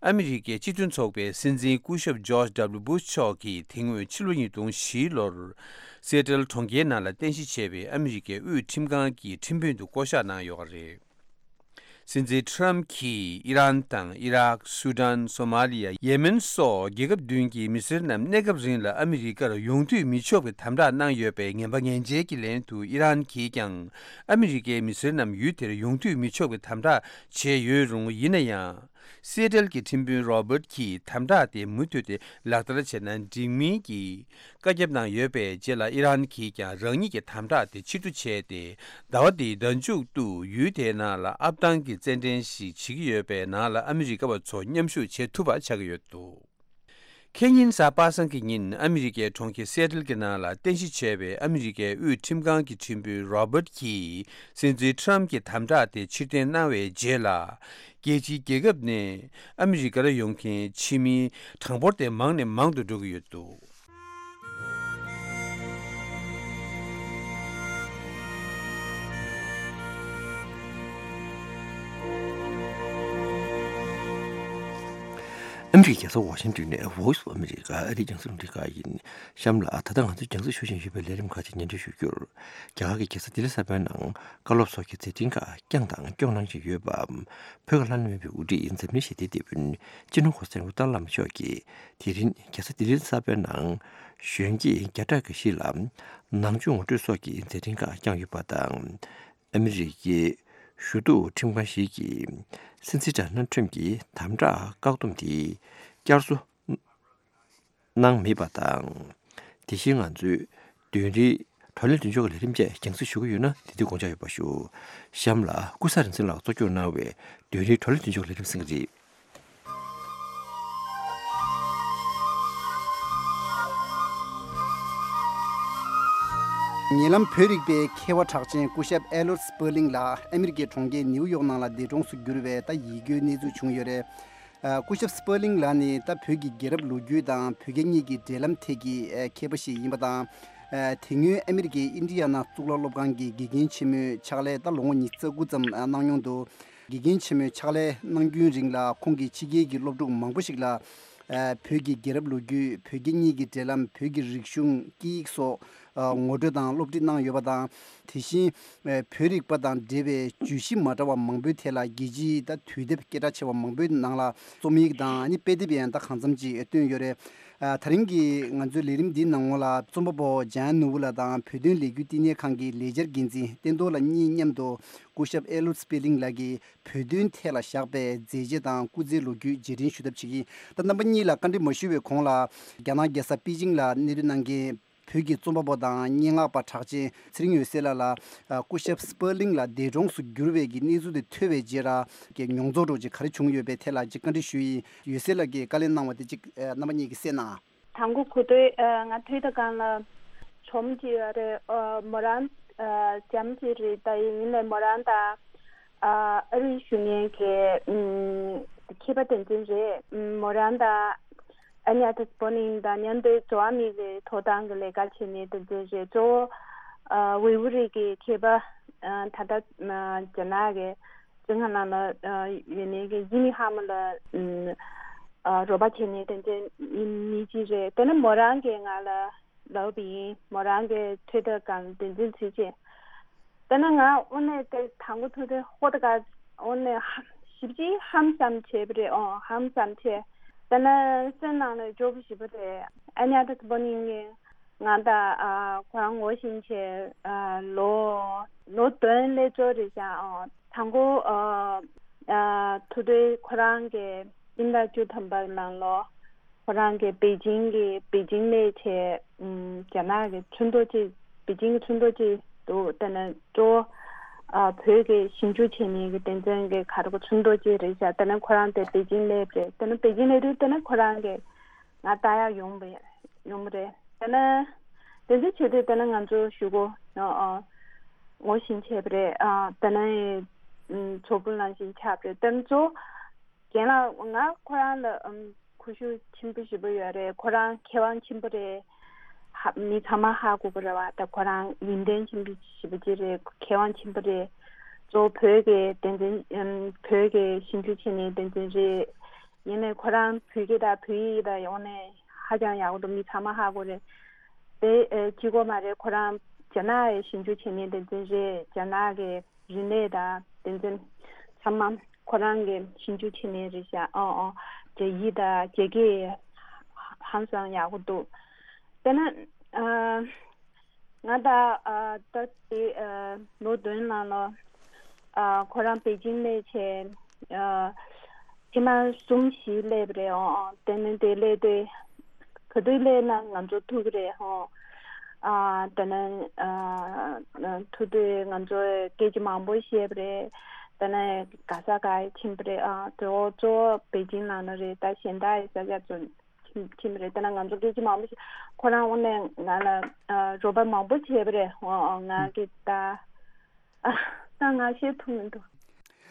ཨ་མི་རི་ཀའི་སྤྱི་མཐུན་ཚོགས་པའི་སྲིད་འཛིན་སྐུ་ཞབས་George W Bush་མཆོག་གིས་དེ་སྔོན་ཕྱི་ལོ་ཉིས་སྟོང་བཞི་ལོར་སེ་ཊལ་གྲོང་ཁྱེར་ནང་ལ་རྟེན་གཞི་བྱས་པའི་ཨ་མི་རི་ཀའི་དབུས་ཁྲིམས་ཁང་གི་ཁྲིམས་དཔོན་དུ་བསྐོ་གཞག་གནང་ཡོད་པ་རེད། སྲིད་འཛིན་ཊམ་གྱིས་ཨི་རན་དང་ཨི་རག་སུ་དཱན། སོ་མ་ལི་ཡ། ཡེ་མེན་སོགས་རྒྱལ་ཁབ་བདུན་གྱི་མི་སེར་རྣམས་གནས་སྐབས་རིང་ལ་ཨ་མི་རི་ཀར་ཡོང་འདོད་མི་ཆོག་པའི་དམ་དྲག་གནང་ཡོད་པའི་ངན་པ་ངན་འཇལ་གྱི་ལན་དུ། ཨི་རན་གྱིས་ཀྱང་ཨ་མི་རི་ཀའི་མི་སེར་རྣམས་ཡུལ་དེར་ཡོང་འདོད་མི་ཆོག་པའི་དམ་དྲག་བྱས་ཡོད་རུང་། ཡིན་ན་ཡང་། སེ་ཊལ་གྱི་ཁྲིམས་དཔོན་རོ་བརྟ་གྱིས་དམ་དྲག་དེ་མུ་མཐུད་དེ་ལག་བསྟར་བྱས་ན་འགྲིག་མིན་གྱི་བཀའ་ཁྱབ་གནང་ཡོད་པའི་རྗེས་ལ། ཨི་རན་གྱིས་ཀྱང་རང་ཉིད་ཀྱི་དམ་དྲག་དེ་ཕྱིར་བསྡུ་བྱས་ཏེ། ཟླ་བ་འདིའི་ཟླ་མཇུག་ཏུ་ཡུལ་དེའི་ནང་ལ་ཨབ་སྟངས་ཀྱི་རྩེད་འགྲན་ཞིག་བྱེད་ཀྱི་ཡོད་པས། ནང་ལ་ཨ་མི་རི་ཀ་བ་ཚོ་མཉམ་ཞུགས་བྱེད་ཐུབ་པ་ཆགས་ཀྱི་ཡོད་འདུག་ཁེ་ཉིན་གཟའ་པ་སངས་ཀྱི་ཉིན་ཨ་མི་རི་ཀའི་གྲོང་ཁྱེར་སེ་ཊལ་གྱི་ནང་ལ་རྟེན་གཞི་བྱས་པའི་ཨ་མི་རི་ཀའི་དབུས་ཁྲིམས་ཁང་གི་ཁྲིམས་དཔོན་རོ་བརྟ་གྱིས་སྲིད་འཛིན་ཊམ་གྱི་དམ་དྲག་དེ་ཕྱིར་འཐེན་གནང་བའི་རྗེས་ལ། རྒྱལ་སྤྱིའི་རྒྱལ་ཁབ་ནས་ཨ་མི་རི་ཀར་ཡོང་མཁན་ཕྱི་མིའི་གྲངས་འབོར་དེ་མང་ནས་མང་དུ་འགྲོ་གི་ཡོད་འདུག་ཨ་མི་རི་ཀའི་རྒྱལ་ས་ཝ་ཤིང་ཏོན་ནས་Voice of America་ཨ་རིའི་རྒྱང་སྲིང་རླུང་འཕྲིན་ཁང་ཡིན། གཤམ་ལ་ད་ལྟ་ང་ཚོས་རྒྱང་སྲིང་ཞུ་བཞིན་ཡོད་པའི་ལས་རིམ་ཁག་ཅིག་སྙན་སྒྲོན་ཞུ་རྒྱུར། རྒྱ་གར་གྱི་རྒྱལ་ས་ལྡི་ལི་གསར་པའི་ནང་བཀའ་སློབ་སོགས་ཀྱི་མཛད་འཕྲིན་ཁག་བསྐྱངས་དང་སྐྱོང་གནང་བཞིན་ཡོད་པ། བོད་ཀྱི་ལྷ་ནུབ་མོན་པའི་དབུ་ཁྲིད་འཛམ་གླིང་ཞི་བདེའི་དེད་དཔོན་སྤྱི་ནོར་གོང་ས་སྐྱབས་མགོན་ཏཱ་ལའི་བླ་མ་མཆོག་གིས་དེ་རིང་རྒྱལ་ས་ལྡི་ལི་གསར་པའི་ནང་གཞོན་སྐྱེས་བརྒྱ་ཕྲག་གི་གཞིས་ལ་ནང་ཆོས་ངོ་སྤྲོད་སོགས་ཀྱི་མཛད་འཕྲིན་ཁག་བསྐྱངས་ཡོད་པ་དང་། ཨ་མི་རི་ཀའི་ཞུ་གཏུག་ཁྲིམས་ཁང་ཞིག་གིས་སྲིད་འཛིན་ཌོ་ནལ་ཊམ་གྱི་དམ་དྲག་བཀག་སྡོམ་དེ་བསྐྱར་གསོ་གནང་མེད་པ་དང་། དེ་བཞིན་ང་ཚོས་དོན་རིག་བགྲོ་གླེང་མདུན་ལྕོག་གི་ལས་རིམ་བཅས་རྒྱང་སྲིང་ཞུ་གི་ཡོད་ན། དེ་དུས་དགོངས་འཇགས་ཡོད་པ་ཞུ། གཤམ་ལ་ཀུན་བཟང་རིག་འཛིན་ལགས་གཙོ་སྐྱོང་གནང་བའི་དོན་རིག་བགྲོ་གླེང་མདུན་ལྕོག་ལས་རིམ་གསན་གྱི་རེད། ཉེ་ལམ་བོད་རིག་པའི་མཁས་པ་གྲགས་ཅན་སྐུ་ཞབས་ཨེ་ལོར་སི་པར་ལིང་ལགས་ཨ་མི་རི་ཀའི་གྲོང་ཁྱེར་ནེའུ་ཡོག་ནང་ལ་འདས་གྲོངས་སུ་གྱུར་བའི་ད་ཡིད་སྐྱོའི་གནས་ཚུལ་བྱུང་ཡོད་རེད། ཨ། སྐུ་ཞབས་སི་པར་ལིང་ལགས་ནི་ད་བོད་ཀྱི་རྒྱལ་རབས་ལོ་རྒྱུས་དང་བོད་རྒྱ་གཉིས་ཀྱི་འབྲེལ་ལམ་ཐད་ཀྱི་ཨ་མཁས་པ་ཞིག་ཡིན་པ་དང་། ཨ། དེ་སྔོན་ཨ་མི་རི་ཀའི་ཨིན་ཌི་ཡ་ན་གཙུག་ལག་སློབ་ཁང་གི་དགེ་རྒན་ཆེན་མོའི་ཕྱག་ལས་ད་ལོ་ངོ་ཉི་ཤུ་རྩ་དགུ་ཙམ་ཨ་གནང་མྱོང་འདུག་དགེ་རྒན་ཆེན་མོའི་ཕྱག་ལས་གནང་རྒྱུན་རིང་ལ་ཁོང་གིས་ཕྱི་རྒྱལ་གྱི་སློབ་ཕྲུག་མང་པོ་ཞིག་ལ་ཨ་བོད་ཀྱི་རྒྱལ་རབས་ལོ་རྒྱུས། བོད་རྒྱ་གཉིས་ཀྱི་འབྲེལ་ལམ། བོད་ཀྱི་རིག་གཞུང་། སྐད་ཡིག་སོགས་ཨ་ངོ་སྤྲོད་དང་སློབ་ཁྲིད་གནང་ཡོད་པ་དང་། དེ་བཞིན་ཨ་བོད་རིག་པ་དང་འབྲེལ་བའི་བརྗོད་གཞི་མ་འདྲ་བ་མང་པོའི་ཐད་ལ་རྒྱལ་སྤྱིའི་ད་དུས་དེབ་སྐད་གྲགས་ཆེ་བ་མང་པོའི་ནང་ལ་རྩོམ་ཡིག་དང་ཨ་ནི་དཔེ་དེབ་ཡང་ད་གང་འཚམ་ཅིག་བཏོན་ཡོད་རེད། ཨ་དེ་རིང་གི་ང་ཚོའི་ལས་རིམ་འདིའི་ནང་ལོགས་ལ་རྩོམ་པ་པོ་འཇམ་དབྱངས་ནོར་བུ་ལགས་དང་བོད་དོན་ལས་འགུལ་བསྟི་གནས་ཁང་གི་ལས་འཆར་འགན་འཛིན་བསྟན་རྡོར་ལགས་གཉིས་མཉམ་དུ་སྐུ་ཞབས་ཨེ་ལོར་སི་པར་ལིང་ལགས་ཀྱི་བོད་དོན་ཐད་ལ་བཞག་པའི་མཛད་རྗེས་དང་སྐུ་ཚེའི་ལོ་རྒྱུས་རྗེས་དྲན་ཞུ་ཐབས་བྱེད་ཀྱི་ཡིན། ད་རྣམ་པ་གཉིས་ལ་བཀའ་འདྲི་མ་ཞུ་བའི་གོང་ལ་རྒྱ་ནག་རྒྱལ་ས་པེ་ཅིང་ལ་གནས་སྡོད་གནང་མཁན་བོད་ཀྱི་རྩོམ་པ་པོ་དང་སྙན་ངག་པ་གྲགས་ཅན་ཚེ་རིང་འོད་ཟེར་ལགས་ལ་སྐུ་ཞབས་སི་པར་ལིང་ལགས་འདས་གྲོངས་སུ་གྱུར་བའི་གི་གནས་ཚུལ་དེ་ཐོས་པའི་རྗེས་ར་གི་མྱོང་ཚོར་འདྲ་བོ་ཅིག་ག་རེ་བྱུང་ཡོད་པའི་ཐད་ལ་ཅིག་བཀའ་འདྲི་ཞུ་ཡི་ཡིན། འོད་ཟེར་ལགས་ཀྱིས་བཀའ་ལན་གནང་བ་དེ་ཅིག་རྣམ་པ་གཉིས་ཀྱིས་གསན་གནང་། དང་པོ་གོ་ཐོས། ཨ། ང་ཐོས་དང་སྒང་ལ་ཇོ་མོ་ཅིག་ཡོད་རེད། ཨ། མོ་རང་། ཨ། ཇོ་མོ་ཅིག་རེད། ད་ཡིན་ནའི་མོ་རང་དང་། ཨ། ཨ་རིར་བཞུགས་མཁན་གྱི། ཨམ། མཁས་པ་དེ་ཚོ་རེད། ཨམ། མོ་རང་དང་ཨ་ནི་ཨ་ཏི་སི་པོ་ནིང་དང་མཉམ་དུ་འགྲོ་བ་མིའི་གི་ཐོབ་ཐང་གི་ལས་ཀ་བྱེད་མཁན་དེ་ཚོ་རེད། གཙོ་བོ། ཨ། ཝེ་ཝུ་རི་གི་མཁས་པ། ཨ། ད་ལྟ། ཨ། རྒྱ་ནག་གི་ཙིན་ཧྭ་ནང་ལ། ཨ། ཡོད་མཁན་གྱི་ཡི་མི་ཧ་མ་ལ། ཨམ། ཨ། རོགས་པ་བྱེད་མཁན་དེ་ཚོ་མི་གཅིག་རེད། དེ་ནས་མོ་རང་གིས་ང་ལ་ལབ་པ་ཡིན། མོ་རང་གིས་ཐོས་དང་སྒང་དེ་ཚོ་བྱས་རྗེས། དེ་ནས་ང་དངོས་གནས་དེ་དང་པོ་ཐོས་དུས་ཧོ་ད་ག་དངོས་གནས་ཧ། ཞེ་པོ་ཅིག་ཧམ་བསམ་བྱས་པ་རེད། ཨོ། ཧམ་བསམ་བྱས། དེ་ནས་སེམས་ནང་ལ་སྐྱོ་པོ་ཞེ་པོ་རེད། ཨ་ནི་ཨ་ཏི་སི་པོ་ནིང་གིས་ང་དང་། ཨ། ཁོ་རང་ངོ་ཤེས་བྱས། ཨ། ལོ། ལོ་བདུན་སླེབས་ཚར་རེད་ཤག་ཨོ། དང་པོ། ཨ། ཨ། ཐུག་དུས་ཁོ་རང་གི་སྤྱི་ཟླ་བཅུ་ཐམ་པ་ནང་ལོགས་ཁོ་རང་གི་པེ་ཅིང་གི། པེ་ཅིང་སླེབས་བྱས། ཨམ། རྒྱ་ནག་གི་ཚོགས་འདུ་ཅིག་པེ་ཅིང་གི་ཚོགས་འདུ་ཅིག་འདུག་དེ་ནས་གཙོ་བོ། ཨ། བོད་ཀྱི་ཞིབ་འཇུག་བྱེད་མཁན་གྱི་དེ་ཚོའི་གི་ག་རེ་གི་ཚོགས་འདུ་ཅིག་རེད་ཤག་དེ་ནས་ཁོ་རང་དེ་པེ་ཅིང་སླེབས་རེད། དེ་ནས་པེ་ཅིང་སླེབས་དུས་དེ་ནས་ཁོ་རང་གིས་ང་ལྟ་ཡག་ཡོང་བ། ཡོང་བ་རེད། དེ་ནས་དེ་ཚོ་བྱེད་དུས་དེ་ནས་ང་ཚོ་གཞུག་གུ། ཨ། ཨ། ངོ་ཤེས་བྱས་པ་རེད། ཨ། དེ་ནས། ཨམ། གྲོགས་པོ་ནང་བཞིན་ཆགས་པ་རེད། དེ་ཚོ། རྒན་ལགས་ང་ཁོ་རང་ལ་ཨམ་གུས་ཞབས་ཆེན་པོ་ཞེ་པོ་ཡོད་རེད། ཁོ་རང་མཁས་དབང་ཆེན་པོ་རེད། ཧ་མི་ཚང་མ་ཧ་གོ་གི་རེད་བ། ད་ཁོ་རང་ཡོན་ཏན་ཆེན་པོ་ཞེ་པོ་ཅིག་རེད། མཁས་དབང་ཆེན་པོ་རེད། གཙོ་བོ་བོད་ཀྱི་བསྟན་འཛིན་ཨམ་བོད་ཀྱི་ཞིབ་འཇུག་བྱེད་མཁན་བསྟན་འཛིན་རེད། ཡིན་ནའི་ཁོ་རང་བོད་སྐད་དང་བོད་ཡིག་དང་ཡོང་ནས་ཧ་ཅང་ཡག་པོ་འདུག་མི་ཚང་མ་ཧ་གོ་རེད། དེ་ཨེ་གཅིག་པོ་མ་རེད། ཁོ་རང་རྒྱ་ནག་ཡི་ཞིབ་འཇུག་བྱེད་མཁན་བསྟན་འཛིན་རེད། རྒྱ་ནག་གི་རིག་གནས་དང་བསྟན་འཛིན་ཚང་མ་ཁོ་རང་གི་ཞིབ་འཇུག་བྱེད་མཁན་རེད་ཤག་ཨོ་ཨོ་རྒྱ་ཡིག་དང་རྒྱ་སྐད་ཧང་སང་ཡག་པོ་འདུག་དཔེར་ན་ཨ་ང་ད་ཨ་ད་དེ་ཨ་ལོ་བདུན་ནང་ལ་ཨ་ཁོ་རང་པེ་ཅིང་སླེབས་བྱས་ཨ་ཕྱི་མ་གསུམ་བཞི་སླེབས་པ་རེད། ཨོ་ཨོ་དེ་ནས་དེ་སླེབས་དུས་ག་དུས་སླེབས་ན་ང་ཚོ་ཐུག་གི་རེད། ཨོ་ཨ་དེ་ནས་ཨ་ཐུག་དུས་ང་ཚོས་སྐད་ཆ་མང་པོ་བཤད་པ་རེད། དེ་ནས་ག་ས་ག་ཕྱིན་པ་རེད། ཨ་དེ་འོ་གཙོ་བོ་པེ་ཅིང་ནང་ལ་རེད། ད་གཞན་དག་ཡི་ས་ཆ་ཚོ་ཁྱིམ་ཁྱིམ་རེད། དེ་ན་ང་ཚོ་སྐད་ཆ་མང་པོ་ཞིག་ཁོ་རང་དངོས་གནས་ང་ལ་ཨ་རོགས་པ་མང་པོ་བྱས་པ་རེད། ཨོ་ཨོ་ང་གི་ད་ཨ་ད་ང་བཤད་ཐུབ་མི་འདུག་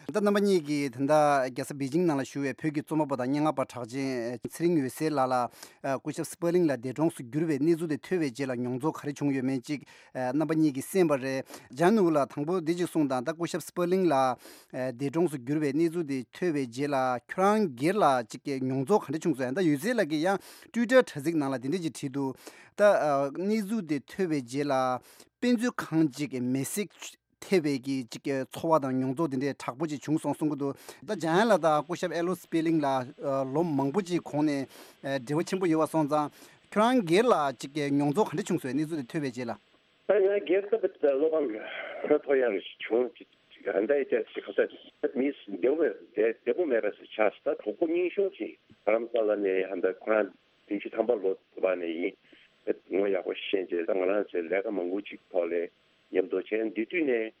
ད་རྣམ་པ་གཉིས་ཀྱིས་ད་ལྟ་རྒྱལ་ས་པེ་ཅིང་ནང་ལ་བཞུགས་པའི་བོད་ཀྱི་རྩོམ་པ་པོ་དང་སྙན་ངག་པ་གྲགས་ཅན་ཚེ་རིང་འོད་ཟེར་ལགས་ལ་ཨ་སྐུ་ཞབས་སི་པར་ལིང་ལགས་འདས་གྲོངས་སུ་གྱུར་བའི་གནས་ཚུལ་དེ་ཐོས་པའི་རྗེས་ལ་མྱོང་ཚོར་ག་རེ་བྱུང་ཡོད་མེད་ཅིག་ཨ་རྣམ་པ་གཉིས་ཀྱིས་གསན་པ་རེད། ལྗང་ནུ་ལགས་དང་པོ་འདི་ཅིག་གསུངས་དང་། ད་སྐུ་ཞབས་སི་པར་ལིང་ལགས་ཨ་འདས་གྲོངས་སུ་གྱུར་བའི་གནས་ཚུལ་དེ་ཐོས་པའི་རྗེས་ལ་ཁྱོད་རང་སྒེར་ལ་ཅིག་གི་མྱོང་ཚོར་ག་འདྲ་བྱུང་སོང་། ཡང་ད་འོད་ཟེར་ལགས་ཀྱིས་ཡང་ཊུའི་ཊར་དྲ་ཚིགས་ནང་ལ་འདི་འདྲ་ཅིག་བྲིས་འདུག་ད་ཨ་གནས་ཚུལ་དེ་ཐོས་པའི་རྗེས་ལ་དཔེ་མཛོད་ཁང་ཅིག་གི་མེ་བསྲེགས་ཐེབས་པའི་གི་ཅིག་གི་ཚོར་བ་དང་མྱོང་ཚོར་དེ་འདྲའི་དྲག་པོ་ཅིག་བྱུང་སོང་གསུང་གི་འདུག་ད་འཇམ་དབྱངས་ལགས་དང་སྐུ་ཞབས་ཨེ་ལོ་སི་པེར་ལིང་ལགས་ཨ་ལོ་མང་པོ་ཅིག་གོང་ནས་ཨ་འབྲེལ་བ་ཆེན་པོ་ཡོད་པ་སོང་ཙང་། ཁྱོད་རང་སྒེར་ལ་ཅིག་གི་མྱོང་ཚོར་ག་འདྲ་བྱུང་སོང་། གནས་ཚུལ་དེ་ཐོས་པའི་རྗེས་ལ། ད་ང་སྒེར་ཐོབ་པའི་བློ་ཕམ་ཧ་ཐོ་ཡང་བྱུང་། ཅིག་ཅིག་ཨ་འདྲ་ཡི་ཅག་ཅིག་ཁ་ཚ་མི་བདེ་པོ་བདེ་བདེ་པོ་མེད་པ་ཞིག་ཆགས་སོང་། ད་གྲོགས་པོ་རྙིང་གཞུང་ཅིག་རྡ་རམ་ས་ལ་ནས་ཨ་འདྲ་ཁོ་རང་བདུན་ཅུ་ཐམ་པ་ལོ་བ་ནས་ཡིན། ངོ་ཡག་པོ་ཤེས་རྗེས་ད་ང་རང་ཚོའི་ལས་ཀ་མང་པོ་ཅིག་ཐོག་ལས་མཉམ་དུ་བྱས། འདི་དུས་ནས་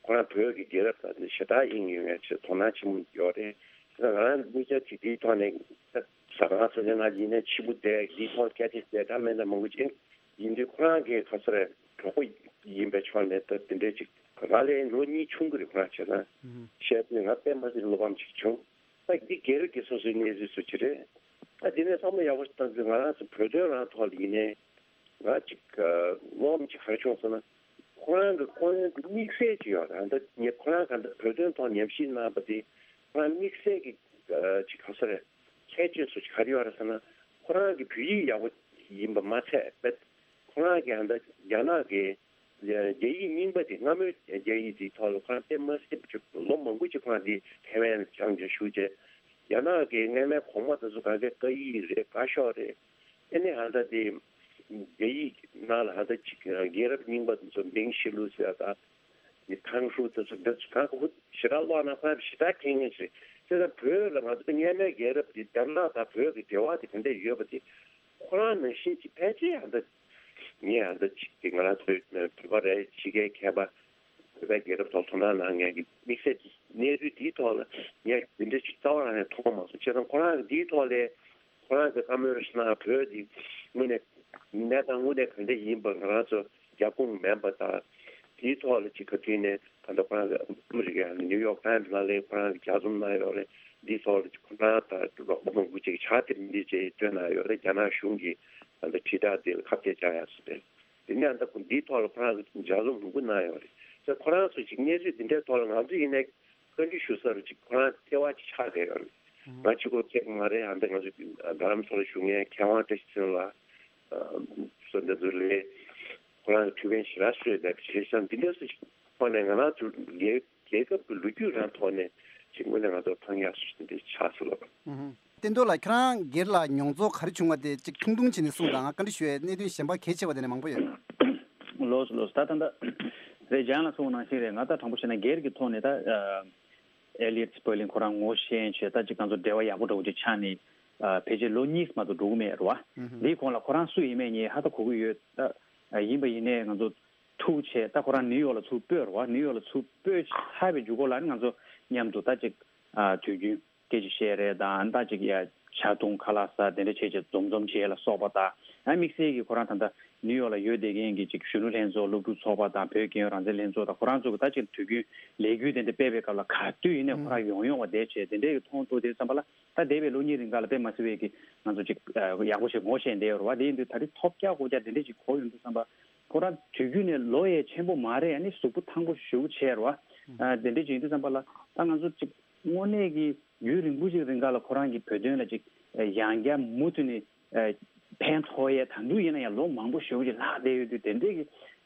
ཁོ་རང་བོད་ཀྱི་རྒྱལ་རབས་དང་ཞེ་དྲག་དབྱིངས་ཡོད་མཁན་ཆེད་དོ་སྣང་ཆེན་པོ་ཡོད་རེད། ད་ང་རང་གཉིས་ཆ་གཅིག་དེའི་ཐོག་ནས་ད་ཟ་ཁང་ཚོ་ནས་ང་ཡིན་ནའི་ཕྱི་པོ་བསྡད། འདིའི་ཐོག་སྐད་ཆ་བཤད་གྲབས་མེད་ན་མང་པོ་ཅིག་ཡིན་དུས་ཁོ་རང་གི་ག་ཚོད་རེད། གྲོགས་པོ་ཡིན་པའི་ཕྱོགས་ནས་ད་དེ་འདྲའི་ཅིག་ང་ལས་ལོ་གཉིས་ཆུང་གི་རེད། ཁོ་རང་བྱས་ན་བཤད་དུས་ང་དཔེ་མ་སྲིད་བློ་ཕམ་ཅིག་བྱུང་། ད་འདི་སྒེར་གྱི་སོ་སོའི་གནས་ཚུལ་སུ་ཅི་རེད། ད་འདི་ནས་བསམ་བློ་ཡག་པོ་ཞིག་བཏང་དུས་ང་རང་ཚོ་བོད་དོན་རང་ཐོག་ལ་ཡིན་ནའི་ང་ཅིག་བློ་ཕམ་ཅིག་ག་རེ་བྱུང་ཟེར་ན། ཁོ་རང་གི་ཁོ་རང་གི་དམིགས་བསལ་ཅིག་ཡོད་རེད། ད་ཉེ་ཁོ་རང་ག་འདྲ་བོད་དོན་ཐོག་ཉམས་ཞིབ་གནང་བ་དེ་ཁོ་རང་དམིགས་བསལ་གྱི་ཅིག་ག་ས་རེད། ཁྱད་ཆོས་སུ་ཅིག་ག་རེ་ཡོད་རེད་ཟེར་ན། ཁོ་རང་གི་བོད་ཡིག་ཡག་པོ་ཡིན་པ་མ་ཚད་པས་ཁོ་རང་གི་ཨ་འདྲ་རྒྱ་ནག་གི་རྒྱ་ཡིག་རྙིང་པ་དེ་སྔ་མོའི་རྒྱ་ཡིག་དེའི་ཐོག་ལ་ཁོ་རང་དཔེ་མ་སྲིད་པ་ཅིག་ལོ་མང་པོ་ཅིག་ཁོ་རང་དེ་ཐའེ་ཝན་ལ་སྦྱངས་ཀྱང་བཞུགས་བྱས། རྒྱ་ནག་གི་སྔ་མའི་གོང་མ་དེ་ཚོ་ག་གེ་བཀའ་ཡིག་རེད། བཀའ་ཤོག་རེད། ཨེ་ནས་ཧ་ད་དེ་རྒྱ་ཡིག་ནང་ལ་ཧ་ད་ཅིག་རྒྱལ་རབས་རྙིང་པ་དེ་ཚོ་མིང་ཤི་ལུ་ཟེར་ད་དེ་ཐང་ཧྲུའུ་དེ་ཚོ་འདི་ཚོ་ག་ག་བུ་ཞེ་དྲག་ཀློག་ན་ཁོ་རང་ཞེ་དྲག་མཁྱེན་མཁན་ཞིག་རེད། བྱས་ཙང་བོད་ལ་ང་ཚོ་སྔ་མའི་རྒྱལ་རབས་དེ་རྒྱ་ནག་དང་བོད་ཀྱི་འབྲེལ་བ་དེ་ག་འདྲ་ཡོད་པ་དེ་ཁོ་རང་ནང་བཞིན་གྱི་ཕལ་ཆེར་ཧ་ད་ངས་ཧ་ད་ཅིག་དེ་ང་རང་ཚོའི་བོད་པ་རེད། ཕྱི་རྒྱལ་མཁས་པ་བོད་པའི་རྒྱལ་རབས་ཐོག་དོ་སྣང་གནང་མཁན་གྱི་དམིགས་བསལ་གྱི་གནས་ཚུལ་དེའི་ཐོག་ལ་ངས་འདི་འདྲ་ཅིག་རྩ་བ་རང་ནས་མཐོང་མ་སོང་། བྱས་ཙང་ཁོ་རང་གི་འདིའི་ཐོག་ལས་ཁོ་རང་གི་བཀའ་མོལ་ཞིག་གནང་། བོད་འདི་དངོས་གནས་གནས་སྟངས་དངོས་གནས་ག་འདྲ་ཡིན་པ་ང་རང་ཚོ་རྒྱབ་དཔུང་མེད་པ་དང་། དེའི་ཐོག་ལ་ཅིག་ག་དུས་ནས་ད་ལྟ་ཁོ་རང་གི་ཨ་མི་རི་ཀའི་ནིའུ་ཡོག་ཊའིམ་ནང་ལ་ཁོ་རང་གི་ལྗགས་རྩོམ་གནང་ཡོད་རེད། འདིའི་ཐོག་ལ་ཅིག་ཁོ་རང་དང་རོགས་པ་མང་པོ་ཅིག་ཕྱག་དེབ་འདི་ཅིག་བཏོན་གནང་ཡོད་རེད། རྒྱ་ནག་གཞུང་གིས་ད་ལྟ་དྲིལ་བསྒྲགས་འདི་ལ་ཁ་གཏད་བཅག་ཡག་སོགས་རེད། དེ་ནས་ད་ཁོ་འདིའི་ཐོག་ལ་ཁོ་རང་གིས་ལྗགས་རྩོམ་མང་པོ་གནང་ཡོད་རེད། ཙང་ཁོ་རང་ཚོ་ཅིག་གནས་ཚུལ་འདི་འདྲའི་ཐོག་ལ་ང་ཚོ་ཡིན་ནའི་བཀའ་འདྲི་ཞུ་ས་རུ་ཅིག་ཁོ་རང་ལྟེ་བ་ཅིག་ཆགས་བསྡད་ཡོད་རེད། ང་གཅིག་པོ་སྐད་མ་རེད། ཨ་འདི་ང་ཚོ་རྡ་རམ་ས་ལ་བཞུགས་མཁན་མཁས་དབང་བཀྲ་ཤིས་ཚེ་རིང་ལགས་སོགས་འདི་ཚོ་ལས་ཁོ་རང་གི་ཐུགས་ཕན་ཞེ་དྲག་གསོས་བསྡད་པ་བྱས་ཙང་འདི་འདྲ་སུ་ཞིག་ཐོག་ནས་ང་རང་ཚོ་རྒྱལ་རྒྱལ་ཁབ་ཀྱི་ལོ་རྒྱུས་རང་ཐོག་ནས་ཅིག་དངོས་གནས་ང་ཚོར་ཕངས་ཡག་སུ་ཞིག་འདི་ཆགས་སོང་ལགས། ཨུ་ཧུ། བསྟན་རྡོར་ལགས་ཁྱེད་རང་སྒེར་ལ་མྱོང་ཚོར་ག་རེ་བྱུང་བ་དེ་ཅིག་ཐུང་ཐུང་བྱས་ནས་གསུངས་དང་། ང་བཀའ་འདྲི་ཞུ་ཡས་གནད་དོན་གཞན་པ་གལ་ཆེ་བ་དེ་ནས་མང་པོ་ཡོད། ལོས་ལོས། ད་ད་ད་རེད། ལྗང་ལགས་གསུངས་ནང་བཞིན་རེད། ང་ད་དྲང་པོ་བཤད་ན་སྒེར་གྱི་ཐོག་ནས་ད་ཨ་ཨེ་ལི་ཡོད་སི་པར་ལིང་ཁོ་རང་ངོ་ཤེས་བྱས། ད་ཅིག་ང་ཚོ་འབྲེལ་བ་ཡག་པོ་འདྲ་བོ་ཅིག་ཆགས་ནས་ཨ་ཕལ་ཆེར་ལོ་གཉིས་མ་གཏོགས་འགྲོ་གི་མེད་རེད་བ། ཨུ་ཧུ། འདིའི་གོང་ལ་ཁོ་རང་སུ་ཡིན་མིན་ངས་ཧ་ད་གོ་གི་ཡོད། ད་ཨ་ཡིན་པ་ཡིན་ནའི་ང་ཚོ་ཐུག་བྱས། ད་ཁོ་རང་ནིའུ་ཡོག་ལ་ཚུར་སྤོས་རེད་བ། ནིའུ་ཡོག་ལ་ཚུར་སྤོས་ཚར་བའི་མཇུག་སྐོར་ལ་ནི་ང་ཚོ་མཉམ་དུ་ད་ཅིག་ཨ་དུས་རྒྱུན་སྐད་ཆ་བཤད་རེད་དང་། ད་ཅིག་ཡ་ ཇ་བཏུང་ཁ་ལག་ཟ་དེ་འདྲ་བྱས་བྱས་འཛོམས་འཛོམས་བྱས་ལ་སོགས་པ་དང་། ཨ་དམིགས་བསལ་གྱི་ཁོ་རང་ད་ལྟ་ནིའུ་ཡོག་ལ་ཡོད་བསྡད་མཁན་གྱི་ཅིག་གཞོན་ནུ་ལྷན་ཚོགས་སློབ་ཕྲུག་ཚོགས་པ་དང་བོད་རྒྱལ་ཡོངས་རང་བཙན་ལྷན་ཚོགས་དང་ཁོ་རང་ཚོ་གི་ད་ཅིག་དུས་རྒྱུན་ལས་འགུལ་དེ་འདྲ་སྤེལ་བའི་སྐབས་ལ་ག་དུས་ཡིན་ནའི་ཁོ་རང་ཡོང་ཡོང་བ་དེ་བྱས་དེ་འདྲའི་གི་མཐོང་ཐུབ་དེ་བསམ་པ་ལ། ད་འདས་པའི་ལོ་གཉིས་རིང་ག་ལ་དཔེ་མ་སྲིད་པའི་གི་ང་ཚོ་ཅིག་ཡག་པོ་ཞིག་ངོ་ཤེས་བསྡད་ཡོད་རེད་བ། དེ་ཡིན་དུས་ད་རེས་ཐོབ་རྒྱག་སྒོ་རྒྱག་དེ་འདྲ་ཅིག་གོ་ཡོང་དུས་བསམ་པ། ཁོ་རང་དུས་རྒྱུན་ནས་ལོ་ཡས་ཆེན་པོ་མ་རེད། ཨ་ནི་གཟུགས་པོ་ཐང་པོ་ཞེ་པོ་བྱས་རེད་བ། ཨ་དེ་འདྲ་ཅིག་ཡིན་དུས་བསམ་པ་ལ་ད་ང་ཚོ་ཅིག་དངོས་གནས་ཀྱི་ཡུན་རིང་པོ་ཅིག་རིང་ག་ལ་ཁོ་རང་གི་བོད་དོན་ལ་ཅིག་ཡང་བསྐྱར་མུ་མཐུད་ནས་ཕན་ཐོགས་ཡས། ད་དུང་ཡིན་ན་ཡང་ལོ་མང་པོ་ཞེ་པོ་ཅིག་ལྷག་བསྡད་ཡོད་དུས་དེ་འདྲའི་གི་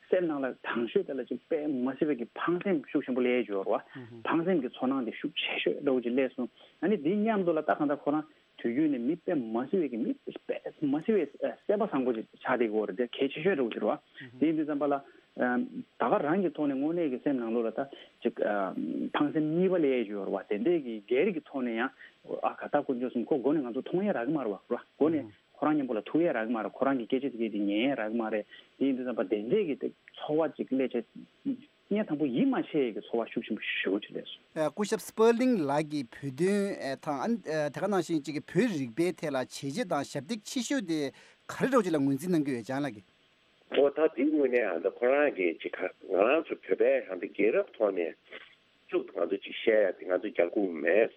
སེམས་ནང་ལ་དང་ཤོས་དེ་ལ་ཅིག་དཔེ་མ་སྲིད་པའི་གི་ཕངས་སེམས་ཤུགས་ཆེན་པོ་སླེབས་ཡོད་རེད་བ། ཕངས་སེམས་ཀྱི་ཚོར་སྣང་དེ་ཤུགས་ཆེ་ཤོས་འདྲ་བོ་ཅིག་སླེབས་སོང་། ཨ་ནི་དེ་མཉམ་དུ་ལ་ད་གང་ལྟར་ཁོ་རང་དུས་རྒྱུན་ནས་མི་དཔེ་མ་སྲིད་པའི་གི་མི་དཔེ་མ་སྲིད་པའི་སེམས་པ་བཟང་པོ་ཅིག་ཆགས་བསྡད་ཡོད་རེད། དེ་གལ་ཆེ་ཤོས་འདྲ་བོ་ཅིག་རེད་བ། དེ་ཡིན་དུས་ཙམ་པ་ལ། ད་ག་རང་གི་ཐོག་ནས་དངོས་གནས་ཀྱི་སེམས་ནང་ལོགས་ལ་ད་ཅིག་ཕངས་སེམས་གཉིས་པ་སླེབས་ཡོད་རེད་བ། དེ་འདྲས་ཀྱི་སྒེར་གྱི་ཐོག་ནས་ཡང་ཨ་ག་ད་དཀོན་མཆོག་གསུམ་ཁོ་མགོ་ནས་ང་ཚོ་མཐོང་ཡས་རག་གི་མ་རེད་བ། མགོ་ནས་ཁོ་རང་མཉམ་པོ་ལ་ཐུག་ཡས་རག་གི་མ་རེད། ཁོ་རང་གི་སྐད་ཆ་དེ་གས་དེ་ཉན་ཡས་རག་གི་མ་རེད། དེ་ཡིན་དུས་ཙམ་པ་དེ་འདྲས་ཀྱི་དེ་ཚོར་བ་ཅིག་སླེབས་བྱས། སྙིང་ཐང་པོ་ཡིད་མ་ཆེས་ཀྱི་ཚོར་བ་ཤུགས་ཆེན་པོ་ཞེ་པོ་ཅིག་སླེབས་སོང་། ཨ་སྐུ་ཞབས་སྤར་ལིང་ལགས་ཀྱིས་བོད་དོན་ཨ་དང་ཨ་དེ་ག་ནང་བཞིན་གཅིག་གི་བོད་རིག་པའི་ཐད་ལ་བྱས་རྗེས་དང་ཞབས་འདེགས་ཆེ་ཤོས་དེ་ག་རེ་འདྲ་བོ་ཅིག་ལ་ངོས་འཛིན་གནང་གི་ཡོད་ལྗང་ལགས་ཀྱིས། ཨོ་ད་དེའི་དངོས་གནས་ཨ་ད་ཁོ་རང་གིས་ཅིག་ག་ང་རང་ཚོ་བོད་པའི་ཧང་དེ་རྒྱལ་རབས་ཐོག་ནས་ཅུག་ང་ཚོ་ཅིག་བཤད་ཡ་དེ་ང་ཚོ་རྒྱལ་ཁུངས་མེད།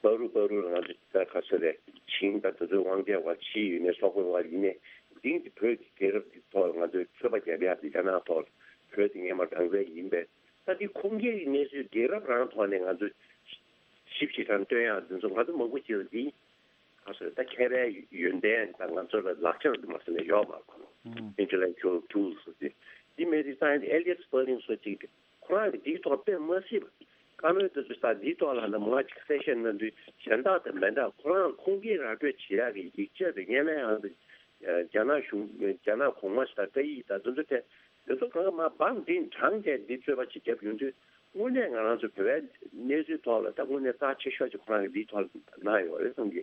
བར་དུ་བར་དུ་ང་ཚོ་ད་ག་ཚོད་རེད། ཆིང་ད་དེ་ཚོའི་དབང་ཆ་བ་ཕྱི་ཡིན་ནས་སོག་པོའི་བ་ཡིན་ནས་འདིའི་དེ་བོད་ཀྱི་རྒྱལ་རབས་ཀྱི་ཐོག་ང་ཚོའི་ཆོས་པ་རྒྱབ་ཡ་དེ་རྒྱ་ནག་ཐོག་བོད་དེ་སྔས་མ་རང་བཙན་ཡིན་པས། ད་དེ་ཁུངས་སྐྱེལ་གྱི་གནས་ཚུལ་རྒྱལ་རབས་རང་ཐོག་ནས་ང་ཚོ་ཞིབ་ཞིབ་དང་སྟོན་ཡ་འདི་ཚོ་ང་ཚོ་མང་པོ་ཅིག་ལ་འདི་ག་ཚོད་ད་མཁས་པའི་ཡོན་ཏན་དང་ང་ཚོ་ལ་ལག་ཆ་རུ་མ་ཟིན་ན་ཡོད་མ་རེད། Intellectual tools ཟེར་ཏེ། འདི་མེད་དུས་ཙང་ཨེ་ལི་ཡོད་སྤར་ལིང་སོགས་ཅིག་ཁོ་རང་གིས་འདིའི་ཐོག་དཔེ་མ་སྲིད་པ་བཀའ་མོལ་དེ་ཚོ་ད་འདིའི་ཐོག་ལ་ན་མང་ཅིག་གསལ་བཤད་གནང་དུས་གཞན་དག་དང་མི་འདྲ། ཁོ་རང་ཁུངས་སྐྱེལ་ར་སྤྲོད་བྱེད་ཡག་གི་ཡིག་ཆ་དེ་སྔོན་མའི་ཨང་དུ་རྒྱ་ནག་གཞུང་རྒྱ་ནག་གོང་མ་ཞིག་དང་སྐད་ཡིག་དང་དེ་ཚོ་དེ། དེ་ཚོ་གང་ག་མ་བང་འདི་དྲང་བྱས་འདི་རྩོད་པ་ཅིག་བརྒྱབ་ཡོང་དུས་དངོས་གནས་ང་རང་ཚོ་བོད་པའི་གནས་ཚུལ་ཐོག་ལ་ད་དངོས་གནས་རྩ་ཆེ་ཤོས་ཅིག་ཁོ་རང་གིས་འདིའི་ཐོག་ལ་གནང་ཡོད་རེད་བསམ་གི།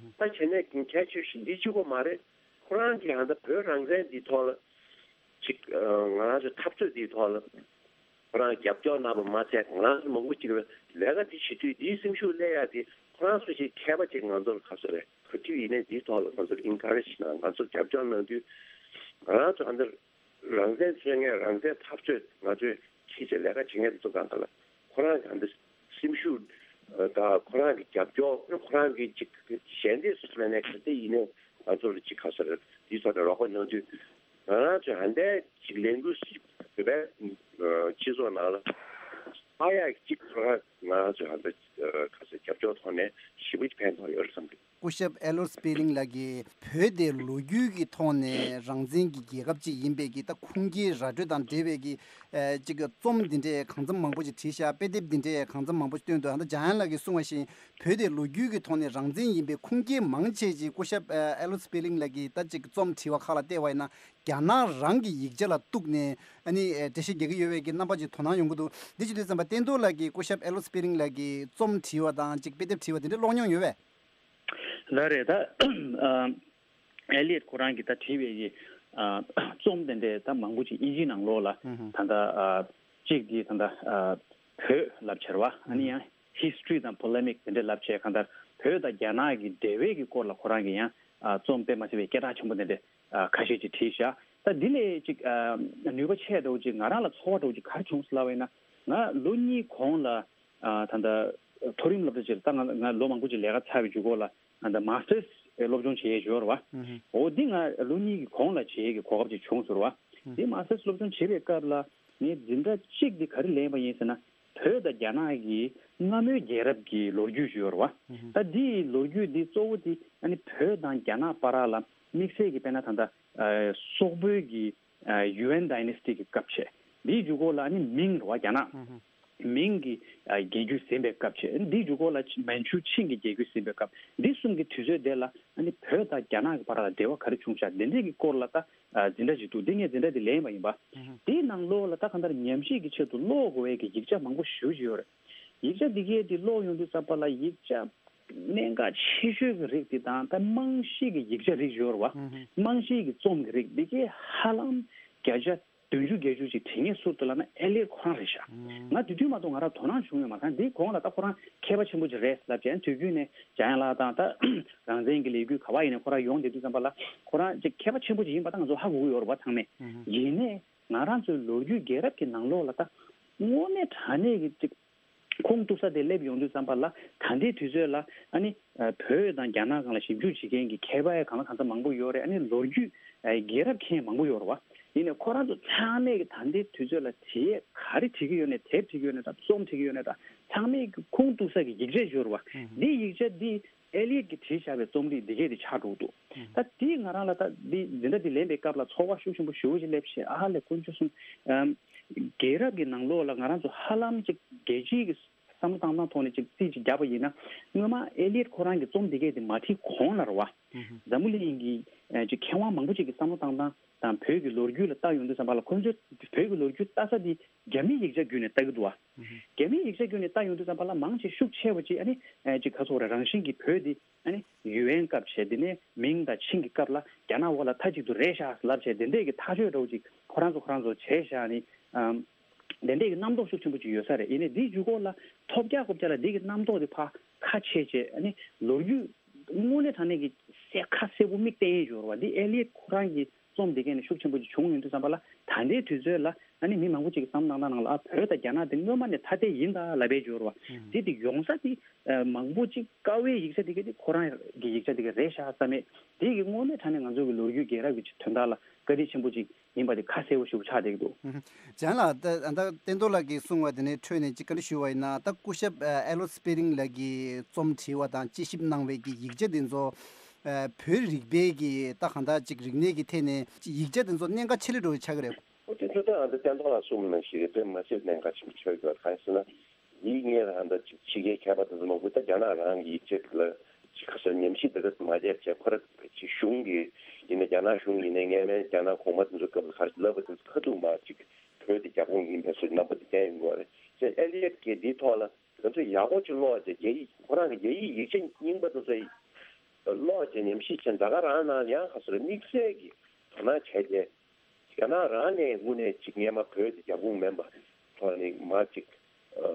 ད་བྱས་ནས་གལ་ཆེ་ཤོས་འདི་གཅིག་པོ་མ་རེད། ཁོ་རང་གིས་ཧང་ད་བོད་རང་བཙན་འདིའི་ཐོག་ལ་ཅིག་ང་རང་ཚོའི་འཐབ་རྩོད་འདིའི་ཐོག་ལ་ཁོ་རང་རྒྱབ་སྐྱོར་གནང་བ་མ་ཚད་ང་རང་ཚོ་མང་པོ་ཅིག་ལས་ཀ་འདི་བྱེད་དུས་འདིའི་སེམས་ཤུགས་སླེབས་ཡ་དེ་ཁོ་རང་ཚོ་ཞིག་མཁས་པ་ཅིག་ང་ཚོར་ག་ཚོད་རེད་ག་དུས་ཡིན་ནའི་འདིའི་ཐོག་ལ་ང་ཚོར་ཨིན་ཁ་རེ་ཇི་གནང་ང་ཚོར་རྒྱབ་སྐྱོར་གནང་དུས་ང་རང་ཚོ་ཧང་ད། རང་བཙན་རྩོད་མཁན་རང་བཙན་འཐབ་རྩོད་ང་ཚོས་ཁྱི་ཆེ་ལས་ཀ་བྱེད་མཁན་དེ་ཚོ་གང་ག་ལ་ཁོ་རང་གི་ཧང་ད་སེམས་ཤུགས་དང་ཁོ་རང་གི་རྒྱབ་སྐྱོར་ཁོ་རང་གི་ཅིག་ཞལ་འདེབས་སུ་མེད་ནས་ག་ཚད་ཡིན་ནའི་ང་ཚོ་ལ་ཅིག་ག་ཚོད་རེད་དེ་ཚོ་ལ་རོགས་པ་གནང་དུས་ང་རང་ཚོས་ཧང་ད་ཅིག་ལས་འགུལ་ཞིག་བོད་པའི་སྤྱི་ཚོགས་ནང་ལ་ཕར་ཡག་ཅིག་ཁོ་རང་ང་རང་ཚོས་ཧང་ད་ག་ཚོད་རྒྱབ་སྐྱོར་ཐོག་ནས་ཞེ་པོ་ཅིག་ཕན་ཐོགས་ཡོད་རེད་བསམ་གི། སྐུ་ཞབས་ཨེ་ལོར་སྤེ་ལིང་ལགས་ཀྱིས་བོད་དེ་ལོ་རྒྱུས་ཀྱི་ཐོག་ནས་རང་བཙན་གྱི་རྒྱལ་ཁབ་ཅིག་ཡིན་པའི་གི་ད་ཁུངས་སྐྱེལ་ར་སྤྲོད་དང་འབྲེལ་བའི་གི་ཨ་ཅིག་རྩོམ་འདི་འདྲའི་གང་འཚམ་མང་པོ་ཅིག་བྲིས་ཤག་དཔེ་དེབ་འདི་འདྲའི་གང་འཚམ་མང་པོ་ཅིག་བཏོན་འདུག་ཨ་ད་འཇམ་དབྱངས་ལགས་ཀྱིས་གསུངས་པ་བཞིན་བོད་དེ་ལོ་རྒྱུས་ཀྱི་ཐོག་ནས་རང་བཙན་ཡིན་པའི་ཁུངས་སྐྱེལ་མང་ཆེ་ཅིག་སྐུ་ཞབས་ཨ་ཨེ་ལོར་སྤེ་ལིང་ལགས་ཀྱིས་ད་ཅིག་རྩོམ་བྲིས་པ་ཁག་ལ་བལྟས་པ་ཡིན་ན་རྒྱ་ནག་རང་གི་ཡིག་ཆ་ལ་གཏུགས་ནས་ཨ་ནི་འགྲེལ་བཤད་རྒྱག་གི་ཡོད་པའི་གི་རྣམ་པ་ཅིག་དོ་སྣང་ཡོང་གི་འདུག་འདི་བྱེད་དུས་ཙམ་པ་བསྟན་རྡོར་ལགས་ཀྱིས་སྐུ་ཞབས་ཨེ་ལོར་སྤེ་ལིང་ལགས་ཀྱིས་རྩོམ་བྲིས་པ་དང་ཅིག་དཔེ་དེབ་བྲིས་པ་དེ་འདྲ་ཀློག་མྱོང་ཡོད་པས། ལགས་རེད། ད་ཨ་ཨེ་ལི་ཡོད་ཁོ་རང་གིས་ད་བྲིས་པའི་གི་ཨ་རྩོམ་དེ་འདྲས་ད་མང་པོ་ཅིག་དབྱིན་ཇིའི་ནང་ལོགས་ལ་ཧུམ་ཧུམ་ད་ལྟ་ཨ་གཅིག་འདི་ད་ལྟ་ཨ་བོད་ལབ་བྱས་རེད་བ། ཨ་ནི་ཡང་ཧིས་ཊོ་རི་དང་པོ་ལེ་མིག་དེ་འདྲས་ལབ་བྱས་གང་ལྟར་བོད་དང་རྒྱ་ནག་གི་འབྲེལ་བའི་གི་སྐོར་ལ་ཁོ་རང་གིས་ཡང་ཨ་རྩོམ་དཔེ་མ་སྲིད་པའི་སྐད་གྲགས་ཆེན་པོ་དེ་འདྲས་ཨ་ཁ་ཤས་ཅིག་བྲིས་ཤག་ད་འདི་ལས་ཅིག་ཨ་ནུས་པ་ཆེ་འདྲ་བོ་ཅིག་ང་རང་ལ་ཚོར་བ་འདྲ་བོ་ཅིག་ག་རེ་བྱུང་སོང་ལབ་པ་ཡིན་ན། ང་ལོ་གཉིས་གོང་ལ་ཨ་ད་ལྟ་མཐོ་རིམ་སློབ་གྲྭ་ཅིག་ལ་ད་ང་ང་ལོ་མང་པོ་ཅིག་ལས་ཀ་ཚར་བའི་མཇུག་གུ་ལ་ད་ལྟ་མ་སི་ཊར་སི་སློབ་སྦྱོང་བྱེད་ཡས་ཡོད་རེད་བ། ཨུ་ཧུ། འོ་འདི་ང་ལོ་གཉིས་ཀྱི་གོང་ལ་བྱེད་ཡས་ཀྱི་གོ་སྐབས་ཅིག་བྱུང་སོང་རེད་བ། ཨུ། འདི་མ་སི་ཊར་སི་སློབ་སྦྱོང་བྱེད་པའི་སྐབས་ལ་ངས་འཛིན་གྲྭ་གཅིག་འདི་ག་རེ་ལེན་པ་ཡིན་ཟེར་ན། བོད་དང་རྒྱ་ནག་གི་སྔ་མོའི་རྒྱལ་རབས་ཀྱི་ལོ་རྒྱུས་ཤིག་ཡོད་རེད་བ། ཨུ་ཧུ། ད་འདིའི་ལོ་རྒྱུས་འདི་གཙོ་བོ་འདི་ཨ་ནི་བོད་དང་རྒྱ་ནག་བར་ལ་དམིགས་བསལ་གྱི་དཔེར་ན་ད་ལྟ་ཨ་སོག་པོའི་གི་ཨ་ཡུའན་ཌའི་ནེ་སི་ཊི་གི་སྐབས་བྱས། འདིའི་མཇུག་གུ་ལ་ཨ་ནི་མིང་རེད་བ་རྒྱ་ནག་ཨུ་ཧུ། མིང་གི་ཨ་རྒྱལ་རྒྱུད་ཟིན་པའི་སྐབས་བྱས། འདིའི་མཇུག་གུ་ལ་མན་ཆུ་ཆིང་གི་རྒྱལ་རྒྱུད་ཟིན་པའི་སྐབས། འདི་གསུམ་གྱི་དུས་ཚོད་དེ་ལ་ཨ་ནི་བོད་དང་རྒྱ་ནག་གི་བར་ལ་འབྲེལ་བ་ག་རེ་བྱུང་ཤག་འདི་འདྲས་ཀྱི་སྐོར་ལ་ད་ཨ་འཛིན་གྲྭ་ཞིག་འདུག་འདི་ངས་འཛིན་གྲྭ་འདི་ལེན་པ་ཡིན་པ། ཨུ་ཧུ། དེའི་ནང་ལོགས་ལ་ད་གང་ལྟར་ཉམས་ཞིབ་ཀྱི་ཆེད་དུ་ཀློག་དགོས་པའི་གི་ཡིག་ཆ་མང་པོ་ཞེ་པོ་ཅིག་ཡོད་རེད། ཡིག་ཆ་འདི་གས་འདི་ཀློག་ཡོང་དུས་ཙམ་པ་ལ་ཡིག་ཆ་གནད་འགག་ཆེ་ཤོས་ཀྱི་རིགས་འདི་དང་ད་རྨང་གཞི་གི་ཡིག་ཆ་རིགས་ཡོད་རེད་བ། ཨུ་ཧུ། རྨང་གཞི་གི་རྩོམ་གྱི་རིགས་འདི་གས་ཧ་ལམ་བརྒྱ་ཆ་ བདུན་ཅུ་བརྒྱད་ཅུ་ཅིག་བྲིས་མཁན་སུ་འདུག་ལབ་ན་ཨེ་ལི་ཡོད་ཁོ་རང་རེད་ཤག་ང་དེ་དུས་མ་གཏོགས་ང་རང་དོ་སྣང་བྱུང་ཡོད་མ་རེད། འདིའི་གོང་ལ་ད་ཁོ་རང་མཁས་པ་ཆེན་པོ་ཅིག་རེད་ལབ་བྱས། དུས་རྒྱུན་ནས་འཇམ་དབྱངས་ལགས་དང་ད་རང་བཙན་གྱི་ལས་འགུལ་ག་བ་ཡིན་ནས་ཁོ་རང་ཡོང་བསྡད་དུས་ཙམ་པ་ལ་ཁོ་རང་ཅིག་མཁས་པ་ཆེན་པོ་ཅིག་ཡིན་པ་ད་ང་ཚོ་ཧ་གོ་གི་ཡོད་རེད་པ་ཚང་མས། ཡིན་ནའི་ང་རང་ཚོའི་ལོ་རྒྱུས་རྒྱལ་རབས་ཀྱི་ནང་ལོགས་ལ་ད་དངོས་གནས་དྲང་གནས་ཀྱི་ཅིག་ཁུངས་གཏུག་ས་དེ་སླེབས་ཡོང་དུས་ཙམ་པ་ལ་ད་ལྟའི་དུས་ཚོད་ལ་ཨ་ནི་བོད་དང་རྒྱ་ནག་སྒང་ལ་ཞིབ་འཇུག་བྱེད་མཁན་གྱི་མཁས་པ་ཡང་གང་ལ་གང་འཚམ་མང་པོ་ཡོད་རེད། ཨ་ནི་ལོ་རྒྱུས་རྒྱལ་རབས་མཁན་མང་པོ་ཡོད་རེད་པ། ཡིན་ནའི་ཁོ་རང་ཚོ་ཚང་མས་ཀྱི་ད་ལྟའི་དུས་ཚོད་ལ་དེབ་ག་རེ་བྲིས་ཀྱི་ཡོད་ནའི་དེབ་བྲིས་ཀྱི་ཡོད་ནའི་ད་རྩོམ་བྲིས་ཀྱི་ཡོད་ནའི་ད་ཚང་མས་ཀྱི་ཁུངས་གཏུག་ས་ཀྱི་ཡིག་ཆ་ཅིག་ཡོད་རེད་པ། འདི་ཡིག་ཆ་འདི་ཨེ་ལི་ཡོད་ཀྱིས་བྲིས་བཞག་པའི་རྩོམ་རིག་འདི་གས་དེ་ཆགས་འགྲོ་གི་འདུག་ད་དེས་ང་རང་ལ་ད་འདི་འཛིན་གྲྭ་འདི་ལེན་པའི་སྐབས་ལ་ཚོར་བ་ཤུགས་ཆེན་པོ་ཞེ་པོ་ཅིག་སླེབས་བྱས། ཨ་ལས་དཀོན་མཆོག་གསུམ། ཨམ། རྒྱལ་རབས་ཀྱི་ནང་ལོགས་ལ་ང་རང་ཚོ་ཧ་ལམ་ཅིག་རྒྱལ་སྤྱིའི་གི་བསམ་བློ་བཏང་སྟངས་ཐོག་ནས་ཅིག་རྩིས་ཅིག་བརྒྱབ་པ་ཡིན་ན། སྔོན་མ་ཨེ་ལི་ཡོད་ཁོ་རང་གི་རྩོམ་འདི་གས་དེ་མ་བྲིས་གོང་ལ་རེད་པ། འཛམ་བུ་གླིང་གི་ཨ་ཅིག་མཁས་དབང་མང་པོ་ཅིག་གི་བསམ་བློ་བཏང་སྟངས་དང་བོད་ཀྱི་ལོ་རྒྱུས་ལ་བལྟ་ཡོང་དུས་ཙམ་པ་ལ་ཁོ་ཚོས་བོད་ཀྱི་ལོ་རྒྱུས་ལྟ་ས་དེ་རྒྱ་མིའི་ཡིག་ཆ་བརྒྱུད་ནས་ལྟ་གི་འདུག་པ། རྒྱ་མིའི་ཡིག་ཆ་བརྒྱུད་ནས་ལྟ་ཡོང་དུས་ཙམ་པ་ལ་མང་ཆེ་ཤུགས་ཆེ་བ་ཅིག་ཨ་ནི་ཨ་ཅིག་ག་ཚོད་རེད། རང་བཞིན་གྱིས་བོད་འདི་ཨ་ནི་ཡུ་ཨེན་སྐབས་བྱས། དེ་ནས་མིང་དང་ཆིང་གི་སྐབས་ལ་རྒྱ་ནག་འོག་ལ་མཐའ་གཅིག་ཏུ་རེད་ཤག་ལབ་བྱས། དེ་འདྲས་ཀྱི་ཐག་གཅོད་འདྲ་བོ་ཅིག་ཁོ་རང་ཚོ་ཁོ་རང་ཚོ་བྱས་ཤག་ནི། ཨམ། དེ་འདྲས་ཀྱི་རྣམ་རྟོག་ཤུགས་ཆེན་པོ་ཅིག་ཡོད་ས་རེད། ཡིན་ནའི་འདིའི་མཇུག་སྐོར་ལ་ཐོབ་རྒྱག་ཁོབ་རྒྱག་ལ་འདི་གི་རྣམ་རྟོག་དེ་ཕར་ཁ་ཕྱེ་བྱས། ཨ་ནི་ལོ་རྒྱུས་དངོས་གནས་དྲང་གནས་ཀྱི་གསལ་ཁ་གསལ་པོ་མིག་བསྟན་ཡས་ཡོད་རེད་པ། འདི་ཨེ་ལི་ཡོད་ཁོ་རང་གི་རྩོམ་འདི་གས་ནས་ཤུགས་ཆེན་པོ་ཅིག་བྱུང་ཡོང་དུས་ཙམ་པ་ལ་ད་ལྟའི་དུས་ཚོད་ལ་ཨ་ནི་མི་མང་པོ་ཅིག་གི་བསམ་བློ་གནང་སྟངས་ནང་ལ་ཨ་བོད་དང་རྒྱ་ནག་དེ་སྔོན་མ་ནས་ཐ་དད་ཡིན་ད་ལབ་པའི་ཡོད་རེད་པ། དེ་དེ་ཡོང་ས་དེ་མང་པོ་ཅིག་དཀའ་བའི་ཡིག་ཆ་དེ་གས་དེ་ཁོ་རང་གི་ཡིག་ཆ་དེ་གས་རེད་ཤག་བསམ་མེད། དེ་གི་དངོས་གནས་དྲང་གནས་ང་ཚོ་གི་ལོ་རྒྱུས་རྒྱལ་རབས་ཀྱི་དོན་དག་ལ་བཀའ་དྲིན་ཆེན་པོ་ཅིག་ཡིན་པ་དེ་ཁ་གསལ་པོ་ཞིག་ཆགས་བསྡད་ཀྱི་འདུག་ཨུ་ཧུ། ལྗང་ལགས། ད་ད་བསྟན་རྡོར་ལགས་ཀྱིས་གསུངས་པ་དེ་ནས་འཕྲོས་ནས་ཅིག་བཀའ་འདྲི་ཞུ་བ་ཡིན་ན། ད་སྐུ་ཞབས་ཨ་ཨེ་ལོ་སི་པེ་རིང་ལགས་ཀྱིས་རྩོམ་བྲིས་པ་དང་དཔྱད་ཞིབ་གནང་བའི་གི་ཡིག་ཆ་དེ་ཚོ་ཨ་བོད་རིག་པའི་གི་ད་གང་ལྟར་ཅིག་རིག་གནས་ཀྱི་ཐད་ནས་ཅིག་ཡིག་ཆ་དེ་ཚོ་གནད་འགག་ཆེ་ལོས་འགྲོ་བའི་ཆགས་ཀྱི་རེད། ཨོ་དེ་ཚོ་ད་ཨ་ད་བསྟན་རྡོར་ལགས་གསུངས་ནང་བཞིན་རེད། དཔེ་མ་སྲིད་གནད་འགག་ཆེན་པོ་ཆགས་ཀྱི་ཡོད། གང་ཡིན་ཟེར་ན། ཡིག་ངོས་ལ་ཧ་ད་ཅིག་ཕྱི་རྒྱལ་མཁས་པ་དེ་ཚོ་མང་པོ་ད་རྒྱ་ནག་རང་གི་ཡིག་ཆ་ལ་ཅིག་ག་ཚོད་ཉམས་ཞིབ་དེ་ག་ཚོད་མ་བྱས་བྱས། ཁོ་ར་ཅིག་གཞུང་གི་ཡིན་ན་རྒྱ་ནག་གཞུང་ཡིན་ན་སྔོན་མའི་རྒྱ་ནག་གོང་མ་དེ་ཚོ་སྐབས་ལ་ག་རེ་ལབ་པ་དེ་ཚོ་ཁ་ཐུག་མར་ཅིག་བོད་དེ་རྒྱ་ཁོངས་ཡིན་པའི་བཟོ་རྣམ་པ་དེ་བསྟན་ཡོང་གི་རེད། ཅེས་ཨེ་ལི་ཡོད་ཀྱིས་འདིའི་ཐོག་ལ་ང་ཚོས་ཡག་པོ་ཅིག་ཀློག་བྱས། རྒྱ་ཡིག་ཁོ་རང་གི་རྒྱ་ཡིག་ཡིག་ཆ་རྙིང་པ་དེ་ཚོ་ཀློག་བྱས་ཉམས་ཞིབ་བྱས། ད་ག་རང་ནང་ཡང་ག་ཚོད་དམིགས་བསལ་གྱི་དོ་སྣང་བྱས་ཏེ། རྒྱ་ནག་རང་ནས་དངོས་གནས་ཅིག་སྔོན་མ་བོད་དེ་རྒྱ་ཁོངས་མིན་པ་ཐོག་ནས་མར་ཅིག་ཨ་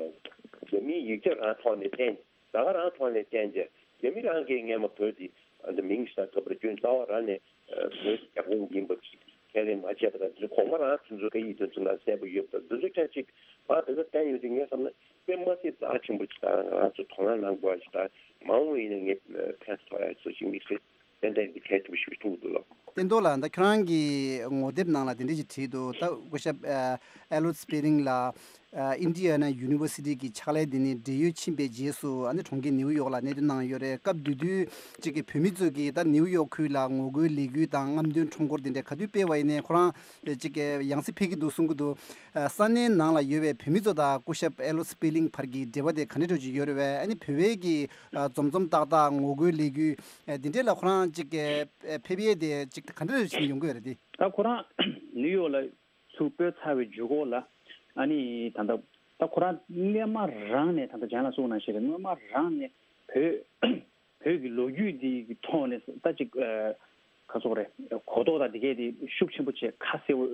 རྒྱ་མིའི་ཡིག་ཆ་རང་ཐོག་ནས་བསྟན། ད་ག་རང་ཐོག་ནས་བསྟན་རྗེས་རྒྱ་མི་རང་གིས་སྔོན་མ་བོད་དེ་ཨ་འདི་མིང་ཞིག་དང་ཐོབ་པར་སྐྱོན་རྩ་བ་རང་ནས་ཨ་བོད་རྒྱ་ཁོངས་ཡིན་པ་ཅིག་ཁས་ལེན་མ་བྱས་པ་དང་། དེ་ཚོ་གོང་མ་རང་དེ་ཚོ་སྐད་ཡིག་དེ་ཚོ་ལ་གསལ་པོ་ཡོད་པ་དང་། དེ་ཚོ་ཁྱེད་ཅིག་ཕར་དེ་ཚོ་བསྟན་ཡོད་དུས་ངས་བསམ་ན་དཔེ་མ་སྲིད་རྩ་ཆེན་པོ་ཅིག་དང་། ང་ཚོ་དོ་སྣང་གནང་དགོས་པ་ཞིག་དང་། མ་འོངས་པ་ཡིན་ན་ངས་ཕན་ཐོགས་ཡ་བཟོ་ཞིག་དམིགས་བསལ་ཏན་ཏན་གྱི་གལ་ཆེན་པོ་ཞིག་མཐོང་གི་འདུག་ལགས། བསྟན་རྡོར་ལགས། ད་ཁྱོད་རང་གི་ངོ་དེབ་ནང་ལ་དེ་འདྲ་ཞིག་བྲིས་འདུག་ད་སྐུ་ཞབས་ཨ་ཨེ་ལོ་སི་པེ་རིང་ལགས་ཨ་ཨིན་ཌི་ཡ་ན་ཡུ་ནི་ཝར་སི་ཊི་གི་ཕྱག་ལས་དེ་ནས་བགྲེས་ཡོལ་ཕྱིན་པའི་རྗེས་སུ་ཨ་ནི་གྲོང་ཁྱེར་ནེའུ་ཡོག་ལ་གནས་སྡོད་གནང་ཡོད་རེད། སྐབས་དེ་དུས་ཅིག་གི་བོད་མི་ཚོ་གིས་ད་ནེའུ་ཡོག་ཁུལ་ལ་ངོ་རྒོལ་ལས་འགུལ་དང་རྔམ་སྟོན་ཁྲོམ་སྐོར་དེ་འདྲ་ག་དུས་སྤེལ་བ་ཡིན་ནའི་ཁོ་རང་ཅིག་གི་ཡང་སེ་ཕེབས་ཀྱི་འདུག་གསུང་གི་འདུག་ཨ་ས་གནས་ནང་ལ་ཡོད་པའི་བོད་མི་ཚོ་དང་སྐུ་ཞབས་ཨེ་ལོ་སི་པེ་རིང་བར་གྱི་འབྲེལ་བ་དེ་ག་འདྲ་འདྲ་ཅིག་ཡོད་རེད་པས། ཨ་ནི་བོད་པའི་གི་ཨ་འཛོམས་འཛོམས་ཏག་ཏག་ངོ་རྒོལ་ལས་འགུལ་ཨ་འདི་འདྲས་ལ་ཁོ་རང་ཅིག་གི་ཨ་ཕེབས་ཡས་དེ་ཅིག་ག་འདྲ་རེ་བྱས་ནས་ཡོང་གི་ཡོད་རེད་དེ། ད་ཁོ་རང་ནིའུ་ཡོག་ལ་ཚུར་སྤོས་ཚར་བའི་མཇུག་སྐོར་ལ་ཨ་ནི་ད་ལྟ་ད་ཁོ་རང་སྔོན་མ་རང་ནས་ད་ལྟ་ལྗང་ལགས་གསུངས་ནང་བཞིན་རེད། སྔོན་མ་རང་ནས་བོད་བོད་ཀྱི་ལོ་རྒྱུས་འདི་གི་ཐོག་ནས་ད་ཅིག་ཨ་ག་ཚོད་རེད། གོ་རྟོགས་དང་འདི་གས་དེ་ཤུགས་ཆེན་པོ་བྱས་ཁ་གསལ་པོ་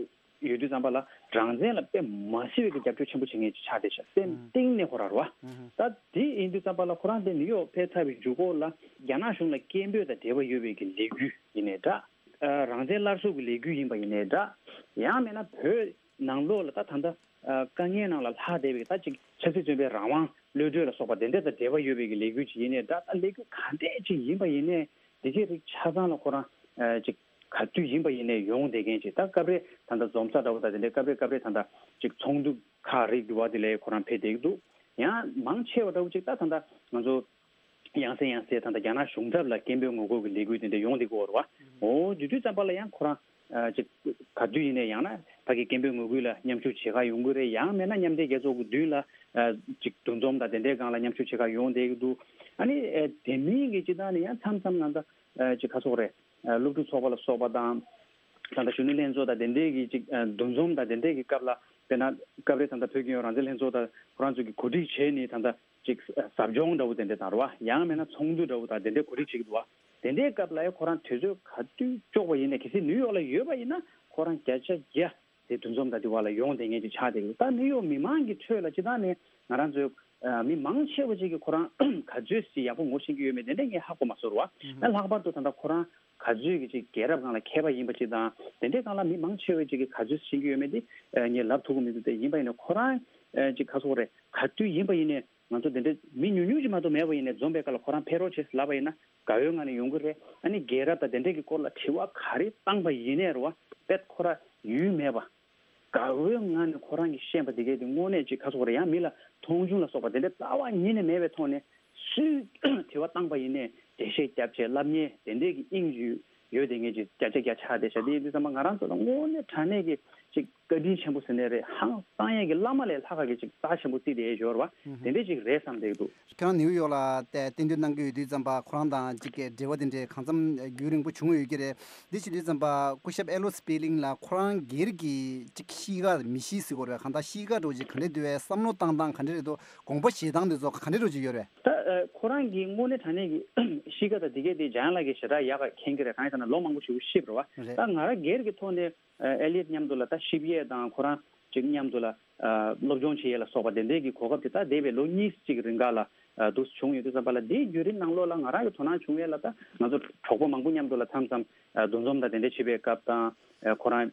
ཡོད་དུས་ཙམ་པ་ལ་རང་བཙན་ལ་དཔེ་མ་སྲིད་པའི་གི་རྒྱབ་སྐྱོར་ཆེན་པོ་བྱེད་མཁན་ཅིག་ཆགས་བསྡད་ཤག་སེམས་གཏིང་ནས་ཁོ་རང་རེད་པ། ད་དེ་ཡིན་དུས་ཙམ་པ་ལ་ཁོ་རང་དེ་ནིའུ་ཡོག་ཕེབས་ཚར་བའི་མཇུག་སྐོར་ལ་རྒྱ་ནག་གཞུང་ལ་སྐད་འབོད་དང་འབྲེལ་བ་ཡོད་པའི་གི་ལས་འགུལ་ཡིན་ནའི་འདྲ། ཨ་རང་བཙན་སླར་གསོ་གི་ལས་འགུལ་ཡིན་པ་ཡིན་ནའི་འདྲ། ཡང་མིན་ན་བོད་ནང་ལོགས་ལ་ད་ད་ལྟ་ཨ་དཀའ་ངལ་ནང་ལ་ལྷག་བསྡད་པའི་ད་ཅིག་ཆབ་སྲིད་བཙོན་པའི་རང་དབང་གློད་གྲོལ་ལ་སོགས་པ་དེ་འདྲ་དང་འབྲེལ་བ་ཡོད་པའི་གི་ལས་འགུལ་ཅིག་ཡིན་ནའི་འདྲ། ད་ལས་འགུལ་ག་འདྲས་ཅིག་ཡིན་པ་ཡིན་ནའི་དེ་གའི་རིགས་ཆ་ཚང་ལ་ཁོ་རང་ཨ་ཅིག་ག་དུས་ཡིན་པ་ཡིན་ནའི་ཡོང་བསྡད་མཁན་ཅིག་ད་སྐབས་རེ་ད་ལྟ་འཛོམས་ས་འདྲ་བོ་དང་དེ་འདྲའི་སྐབས་རེ་སྐབས་རེ་ད་ལྟ་ཅིག་ཚོགས་འདུ་ཁག་རིགས་འདྲ་བ་དེ་ལ་ཁོ་རང་ཕེབས་བསྡད་ཀྱི་འདུག་ཡང་མང་ཆེ་བ་འདྲ་བོ་ཅིག་ད་ད་ལྟ་ང་ཚོ་ཡང་སེ་ཡང་སེ་ད་ལྟ་རྒྱ་ནག་གཞུང་ཚབ་ལ་སྐད་འབོད་ངོ་རྒོལ་གྱི་ལས་འགུལ་དེ་འདྲ་ཡོང་བསྡད་ཀྱི་ཡོད་རེད་པ། འོ་དེ་དུས་ཙམ་པ་ལ་ཡང་ཁོ་རང་ཨ་ཅིག་ག་དུས་ཡིན་ནའི་ཡང་ན་ཕ་གི་སྐད་འབོད་ངོ་རྒོལ་ལ་མཉམ་ཞུགས་བྱེད་ག་ཡོང་གི་རེད། ཡང་མིན་ན་མཉམ་འབྲེལ་རྒྱལ་ཚོགས་ཀྱི་མདུན་ལ་ཨ་ཅིག་འདུ་འཛོམས་དང་དེ་འདྲའི་སྒང་ལ་མཉམ་ཞུགས་བྱེད་ག་ཡོང་བསྡད་ཀྱི་འདུག་ཨ་ནི་ཨ་དེ་མིན་གྱི་སྤྱིར་བཏང་ནས་ཡང་མཚམས་མཚམས་ང་ཚོ་ཨ་ཅིག་ག་ཚོད་རེད། ཨ་སློབ་ཕྲུག་ཚོགས་པ་ལ་སོགས་པ་དང་། ད་ལྟ་གཞོན་ནུ་ལྷན་ཚོགས་དང་དེ་འདྲའི་གི་ཅིག་ཨ་འདུ་འཛོམས་དང་དེ་འདྲའི་གི་སྐབས་ལ་དཔེར་ན་སྐབས་རེ་ད་ལྟ་བོད་ཀྱི་རང་བཙན་ལྷན་ཚོགས་དང་ཁོ་རང་ཚོ་གི་གོ་སྒྲིག་བྱས་ནས་ད་ལྟ་ཅིག་ཟབ་སྦྱོང་འདྲ་བོ་དེ་འདྲ་དང་རེད་པ། ཡང་མིན་ན་ཚོགས་འདུ་འདྲ་བོ་དང་དེ་འདྲའི་གོ་སྒྲིག་བྱེད་ཀྱི་འདུག་པ། དེ་འདྲའི་སྐབས་ལ་ཡང་ཁོ་རང་དུས་ཚོད་ག་དུས་ལྕོགས་པ་ཡིན་ནའི། གལ་སྲིད་ནིའུ་ཡོག་ལ་ཡོད་པ་ཡིན་ན་ཁོ་རང་བརྒྱ་ཆ་བརྒྱ་ དེ་འདུ་འཛོམས་དང་དེ་བ་ལ་ཡོང་བསྡད་མཁན་ཅིག་ཆགས་བསྡད་ཀྱི་འདུག་ད་ནིའུ་ཡོག་མི་མང་གི་ཁྲོད་ལ་སྤྱིར་བཏང་ནས་ང་རང་ཚོའི་ཨ་མི་མང་ཆེ་བ་ཅིག་གིས་ཁོ་རང་ག་ཚོད་ཅིག་ཡག་པོ་ངོ་ཤེས་ཀྱི་ཡོད་མེད་དེ་འདྲ་ངས་ཧ་གོ་མ་སོང་ར། ཨ་ལྷག་པར་དུ་ད་ལྟ་ཁོ་རང་ག་ཚོད་ཀྱི་ཅིག་རྒྱལ་རབས་སྒང་ལ་མཁས་པ་ཡིན་པ་ཅིག་དང་དེ་འདྲའི་སྒང་ལ་མི་མང་ཆེ་བ་ཅིག་གིས་ག་ཚོད་ཤེས་ཀྱི་ཡོད་མེད་དེ་ཨ་ངས་ལབ་ཐུབ་ཀྱི་མི་འདུག་དེ་ཡིན་པ་ཡིན་ན་ཁོ་རང་ཨ་ཅིག་ག་ཚོད་རེད། ག་དུས་ཡིན་པ་ཡིན་ནའི་ང་ཚོ་དེ་འདྲའི་མི་ཉུང་ཉུང་ཅིག་མ་གཏོགས་མེད་པ་ཡིན་ནའི་འཛོམས་པའི་སྐབས་ལ་ཁོ་རང་ཕེབས་རོགས་བྱེད་ལབ་པ་ཡིན་ན་དགའ་བོའི་ངང་ནས་ཡོང་གི་རེད། ཨ་ནི་རྒྱལ་རབས་དང་དེ་འདྲའི་གི་སྐོར་ལ་དྲི་བ་ག་རེ་བཏང་པ་ཡིན་ནའི་རེད་བ། དཔེ་ཁོ་རང་ཡུལ་མེད་པ། དགའ་བོའི་ངང་ནས་ཁོ་རང་གིས་ཤེས་པ་དེ་གས་དེ་དངོས་གནས་ཅིག་ག་ཚོད་རེད། ཡང་མི་ལ་མཐོང་ཆུང་ལ་སོགས་པ་དེ་འདྲ་རྩ་བ་ཉིད་ནས་མེད་པའི་ཐོག་ནས་སུས་དྲི་བ་བཏང་པ་ཡིན་ནའི་འགྲེལ་བཤད་རྒྱབ་བྱས་ལབ་མཁན་དེ་འདྲས་ཀྱི་དབྱིངས་ཡོད་ཡོད་དེ་ངས་ཅིག་བརྒྱ་ཆ་བརྒྱ་ཆགས་བསྡད་བཞག་དེ་ཡིན་དུས་ཙམ་པ་ང་རང་ཚོ་ལ་དངོས་གནས་དྲང་གནས་ཀྱི་ཅིག་བཀའ་དྲིན་ཆེན་པོ་ཟེར་ནའི་རེད། ཧང་སང་ཡས་ཀྱི་བླ་མ་ལས་ལྷག་ག་གི་ཅིག་རྩ་ཆེན་པོ་བརྩིས་བསྡད་ཡོད་རེད་བ། དེ་འདྲས་ཅིག་རེད་བསམ་བསྡད་ཀྱི་འདུག་ཁྱེད་རང་ནིའུ་ཡོག་ལ་བལྟས་བསྟན་དོན་གནང་གི་ཡོད་དུས་ཙམ་པ་ཁོ་རང་དང་ཅིག་གི་འབྲེལ་བ་དེ་འདྲས་གང་འཚམ་རྒྱུན་རིང་པོ་བྱུང་ཡོད་ཀྱི་རེད། འདི་བྱེད་དུས་ཙམ་པ་སྐུ་ཞབས་ཨེ་ལོ་སི་པི་ལིང་ལ་ཁོ་རང་སྒེར་གྱི་ཅིག་གཤིས་ཀ་མི་གཤིས་ཟེར་དགོས་རེད། གང་ལྟར་གཤིས་ཀ་འདྲ་བོ་ཅིག་ག་འདྲས་འདུག་བས། བསམ་བློ་བཏང་སྟངས་ག་འདྲས་རེད་འདུག་དགོངས་པ་བཞེས་སྟངས་དེ་ཚོ་ག་འདྲས་འདྲ་བོ་ཅིག་ཡོད་རེད། ད་ཨ་ཁོ་རང་གི་དངོས་གནས་དྲང་གནས་ཀྱི་གཤིས་ཀ་དང་དེ་གས་དེ་འཇམ་དབྱངས་ལགས་ཀྱིས་ཞེ་དྲག་ཡག་ག་མཁྱེན་གྱི་རེད། གང་ཡིན་ཟེར་ན་ལོ་མང་པོ་ཞིག་ཤི་བ་རེད་བ། རེད། ད་ང་རང་སྒེར་གྱི་ཐོག་ནས་ཨ་ཨེ་ལི་ཡོད་མཉམ་དུ་ལ་ད་ཤི་བ་ཡས་དང་ཁོ་རང་ཅིག་མཉམ་དུ་ལ་ཨ་སློབ་སྦྱོང་བྱེད་ཡས་ལ་སོགས་པ་དེ་འདྲས་ཀྱི་གོ་སྐབས་དེ་ད་འདས་པའི་ལོ་གཉིས་ཅིག་རིང་ག་ལ་ཨ་འདུག་བྱུང་ཡོད་དུས་ཙམ་པ་ལ། དེའི་བརྒྱུད་རིམ་ནང་ལོགས་ལ་ང་རང་གི་དོ་སྣང་བྱུང་ཡས་ལ་ད་ང་ཚོ་གྲོགས་པོ་མང་པོ་མཉམ་དུ་ལ་མཚམས་མཚམས་ཨ་འདུ་འཛོམས་དང་དེ་འདྲས་བྱེད་པའི་སྐབས་དང་ཨ་ཁོ་རང་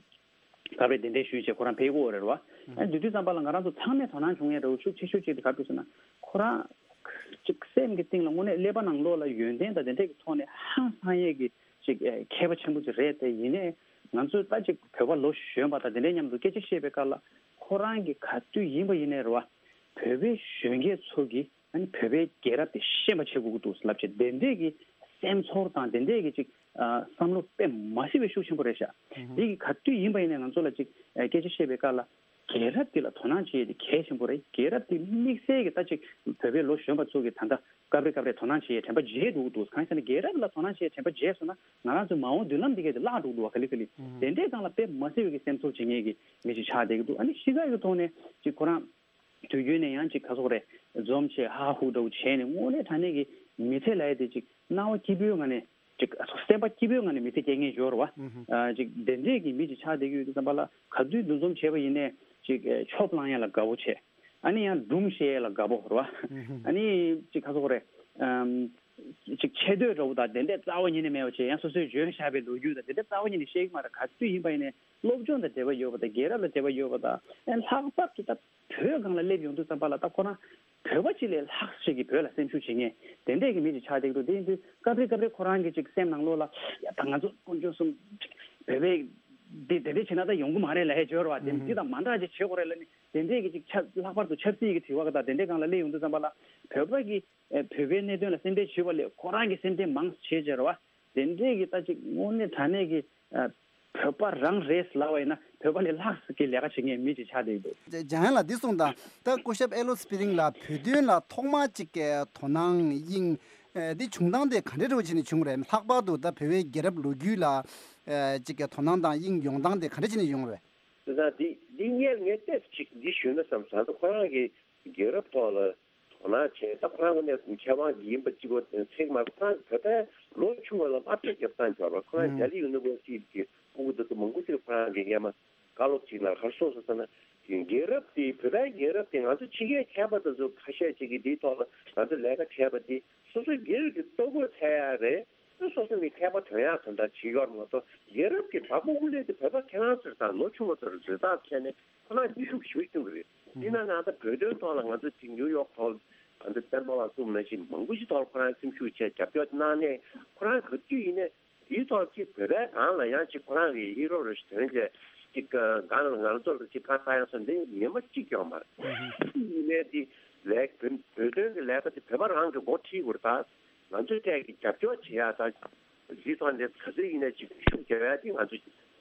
སྐབས་རེ་གདན་འདྲེན་ཞུས་བྱས་ཁོ་རང་ཕེབས་ཀྱི་ཡོད་རེད་བ། ཨ་དེ་དུས་ཙམ་པ་ལ་ང་རང་ཚོ་ཚང་མས་དོ་སྣང་བྱུང་ཡས་འདྲ་བོ་ཤུགས་ཆེ་ཤོས་གཅིག་དེ་ག་རེ་འདུག་ཟེར་ན། ཁོ་རང་ཅིག་སེམས་ཀྱི་གཏིང་ལ་དངོས་གནས་ཀླད་པ་ནང་ལོགས་ལ་ཡོན་ཏན་དང་དེ་འདྲས་ཀྱི་ཐོག་ནས་ཧང་སང་ཡས་ཀྱི་ཅིག་ཨེ་མཁས་པ་ཆེན་པོ་ཅིག་རེད། དེ་ཡིན་ནའི་ང་ཚོས་ད་ཅིག་བོད་པ་ལོ་གཞོན་པ་དང་དེ་འདྲས་མཉམ་དུ་སྐད་ཆ་བཤད་པའི་སྐབས་ལ་ཁོ་རང་གིས་ག་དུས་ཡིན་པ་ཡིན་ནའི་རེད་བ། བོད་པའི་གཞོན་སྐྱེས་ཚོ་གིས་ཨ་ནི་བོད་པའི་རྒྱལ་རབས་དེ་ཤེས་པ་བྱེད་དགོས་ཀྱི་འདུག་ལབ་བྱས་དེ་འདྲས་ཀྱི་སེམས་ཚོར་དང་དེ་འདྲས་ཀྱི་ཅིག་ཨ་བསམ་བློ་དཔེ་མ་སྲིད་པའི་ཤུགས་ཆེན་པོ་རེད་ཤག་ཨུ་ཧུ། དེ་གི་ག་དུས་ཡིན་པ་ཡིན་ནའི་ང་ཚོ་ལ་ཅིག་ཨ་སྐད་ཆ་བཤད་པའི་སྐབས་ལ་རྒྱལ་རབས་འདི་ལ་དོ་སྣང་བྱེད་ཡས་དེ་གལ་ཆེན་པོ་རེད། རྒྱལ་རབས་འདི་དམིགས་བསལ་གྱི་ད་ཅིག་བོད་པའི་ལོ་གཞོན་པ་ཚོ་གིས་ད་ལྟ་སྐབས་རེ་སྐབས་རེ་དོ་སྣང་བྱེད་ཡས་དྲན་པ་བརྗེད་འགྲོ་གི་འདུག་གང་ཡིན་ཟེར་ན་རྒྱལ་རབས་ལ་དོ་སྣང་བྱེད་ཡས་དྲན་པ་བརྗེད་སོང་ན་ང་རང་ཚོའི་མ་འོངས་མདུན་ལམ་འདི་གས་དེ་བརླག་འགྲོ་གི་འདུག་བ། ག་ལེ་ག་ལེ། ཨུ་ཧུ། དེ་འདྲའི་སྒང་ལ་དཔེ་མ་སྲིད་པའི་གི་སེམས་ཚོར་བྱེད་མཁན་གྱི་མི་ཞིག་ཆགས་བསྡད་ཀྱི་འདུག་ཨ་ནི་གཤིས་ཀ་གི་ཐོག་ནས་ཅིག་ཁོ་རང་དུས་རྒྱུན་ནས་ཡང་ཅིག་ག་ཚོད་རེད། འཛོམས་བྱས་ཧ་ཧུ་འདྲ་བོ་བྱས་ནས་དངོས་གནས་དྲང་གནས་ཀྱི་མི་ཚེ་ལབ་ཡས་དེ་ཅིག་སྣང་བ་སྐྱིད་པོའི་ངང་ནས་ཅིག་སེམས་པ་སྐྱིད་པོའི་ངང་ནས་མི་ཚེ་སྐྱེལ་མཁན་ཡོད་རེད་བ། ཨུ་ཧུ། ཨ་ཅིག་དེ་འདྲས་ཀྱི་མི་ཅིག་ཆགས་བསྡད་ཀྱི་ཡོད་དུས་ཙམ་པ་ལ་ག་དུས་འདུ་འཛོམས་བྱས་པ་ཡིན་ནའི་ཅིག་ཨེ་ཆོབ་བསླང་ཡས་ལ་དགའ་བོ་བྱས། ཨ་ནི་ཡང་སྒྲུང་བཤད་ཡས་ལ་དགའ་བོ་རེད་བ། ཨུ་ཧུ། ཨ་ནི་ཅིག་ག་ཚོད་རེད། ཨམ་ཅིག་ཆེ་བསྟོད་འདྲ་བོ་དང་དེ་འདྲས་རྩ་བ་ཉིད་ནས་མེད་པ་བྱས། ཡང་སོ་སོས་འཇོན་བཞག་པའི་ལོ་རྒྱུས་དང་དེ་འདྲས་རྩ་བ་ཉིད་ནས་བཤད་ཀྱི་མ་རེད། ག་དུས་ཡིན་པ་ཡིན་ནའི་སློབ་སྦྱོང་དང་འབྲེལ་བ་ཡོད་པ་དང་རྒྱལ་རབས་ལ་འབྲེལ་བ་ཡོད་པ་དང་། ཨ་ལྷག་པར་དུ་ད་བོད་སྒང་ལ་སླེབས་ཡོང་དུས་ཙམ་པ་ལ་ད་ཁོ་རང་བོད་པ་གཅིག་ལས་ལྷག་ཞིག་གིས་བོད་ལ་སེམས་ཤུགས་བྱེད་མཁན་དེ་འདྲས་ཀྱི་མི་ཅིག་ཆགས་བསྡད་ཀྱི་འདུག་དེ་ཡིན་དུས་སྐབས་རེ་སྐབས་རེ་ཁོ་རང་གི་ཅིག་སེམས་ནང་ལོགས་ལ་ཡ་ད་ང་ཚོ་དཀོན་མཆོག་གསུམ་བོད་པའི་འདི་དེ་འདྲས་བྱས་ན་ད་ཡོང་གི་མ་རེད་ལབ་ཡས་ཅིག་ཡོད་རེད་བ། དེ་འདི་དང་མ་འདྲ་ཅིག་བྱེད་དགོས་རེད་ལབ་ནས་དེ་འདྲས་ཀྱི་ཅིག་ཆབ་ལྷག་པར་དུ་ཆབ་སྲིད་ཀྱི་དྲི་བ་དང་དེ་འདྲས་སྒང་ལ་སླེབས་ཡོང་དུས་ཙམ་པ་ལ་བོད་པ་གི་ཨེ་བོད་པའི་གནད་དོན་ལ་སེམས་ཁྲལ་བྱེད་པ་ལས་ཁོ་རང་གི་སེམས་ཁྲལ་མང་བྱེད་བྱེད་རེད་བ། དེ་འདྲས་ཀྱི་ད་ཅིག་དངོས་གནས་དྲང་གནས་ཀྱི་ཨ་བོད་པ་རང་རེད་ལབ་པ་ཡིན་ན་བོད་པ་ལས་ལྷག་ཙམ་གྱི་ལས་ཀ་བྱེད་མཁན་མི་ཅིག་ཆགས་བསྡད་ཀྱི་འདུག་འཇམ་དབྱངས་ལགས་འདི་གསུངས་དང་། ད་སྐུ་ཞབས་ཨེ་ལོ་སི་པི་ལིང་ལ་བོད་དོན་ལ་ཐོག་མ་ཅིག་གི་དོ་སྣང་དབྱིངས་ཨེ་འདི་བྱུང་སྟངས་དེ་ག་འདྲས་འདྲ་བོ་བྱས་ནས་བྱུང་རེད། ལྷག་པར་དུ་ད་བོད་པའི་རྒྱལ་རབས་ལོ་རྒྱུས་ལ་ཨེ་ཅིག་གི་དོ་སྣང་དང་དབྱིངས་ཡོང་སྟངས་དེ་ག་འདྲས་བྱས་ནས་ཡོང་རེད། དེ་དང་འདི་འདི་སྔོན་ངས་ཏོག་ཙམ་ཅིག་འདི་ཞུས་ན་བསམ་སོང་། ད་ཁོ་རང་གི་རྒྱལ་རབས་ཐོག་ལ་དོ་སྣང་བྱས། ད་ཁོ་རང་ངོས་ནས་མཁས་དབང་ཡིན་པ་གཅིག་པོ་ཚད་མ་ཁོ་རང་བོད་པའི་ལོ་ཆུང་བ་ལ་དམའ་འབེབས་རྒྱབ་སྟངས་ཡོད་རེད། ཁོ་རང་ཨང་ལྡི་ལི་ཡུ་ནི་ཝར་སི་ཊི་གི་ཕྲུ་གུ་དེ་ཚོ་མང་པོ་ཅིག་ཁོ་རང་གིས་སྔོན་མ་བཀའ་སློབ་ཅིག་ལ་ག་རེ་གསུངས་སོང་ཟེར་ན། རྒྱལ་རབས་དེ་བོད་པའི་རྒྱལ་རབས་དེ་ང་ཚོ་ཕྱི་རྒྱལ་མཁས་པ་དེ་ཚོ་ཁ་ཤས་ཅིག་གིས་དེའི་ཐོག་ལ་ང་ཚོ་ལས་ཀ་བྱས་པ་དེ་སོ་སོའི་རྒྱལ་རབས་ཀྱི་ལྟོ་གོས་འཚོལ་ཡག་རེད། སོ་སོ་ནས་མཁས་པ་ཐོན་ཡག་དོན་དག་བྱེད་ཡོད་མ་གཏོགས། རྒྱལ་རབས་ཀྱི་བ་སྤུ་གུ་ལས་དེ་བོད་པ་ཁྱེད་རང་ཚོ་དང་ལོ་ཆུང་བ་ཚོར་འཛིན་སྟངས་ཐད་ནས་ཁོ་རང་ནུས་ཤུགས་ཞེ་པོ་བསྐྱོན་གྱི་རེད། དེས་ན་ང་ཚོ་བོད་དོན་ཐོག་ལ་ང་ཚོ་ཅིག་ནིའུ་ཡོག་ཐོག་ང་ཚོ་བསྟན་པ་ལགས་གསུངས་ནང་བཞིན་མང་པོ་ཞིག་ཐོག་ལ་ཁོ་རང་སེམས་ཤུགས་བྱས་རྒྱབ་སྐྱོར་གནང་ནས། ཁོ་རང་ག་དུས་ཡིན་ནའི་དེའི་ཐོག་ཅིག་བོད་པའི་སྒང་ལ་ཡང་ཅིག་ཁོ་རང་གི་ཧི་རོ་རེ་ཞིག་ཐོན་བྱས་ཅིག་སྒང་ལ་ང་ཚོ་ལ་ཅིག་ཁ་ལྟ་ཡག་སོགས་འདི་ཉི་མ་གཅིག་ཀྱང་མ་རེད། ཡིན་ནའི་དེ་ལས་བོད་བོད་དོན་གྱི་ལས་ཀ་དེ་བོད་པ་རང་གིས་འགོ་ཁྲིད་དགོས་རེད། ད་ང་ཚོའི་ཐད་ཀྱི་རྒྱབ་སྐྱོར་བྱེད་ཡག་དང་། འདིའི་ཐོག་ནས་ག་ཚོད་ཡིན་ནའི་ཅིག་ཤུགས་རྒྱག་ཡ་དེ་ང་ཚོ་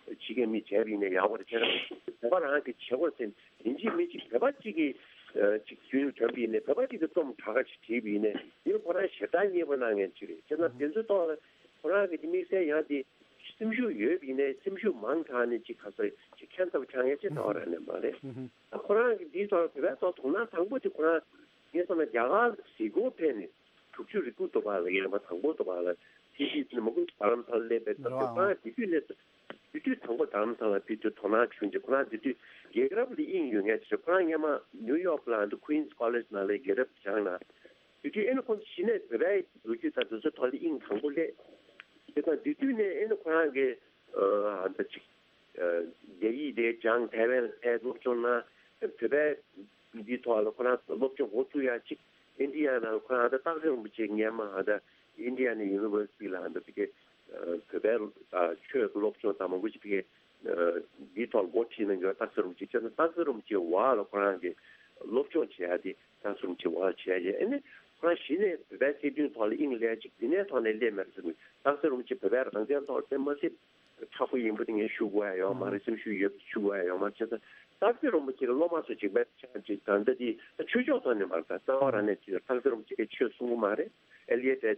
ཕྱི་རྒྱལ་མི་བྱས་པ་ཡིན་ནའི་ཡག་པོ་རེད། དེ་ན་བོད་པ་རང་གིས་བྱེད་དགོས་ཟེར། ཡིན་གཅིག་མིན་གཅིག་བོད་པ་གཅིག་གིས་ཅིག་རྒྱུན་ཐོན་པ་ཡིན་ནའི་བོད་པ་གཅིག་གིས་རྩོམ་གྲངས་ཀ་ཅིག་བྲིས་པ་ཡིན་ནའི་དེ་ཁོ་རང་ཞེ་དྲག་མཉེས་པོ་གནང་མཁན་ཅིག་རེད། བྱས་ན་དེ་ཚོའི་ཐོག་ལ་ཁོ་རང་གི་དམིགས་བསལ་ཡང་དེ་སེམས་ཤུགས་ཡོད་པ་ཡིན་ནའི་སེམས་ཤུགས་མང་དྲགས་ནས་ཅིག་ག་ཚོད་ཅིག་ཁྱད་མཚར་པོ་ཆགས་མཁན་ཅིག་ད་བར་ནས་མ་རེད། ད་ཁོ་རང་གི་འདིའི་ཐོག་ལ་བོད་པའི་ཐོག་དོ་སྣང་དང་པོ་དེ་ཁོ་རང་ངས་བསམ་ན་རྒྱ་གར་གཟིགས་སྐོར་ཕེབས་ནས། དྲུག་ཅུ་རེ་དགུ་དུ་བ་ལ་ཡིན་པ་དང་པོ་དུ་བ་ལ་ཐི་ཤི་ནི་མ་ཀུ་རྡ་རམ་ས་ལ་སླེབས་པའི་སྐབས་དུ་རེད་བ། ཁོ་རང་དེ་དུས་ནས་ དེ་དུས་དང་པོ་རྡ་རམ་ས་ལ་ཕེབས་དུས་དོ་སྣང་བྱུང་རྗེས་ཁོ་རང་དེ་དུས་རྒྱལ་རབས་ལ་དབྱིངས་ཡོད་མཁན་ཞིག་རེད། ཁོ་རང་སྔོན་མ་ནིའུ་ཡོག་ལ་ཨ་ནི་Queen's College ནང་ལ་རྒྱལ་རབས་སྦྱངས་ན། དེ་དུས་ཨེ་ནི་ཁོང་ཚོ་གཞི་ནས་བོད་པའི་ལོ་རྒྱུས་དང་དེ་ཚོའི་ཐོག་ལ་དབྱིངས་དང་པོ་སླེབས། དེ་དང་དེ་དུས་ནས་ཨེ་ནི་ཁོ་རང་གིས་ཨ་ད་ཅིག་རྒྱ་ཡིག་དེ་སྦྱངས། ཐའེ་ཝན་ལ་ཕེབས་སློབ་སྦྱོང་གནང་། བོད་པའི་འདིའི་ཐོག་ལ་ཁོ་རང་སློབ་སྦྱོང་འགོ་བཙུགས་ཡ་ཅིག་ཨིན་ཌི་ཡ་ནང་ལ་ཁོ་རང་ད་སྟག་འཚེར་རིན་པོ་ཆེ་སྔོན་མ་ད་ཨིན་ཌི་ཡ་ན་ཡུ་ནི་ཝར་སི་ཊི་ལ་ད་དེ་གའི་བོད་པའི་ཆོས་ཀྱི་སློབ་སྦྱོང་དང་མང་པོ་ཞིག་དེ་གའི་འདིའི་ཐོག་ལ་འགོ་ཁྲིད་གནང་མཁན་སྟག་འཚེར་རིན་པོ་ཆེ་བྱས་ཙང་སྟག་འཚེར་རིན་པོ་ཆེའི་འོག་ལ་ཁོ་རང་གིས་སློབ་སྦྱོང་བྱེད་ཡ་དེ། སྟག་འཚེར་རིན་པོ་ཆེའི་འོག་ལ་བྱས་རྗེས་ཨེ་ནི་ཁོ་རང་གཞི་ནས་བོད་པའི་སྲིད་དོན་ཐོག་ལ་དབྱིངས་སླེབས་ཅིག་དེ་ནས་ཐོག་ནས་སླེབས་མེད་ཟེར་གི། སྟག་འཚེར་རིན་པོ་ཆེ་བོད་པའི་རང་བཙན་ཐོག་དེ་མ་ཟད་མཁྲེགས་པོ་ཡིན་པ་དེ་ངས་ཞུ་དགོས་ཡ་ཡོད་མ་རེད། སེམས་ཤུགས་ཡོད་པ་ཞུ་དགོས་ཡ་ཡོད་མ་རེད། བྱས་ཙང་སྟག་འཚེར་རིན་པོ་ཆེ་གི་སློབ་མ་ཚོ་གཅིག་པའི་ཆ་གཅིག་ད་ལྟ་དེ་ཆོས་ཕྱོགས་ཐོག་ནས་མ་རེད། ད་རྩ་བ་རང་ནས་ཅིག་སྟག་འཚེར་རིན་པོ་ཆེ་གིས་ཆོས་གསུང་གི་མ་རེད། ཨེ་ལི་ཡེ་ཊི་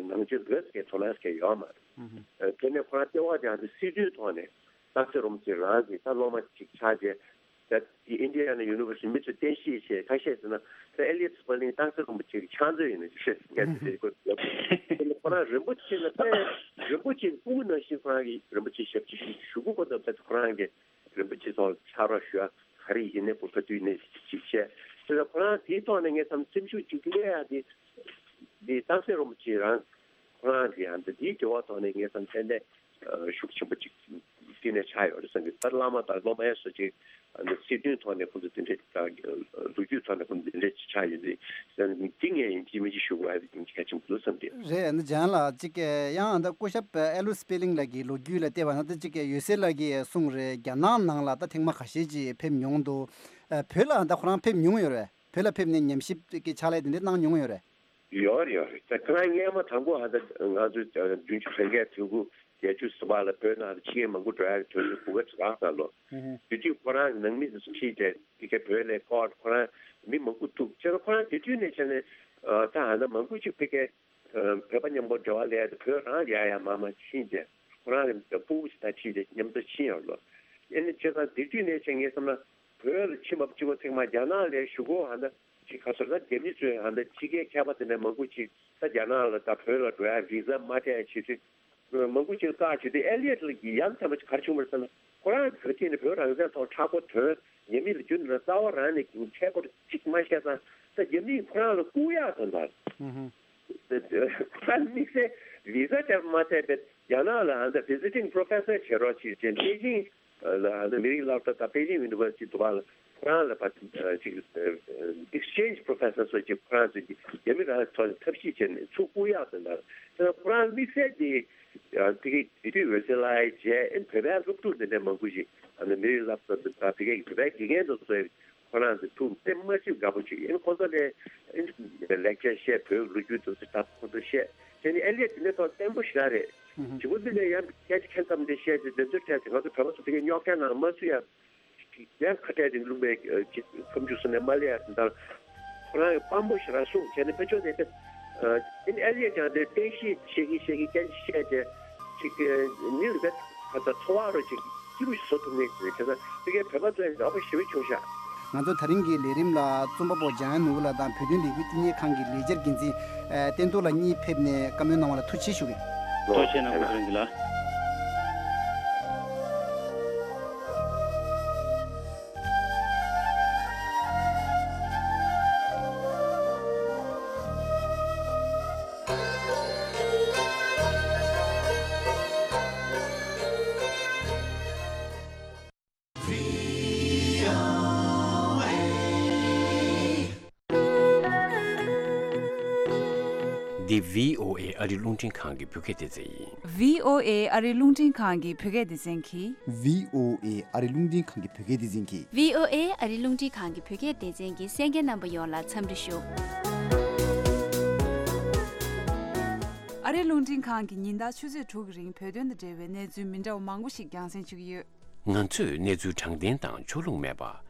ནང་ཆོས་འདི་གའི་དོ་སྣང་གང་ཡོད་མ་རེད། དེ་ནས་ཁོ་རང་ལྟེ་བ་དེ་ཡང་དེ་སྲིད་དོན་ཐོག་ནས་སྟག་འཚེར་རིན་པོ་ཆེ་རང་གི་ད་སློབ་མ་གཅིག་ཆགས་རྗེས། ད་དེ་ཨིན་ཌི་ཡ་ན་ཡུ་ནི་ཝར་སི་ཊི་མི་ཚོས་བསྟན་བཤིག་བྱས་ཁ་ཤས་ཟེར་ན་ད་ཨེ་ལི་ཡེ་ཊི་སི་པར་ལིང་སྟག་འཚེར་རིན་པོ་ཆེ་གི་ཕྱག་མཛོད་ཡིན་ནི་ཞེས་ངས་དེ་འདྲའི་སྐོར་ལབ། དེ་ནས་ཁོ་རང་རིན་པོ་ཆེ་ལ་དཔེ་རིན་པོ་ཆེ་སྐུ་ངོ་ནང་བཞིན་ཁོ་རང་གིས་རིན་པོ་ཆེ་ཞབས་ཕྱི་ཞུ་ཞུ་དགོས་པ་དང་། ད་ཁོ་རང་གིས་རིན་པོ་ཆེ་ཚོ་ལ་ཕྱག་རོགས་ཞུ་ཡ་ག་རེ་ཡིན་ནའི་ཁོ་ག་དུས་ནས་ཅིག་བྱས། དེ་ལ་ཁོ་རང་དེའི་ཐོག་ནས་ངས་བསམ་སེམས་ཤུགས་ཅིག་སླེབས་ཡ་དེ། དེ་སྟག་འཚེར་རིན་པོ་ཆེ་རང་ཁོ་རང་གིས་ཨ་ནི་དེའི་འབྲེལ་བ་ཐོག་ནས་ངས་བསམ་ཏན་ཏན་ཤུགས་ཆེན་པོ་ཅིག་བསྟི་གནས་ཆགས་ཡོད་རེད་བསམ་གི། ད་བླ་མ་དང་སློབ་མ་ཡ་སོགས་ཅིག་ཨ་ནི་སྲིད་དོན་ཐོག་ནས་ཁོང་ཚོ་དེ་འདྲས་ད་ལོ་རྒྱུས་ཐོག་ནས་ཁོང་ཚོ་དེ་འདྲས་ཅིག་ཆགས་ཡོད་རེད་བསམ་གི། དེ་ངས་ཡིན་གཅིག་མིན་གཅིག་ཞུ་དགོས་ཡ་དེ་གལ་ཆེན་པོ་འདུག་བསམ་གི། རེད། ཨ་ནི་ལྗང་ལགས་ཅིག་ཡང་ད་སྐུ་ཞབས་ཨེ་ལུ་སི་པེ་ལིང་ལགས་ཀྱི་ལོ་རྒྱུས་ལ་བལྟས་པ་ན་ད་ཅིག་ཡོད་སའི་ལགས་ཀྱིས་གསུངས་རེད། རྒྱ་ནག་ནང་ལ་ད་ཐེངས་མ་ཁ་ཤས་ཅིག་ཕེབས་མྱོང་འདུག་བོད་ལ་ད་ཁོ་རང་ཕེབས་མྱོང་ཡོད་རེད། བོད་ལ་ཕེབས་ནས་ཉམས་ཞིབ་ཀྱི་ཕྱག་ལས་དེ་འདྲ་གནང་མྱོང་ཡོད་རེད། ཡོད་རེད། ཡོད་རེད། ད་ཁོ་རང་སྔོན་མ་དང་པོ་ཧ་ད་ང་ཚོ་བདུན་ཅུ་དོན་བརྒྱད་དུས་དགུ་བརྒྱད་ཅུ་ཟུར་པ་ལ་བོད་ནང་ལ་ཕྱི་རྒྱལ་མང་པོ་འགྲོ་ཡག་གི་དུས་ཚོད་གོ་སྐབས་རག་ཚར་ལོ། ཧུམ་ཧུམ། དེ་དུས་ཁོ་རང་གི་ནང་མི་ཚོ་ཁྲིད་དེ་དེ་གའི་བོད་ལ་སྐོར་ཁོ་རང་མི་མང་པོ་ཐུག་བྱས་ན་ཁོ་རང་དེ་དུས་ནས་བྱས་ནས་ད་ཧ་ད་མང་པོ་ཅིག་ཕ་གིའི་བོད་པ་མཉམ་པོ་འབྲེལ་བ་ལས་དེ་བོད་རང་ལ་ཡ་ཡ་མ་མ་ཕྱིན་བྱས་ཁོ་རང་གི་སྤུ་གུ་ཞིག་དང་ཁྲིད་དེ་མཉམ་དུ་ཕྱིན་ཡོད་ལོ། ཨེ་ནི་བྱས་ཙང་དེ་དུས་ནས་བྱས་ངས་བསམ་ན། བོད་ལ་ཕྱིན་པ་གཅིག་པོ་ཚང་མ་རྒྱ་ནག་ལ་ཞུ་གོ་ཧ་ད་ཅིག་ག་ཚོད་ད་རྒྱ་མི་ཚོས་ཧ་ད་ཕྱི་རྒྱལ་མཁས་པ་དེ་འདྲ་མང་པོ་ཅིག་ད་རྒྱ་ནག་ལ་ད་བོད་ལ་འགྲོ་ཡ་བི་ཟ་མ་སྤྲད་ཡ་བྱེད་དུས་མང་པོ་ཅིག་བཀག་བྱེད་དུས་ཨེ་ལི་ཡེ་ཊི་ལགས་ཀྱིས་ཡ་མཚན་པ་ཅིག་ག་རེ་བྱུང་བ་རེད་ཟེར་ན། ཁོ་རང་གི་བོད་ཐད་ནས་བོད་རང་བཙན་ཐོག་མཁྲེགས་པོ་དོན་རྒྱ་མི་ལ་རྒྱུན་དུ་རྩ་བ་རང་ནས་ཀྱང་ཁྲེལ་སྐོར་གཅིག་མ་བཤད་ཙང་ད་རྒྱ་མིས་ཁོ་རང་ལ་བཀུག་ཡག་དོན་དག་ཧུམ་ཧུམ། ཁོ་རང་དམིགས་བསལ་བི་ཟ་སྤྲད་པ་མ་ཚད་པའི་རྒྱ་ནག་ལ་ཨ་ད་ཝི་ཟི་ཊིང་པོ་རོ་ཕེ་སར་བྱེད་རོགས་བྱེད་ཅེས་པེ་ཅིང་ལ་ཨ་ད་མི་རིགས་སློབ་གྲྭ་དང་པེ་ཅིང་ཡུ་ནི་ཝར་སི་ཊི་དུ་བ་ལ་ཁོ་རང་ལ་ཕ་ཅིག་ཨེག་སི་ཅེན་ཇི་པོ་རོ་ཕེ་སར་སོགས་ཀྱི་ཁོ་རང་ཚོས་ཀྱི་རྒྱ་མི་རང་ཐོག་ནས་ཐབས་ཤེས་བྱས་ནས་ཚུར་བཀུག་ཡག་དང་ལ་དེ་ཁོ་རང་དམིགས་བསལ་གྱི་དེ་གའི་དེ་དུས་འོད་ཟེར་ལགས་བྱས་ཨེ་བོད་པའི་སློབ་ཕྲུག་འདི་འདྲ་མང་པོ་ཞིག་ཨ་ད་མི་རིགས་སློབ་གྲྭ་དང་དེ་གའི་བོད་པའི་དགེ་རྒན་དང་སོགས། ཁོ་རང་ཚོ་ཐུགས་དེ་མ་ཞིག་དགའ་པོ་བྱེད་ཡིན། ཁོ་ཚོ་ལས་ལེག་ཅར་བཤད་བོད་ལོ་རྒྱུས་དེ་ཚོ་ད་ཁོ་ཚོ་བཤད་བྱས་ནས་ཨེ་ལི་ཡ་དེ་འདྲ་ཐོག་བརྟན་པོ་ཞེ་དྲག་རེད། ཧུམ་ཧུམ། བྱེད་པོ་འདི་ནས་ཡང་སྐད་ཆ་ཁྱད་མཚར་འདི་བཤད་དེ་འདི་ཚོའི་གྲས་དེ་ང་ཚོ་བོད་པ་ཚོ་དེ་གའི་རྙོག་དྲ་ནང་མ་བཟོ་ཡ་ཡང་ཁ་བྲལ་ཏེ་བླུགས་པའི་ཁ་མཆུ་སོ་ནས་མ་ལས་ཡ་དེ་འདྲ་ཁོ་རང་གི་དཔང་པོ་ཞེ་དྲག་གསུངས་བྱས་ནས་དཔེ་ཆོས་དེ་དེ་ཨེ་ལི་ཡ་ཀྱང་དེ་བསྟན་བཤིག་བྱེད་ཀྱི་བྱེད་ཀྱི་སྐད་ཆ་བཤད་དེ་ཅིག་མི་ལ་དཔེ། ད་ལྟ་འཚོ་བ་རོ་ཅིག་སྐྱིད་པོ་ཞིག་བཟོ་ཐུབ་ངེས་ཀྱི་རེད། དེ་ཚོ་དེ་གའི་བོད་པ་ཚོ་ཡང་དགའ་པོ་ཞེ་པོ་བྱུང་ཤག་ང་ཚོ་ད་རིང་གི་ལས་རིམ་ལ་རྩོམ་པ་པོ་འཇམ་དབྱངས་ནོར་བུ་ལགས་དང་བོད་དོན་ལས་འགུལ་བསྟི་གནས་ཁང་གི་ལས་འཆར་འགན་འཛིན་བསྟན་རྡོར་ལགས་གཉིས་ཕེབས་ནས་བཀའ་མོལ་གནང་བ་ལ་ཐུགས་རྗེ་ཆེ་ཞུ་གི། ཐུགས་རྗེ་གནང་། ད་རིང་གི་ལ། འདི་བྷི་ཨོ་ཨེ་ཨ་རི་རླུང་འཕྲིན་ཁང་གི་བོད་སྐད་སྡེ་ཚན་ཡིན། བྷི་ཨོ་ཨེ་ཨ་རི་རླུང་འཕྲིན་ཁང་གི་བོད་སྐད་སྡེ་ཚན་གྱིས། བྷི་ཨོ་ཨེ་ཨ་རི་རླུང་འཕྲིན་ཁང་གི་བོད་སྐད་སྡེ་ཚན་གྱིས། བྷི་ཨོ་ཨེ་ཨ་རི་རླུང་འཕྲིན་ཁང་གི་བོད་སྐད་སྡེ་ཚན་གྱི་གསན་མཁན་རྣམ་པ་ཡོངས་ལ་འཚམས་འདྲི་ཞུ། ཨ་རི་རླུང་འཕྲིན་ཁང་གིས་ཉིན་ལྟར་ཆུ་ཚོད་དྲུག་གི་རིང་བོད་དོན་དང་འབྲེལ་བའི་གནས་ཚུལ་མི་འདྲ་བ་མང་པོ་ཞིག་རྒྱང་སྲིང་ཞུ་གི་ཡོད། ང་ཚོས་གནས་ཚུལ་དྲང་བདེན་དང་ཕྱོགས་ལྷུང་མེད་པ།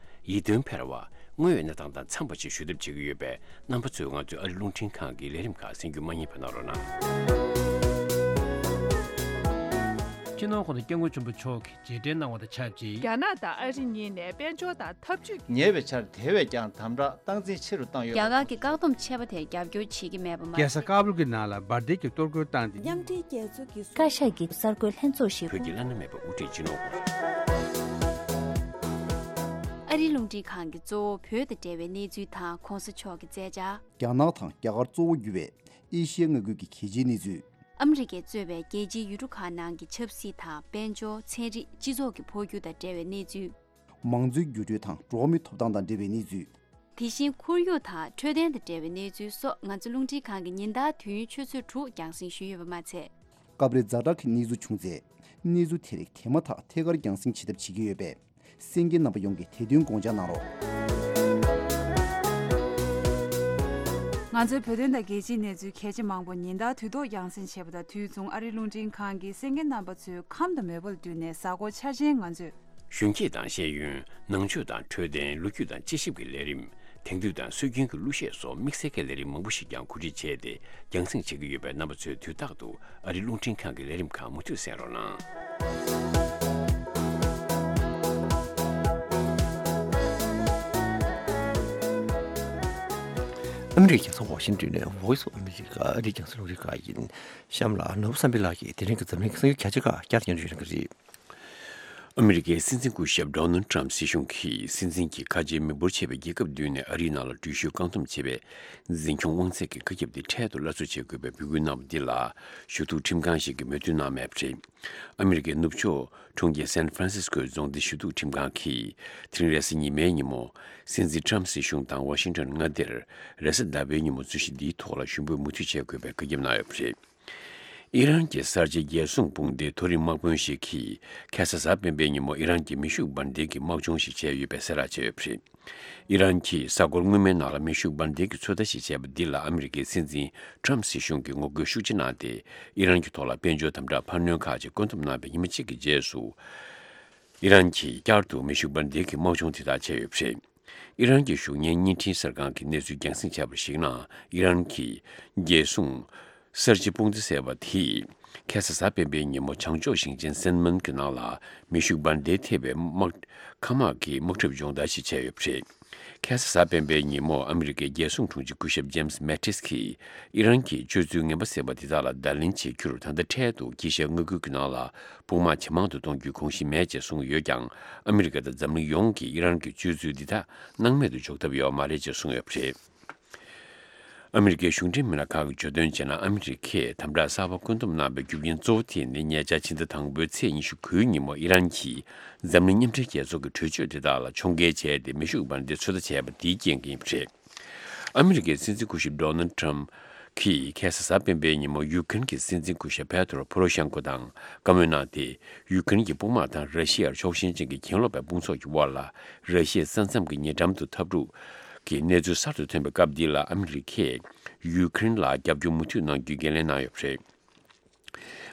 ཡིད་རྟོན་འཕེར་བ། དངོས་ཡོད་གནས་སྟངས་དང་འཚམས་པ་ཞིག་ཞུ་ཐབས་བྱེད་ཀྱི་ཡོད་པས། རྣམ་པ་ཚོས་ང་ཚོའི་ཨ་རི་རླུང་འཕྲིན་ཁང་གི་ལས་རིམ་ཁག་གསན་རྒྱུ་མ་བསྙེལ་བ་གནང་རོགས་གནང་། སྤྱི་ནོར་༸གོང་ས་༸སྐྱབས་མགོན་ཆེན་པོ་མཆོག་གིས་རྗེས་དྲན་གནང་བ་དང་ཆབས་ཅིག་རྒྱ་ནག་དང་ཨ་རི་གཉིས་ནས་དཔལ་འབྱོར་དང་འཐབ་ཇུས། ཉེ་བའི་ཆར་དེ་བས་ཀྱང་དམ་དྲག་སྟངས་འཛིན་ཆེ་རུ་བཏང་ཡོད་པ། རྒྱ་གར་གྱི་བཀག་སྡོམ་ཆད་པ་དེར་རྒྱབ་སྐྱོར་བྱེད་ཀྱི་མེད་པ་མ་རྒྱལ་ས་ཟད། ཀ་བུལ་གྱི་ནང་ལ་འབར་མདེལ་གྱི་གཏོར་རྒོལ་བཏང་སྟེ། མཉམ་འབྲེལ་རྒྱལ་ཚོགས་ཀྱི་བཀའ་ཤག་གི་གསར་འགོད་ལྷན་ཚོགས་ཤིག་བོད་ཀྱི་བླ་ན་མེད་པ་དབུ་ཁྲིད་སྤྱི་ནོར་ཨ་རིའི་རླུང་འཕྲིན་ཁང་གིས་གཙོ་བོ་བོད་དང་འབྲེལ་བའི་གནས་ཚུལ་དང་གོང་ས་མཆོག་གི་མཛད་འཆར། རྒྱ་ནག་དང་རྒྱ་གར་གཙོ་བོ་གྱུར་བའི་ཨེ་ཤི་ཡའི་མངའ་ཁུལ་གྱི་གལ་ཆེའི་གནས་ཚུལ། ཨ་མི་རི་ཀས་གཙོས་པའི་རྒྱལ་སྤྱིའི་ཡུལ་གྲུ་ཁག་ནང་གི་ཆབ་སྲིད་དང་དཔལ་འབྱོར། ཚན་རིག་སྤྱི་ཚོགས་ཀྱི་འཕོ་འགྱུར་དང་འབྲེལ་བའི་གནས་ཚུལ། མང་གཙོའི་འགྱུར་འགྲོས་དང་འགྲོ་བ་མིའི་ཐོབ་ཐང་དང་འབྲེལ་བའི་གནས་ཚུལ། དེ་བཞིན་ཁོར་ཡུག་དང་འཕྲོད་བསྟེན་དང་འབྲེལ་བའི་གནས་ཚུལ་སོགས་ང་ཚོ་རླུང་འཕྲིན་ཁང་གིས་ཉིན་ལྟར་དུས་ཡུན་ཆུ་ཚོད་དྲུག་རྒྱང་སྲིང་ཞུས་ཡོད་པ་མ་ཚད། སྐབས་རེ་ཛ་དྲག་གི་གནས་ཚུལ་བྱུང་ཚེ། གནས་ཚུལ་དེ་རིགས་དེ་མ་ཐག་ཐད་ཀར་རྒྱང་སྲིང་བྱེད་ཐབས་བྱེད་ཀྱི་ཡོད་པས། གསན་མཁན་རྣམ་པ་ཡོངས་ཀྱིས་དེ་དོན་དགོངས་འཇགས་གནང་རོགས། ང་ཚོའི་བོད་དོན་དང་རྒྱལ་སྤྱིའི་གནས་ཚུལ་གལ་ཆེ་མང་པོ་ཉིན་ལྟར་དུས་ཐོག་རྒྱང་སྲིང་བྱས་པ་དང་། དུས་མཚུངས་ཨ་རིའི་རླུང་འཕྲིན་ཁང་གིས་གསན་མཁན་རྣམ་པ་ཚོའི་ཁམས་དང་མོས་པ་ལ་བསྟུན་ནས་གཟའ་འཁོར་འཆར་ཅན་ང་ཚོས། གཞོན་སྐྱེས་དང་ཤེས་ཡོན། ནང་ཆོས་དང་འཕྲོད་བསྟེན། ལོ་རྒྱུས་དང་དཔྱད་ཞིབ་ཀྱི་ལས་རིམ། དེང་དུས་དང་སྲོལ་རྒྱུན་གྱི་གླུ་གཞས་སོགས་དམིགས་བསལ་གྱི་ལས་རིམ་མང་པོ་ཞིག་ཀྱང་གོ་སྒྲིག་བྱས་ཏེ་རྒྱང་སྲིང་བྱེད་ཀྱི་ཡོད་པས། རྣམ་པ་ཚོས་དུས་རྟག་ཏུ་ཨ་རིའི་རླུང་འཕྲིན་ཁང་གི་ལས་རིམ་ཁག་མུ་མཐུད་གསན་རོགས་གནང་། ཨ་མི་རི་ཀའི་རྒྱལ་ས་ཝ་ཤིང་ཏོན་ནས་Voice of America ཨ་རིའི་རྒྱང་སྲིང་རླུང་འཕྲིན་ཁང་ཡིན། གཤམ་ལ་ནོར་བུ་བསམ་འཕེལ་ལགས་ཀྱིས་དེ་རིང་གི་འཛམ་གླིང་གི་གསར་འགྱུར་ཁྱད་ཆོས་ཁག་བསྐྱར་དུ་སྙན་སྒྲོན་ཞུ་གནང་གི་རེད། ཨ་མི་རི་ཀའི་སྲིད་འཛིན་སྐུ་ཞབས་Donald Trump སྲིད་གཞུང་གིས་སྲིད་འཛིན་གྱིས་ཁ་ཆེའི་མི་འབོར་ཆེ་བའི་རྒྱལ་ཁབ་བདུན་ནས་ཨ་རིའི་ནང་ལ་འགྲུལ་བཞུད་བཀག་སྡོམ་བྱས་པའི་འཛིན་སྐྱོང་དབང་ཚད་ཀྱི་བཀའ་ཁྱབ་དེ་འཕྲལ་དུ་སླར་གསོ་བྱེད་དགོས་པའི་འབོད་སྐུལ་གནང་བ་འདི་ལ་ཞུ་གཏུག་ཁྲིམས་ཁང་ཞིག་གིས་མོས་མཐུན་གནང་མེད་པ་རེད། ཨ་མི་རི་ཀའི་ནུབ་ཕྱོགས་གྲོང་ཁྱེར་San Franciscoའི་རྫོང་སྡེ་ཞུ་གཏུག་ཁྲིམས་ཁང་གིས་དེ་རིང་རེས་གཟའ་ཉི་མའི་ཉིན་མོ། སྲིད་འཛིན་Trump སྲིད་གཞུང་དང་ཝ་ཤིང་ཏོན་མངའ་སྡེར་རེས་གཟའ་ཟླ་བའི་ཉིན་མོ་རྩོད་གཞི་འདིའི་ཐོག་ལ་ཞུ་འབོད་མུ་མཐུད་བྱེད་དགོས་པའི་བཀའ་ཁྱབ་གནང་ཡོད་པ་རེད། ཨི་རན་གྱི་གསར་བརྗེ་རྒྱལ་སྲུང་དཔུང་སྡེའི་མཐོ་རིམ་དམག་དཔོན་ཞིག་གིས་ཁ་སང་གཟའ་སྤེན་པའི་ཉིན་མོ་ཨི་རན་གྱི་མེ་ཤུགས་འབར་མདེལ་གྱི་དམག་སྦྱོང་ཞིག་བྱས་ཡོད་པའི་གསལ་བསྒྲགས་བྱས་ཡོད་པ་རེད། ཨི་རན་གྱིས་གཟའ་འཁོར་སྔོན་མའི་ནང་ལ་མེ་ཤུགས་འབར་མདེལ་གྱི་ཚོད་ལྟ་ཞིག་བྱས་པ་འདི་ལ་ཨ་མི་རི་ཀའི་སྲིད་འཛིན་Trump སྲིད་གཞུང་གིས་ངོ་རྒོལ་ཤུགས་ཆེ་གནང་སྟེ། ཨི་རན་གྱི་ཐོག་ལ་དཔལ་འབྱོར་དམ་དྲག་འཕར་སྣོན་ཁག་ཅིག་བཀོད་འདོམས་གནང་བའི་ཉི་མ་གཅིག་གི་རྗེས་སུ། ཨི་རན་གྱིས་བསྐྱར་དུ་མེ་ཤུགས་འབར་མདེལ་གྱི་དམག་སྦྱོང་དེ་དག་བྱས་ཡོད་པ་རེད། ཨི་རན་གྱི་གཞུང་གཉེར་བརྙན་འཕྲིན་གསར་ཁང་གིས་གནས་ཚུལ་རྒྱང་སྲིང་བྱས་པར་གཞིགས་ན། ཨི་རན་གྱི་རྒྱལ་སྲུང་གསར་བརྗེ་དཔུང་སྡེ་ཟེར་བ་དེས་ཁ་སང་གཟའ་སྤེན་པའི་ཉིན་མོ་བྱང་ཕྱོགས་ཞིང་ཆེན་སན་མོན་གྱི་ནང་ལ་མེ་ཤུགས་འབར་མདེལ་ཐེབས་པའི་དམག་མཁའ་དམག་གི་དམག་འཁྲབ་སྦྱོང་བརྡར་ཞིག་བྱས་ཡོད་པ་རེད། ཁ་སང་གཟའ་སྤེན་པའི་ཉིན་མོ་ཨ་མི་རི་ཀའི་རྒྱལ་སྲུང་དྲུང་ཆེ་སྐུ་ཞབས་James Mattis གྱིས་ཨི་རན་གྱི་སྤྱོད་ཚུལ་ངན་པ་ཟེར་བ་འདི་དག་ལ་བརྡ་ལན་བྱེད་རྒྱུར་ད་ལྟ་འཕྲལ་དུ་དཀྱིལ་ཤར་མངའ་ཁུལ་གྱི་ནང་ལ་དཔུང་དམག་ཇེ་མང་དུ་གཏོང་རྒྱུའི་དགོངས་གཞི་མེད་ཅེས་གསུངས་ཡོད་ཀྱང་། ཨ་མི་རི་ཀ་དང་འཛམ་གླིང་ཡོངས་ཀྱིས་ཨི་རན་གྱི་སྤྱོད་ཚུལ་འདི་དག་སྣང་མེད་དུ་འཇོག་ཐབས་ཡོད་མ་རེད་ཅེས་གསུངས་ཡོད་པ་རེད། ཨ་མི་རི་ཀའི་གཞུང་འབྲེལ་མི་སྣ་ཁག་གིས་བརྗོད་དོན་བྱས་ན། ཨ་མི་རི་ཀས་དམ་དྲག་གསར་པ་བཀོད་འདོམས་གནང་བའི་རྒྱུ་རྐྱེན་གཙོ་བོ་དེ་ནི་ཉེ་ཆར་ཕྱི་ཟླ་དང་པོའི་ཚེས་ཉི་ཤུ་དགུའི་ཉིན་མོ་ཨི་རན་གྱིས་འཛམ་གླིང་མཉམ་འབྲེལ་རྒྱལ་ཚོགས་ཀྱི་གྲོས་ཆོད་དེ་དག་ལ་ཕྱོགས་འགལ་བྱས་ཏེ། མེ་ཤུགས་འབར་མདེལ་ཚོད་ལྟ་བྱས་པ་དེའི་རྐྱེན་གྱིས་ཡིན་པ་རེད། ཨ་མི་རི་ཀའི་སྲིད་འཛིན་སྐུ་ཞབས་Donald Trump གིས་ཁ་སང་གཟའ་སྤེན་པའི་ཉིན་མོ་ཡུ་ཀེ་རེན་གྱི་སྲིད་འཛིན་སྐུ་ཞབས་Petro Poroshenko དང་བཀའ་མོལ་གནང་སྟེ། ཡུ་ཀེ་རེན་གྱི་དཔུང་དམག་དང་ར་ཤི་ཡར་ཕྱོགས་ཞེན་ཅན་གྱི་གྱེན་ལོག་པའི་དཔུང་ཚོགས་ཀྱི་དབར་ལ་ར་ཤི་ཡའི་ས་མཚམས་ཀྱི་ཉེ་འགྲམ་དུ་འཐབ་འཁྲུག་གི་གནས་ཚུལ་གསར་དུ་ཐོན་པའི་སྐབས་འདི་ལ། ཨ་མི་རི་ཀས་ཡུ་ཀེ་རེན་ལ་རྒྱབ་སྐྱོར་མུ་མཐུད་གནང་རྒྱུའི་འགན་ལེན་གནང་ཡོད་པ་རེད།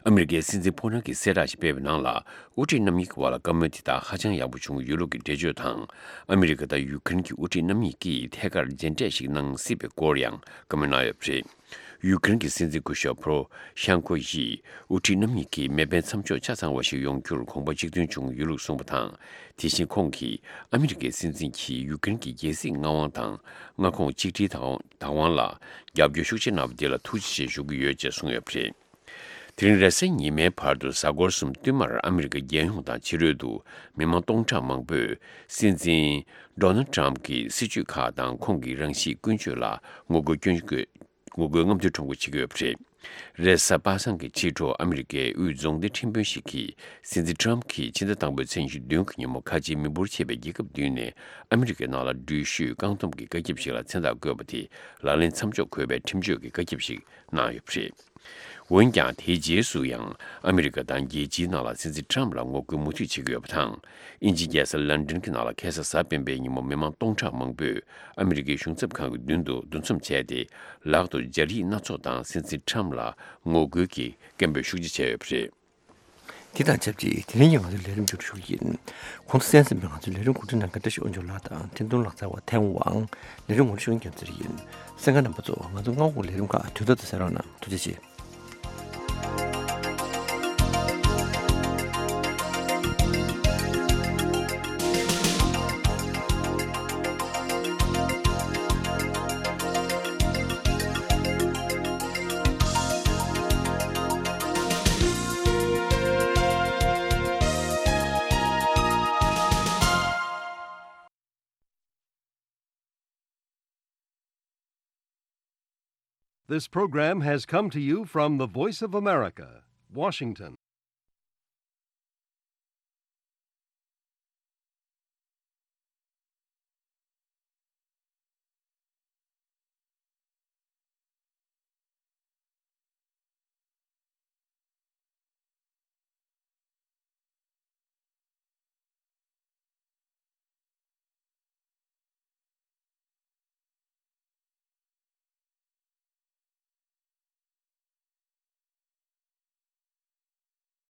ཨ་མི་རི་ཀའི་སྲིད་འཛིན་ཕོ་བྲང་གིས་གསལ་བསྒྲགས་ཤིག་སྤེལ་བའི་ནང་ལ། དབུ་ཁྲིད་རྣམ་གཉིས་ཀྱི་བར་ལ་བཀའ་མོལ་དེ་དག་ཧ་ཅང་ཡག་པོ་བྱུང་ཡོད་ལུགས་ཀྱི་འགྲེལ་བརྗོད་དང་། ཨ་མི་རི་ཀ་དང་ཡུ་ཀེ་རེན་གྱི་དབུ་ཁྲིད་རྣམ་གཉིས་ཀྱིས་ཐད་ཀར་མཇལ་འཕྲད་ཞིག་གནང་སྲིད་པའི་སྐོར་ཡང་བཀའ་མོལ་གནང་ཡོད་པ་རེད། ཡུ་ཀེ་རེན་གྱི་སྲིད་འཛིན་སྐུ་ཞབས་Poroshenko ཡིས། དབུ་ཁྲིད་རྣམ་གཉིས་ཀྱིས་མེ་འཕེན་མཚམས་འཇོག་ཆ་ཚང་བ་ཞིག་ཡོང་རྒྱུར་དགོངས་པ་གཅིག་མཐུན་བྱུང་ཡོད་ལུགས་གསུངས་པ་དང་། དེ་བཞིན་ཁོང་གིས་ཨ་མི་རི་ཀའི་སྲིད་འཛིན་གྱིས་ཡུ་ཀེ་རེན་གྱི་རྒྱལ་སྲིད་མངའ་དབང་དང་མངའ་ཁོངས་གཅིག་སྒྲིལ་བདག་དབང་ལ་རྒྱབ་སྐྱོར་ཤུགས་ཆེ་གནང་བ་དེ་ལ་ཐུགས་རྗེ་ཆེ་ཞུ་གི་ཡོད་ཅེས་གསུངས་ཡོད་པ་རེད། དེ་རིང་རེས་གཟའ་ཉི་མའི་བར་དུ་གཟའ་འཁོར་གསུམ་བསྟུད་མར་ཨ་མི་རི་ཀའི་རྒྱལ་ཡོངས་དང་ཕྱི་རོལ་དུ་མི་མང་སྟོང་ཕྲག་མང་པོས་སྲིད་འཛིན་Donald Trump གྱི་སྲིད་བྱུས་ཁག་དང་ཁོང་གི་རང་གཤིས་ཀུན་སྤྱོད་ལ་ངོ་རྒོལ་སྐྱོན་བརྗོད། ངོ་རྒོལ་རྔམ་སྟོན་ཁྲོམ་སྐོར་བྱེད་ཀྱི་ཡོད་པ་རེད། རེས་གཟའ་པ་སངས་ཀྱི་ཕྱི་དྲོ་ཨ་མི་རི་ཀའི་དབུས་རྫོང་སྡེ་ཁྲིམས་དཔོན་ཞིག་གིས་སྲིད་འཛིན་Trump གིས་ཕྱི་ཟླ་དང་པོའི་ཚེས་ཉི་ཤུ་བདུན་གྱི་ཉིན་མོ་ཁ་ཆེའི་མི་འབོར་ཆེ་བའི་རྒྱལ་ཁབ་བདུན་ནས་ཨ་མི་རི་ཀའི་ནང་ལ་འགྲུལ་བཞུད་བཀག་སྡོམ་གྱི་བཀའ་ཁྱབ་ཞིག་ལ་མཚན་རྟགས་བཀོད་པ་དེ་ལག་ལེན་མཚམས་འཇོག་དགོས་པའི་ཁྲིམས་གཅོད་ཀྱི་བཀའ་ཁྱབ་ཞིག་གནང་ཡོད་པ་རེད། འོན་ཀྱང་། དེའི་རྗེས་སུ་ཡང་ཨ་མི་རི་ཀ་དང་རྒྱལ་སྤྱིའི་ནང་ལ་སྲིད་འཛིན་Trump ལ་ངོ་རྒོལ་མུ་མཐུད་བྱེད་ཀྱི་ཡོད་པ་དང་། དབྱིན་ཇིའི་རྒྱལ་ས་ལན་ཀྲན་གྱི་ནང་ལ་ཁ་སང་གཟའ་སྤེན་པའི་ཉིན་མོ་མི་མང་སྟོང་ཕྲག་མང་པོས་ཨ་མི་རི་ཀའི་གཞུང་ཚབ་ཁང་གི་མདུན་དུ་འདུ་འཛོམས་བྱས་ཏེ། ལག་ཏུ་སྦྱར་ཡིག་སྣ་ཚོགས་དང་སྲིད་འཛིན་Trump ལ་ངོ་རྒོལ་གྱི་སྐད་འབོད་ཤུགས་ཆེ་བྱས་ཡོད་པ་རེད། དེ་དང་ཆབས་ཅིག་དེ་རིང་གི་ང་ཚོའི་ལས་རིམ་མཇུག་སྒྲིལ་ཞུ་གི་ཡིན། གོང་དུ་གསན་ཟིན་པའི་ང་ཚོའི་ལས་རིམ་གོ་སྒྲིག་གནང་མཁན་བཀྲ་ཤིས་དབང་ཕྱུག་ལགས་དང་འཕྲིན་གཏོང་ལག་རྩལ་བ་ཐན་ཝང་། ལས་རིམ་ངོ་སྤྲོད་ཞུ་མཁན་རྒྱལ་མཚན་ཡིན། གསན་མཁན་རྣམ་པ་ཚོ། ང་ཚོ་སྔ་དགོང་ལས་རིམ་ཁག་དུས་ཐོག་ཏུ་གསན་རོགས་གནང་། ཐུགས་རྗེ་ཆེ། This program has come to you from the Voice of America, Washington.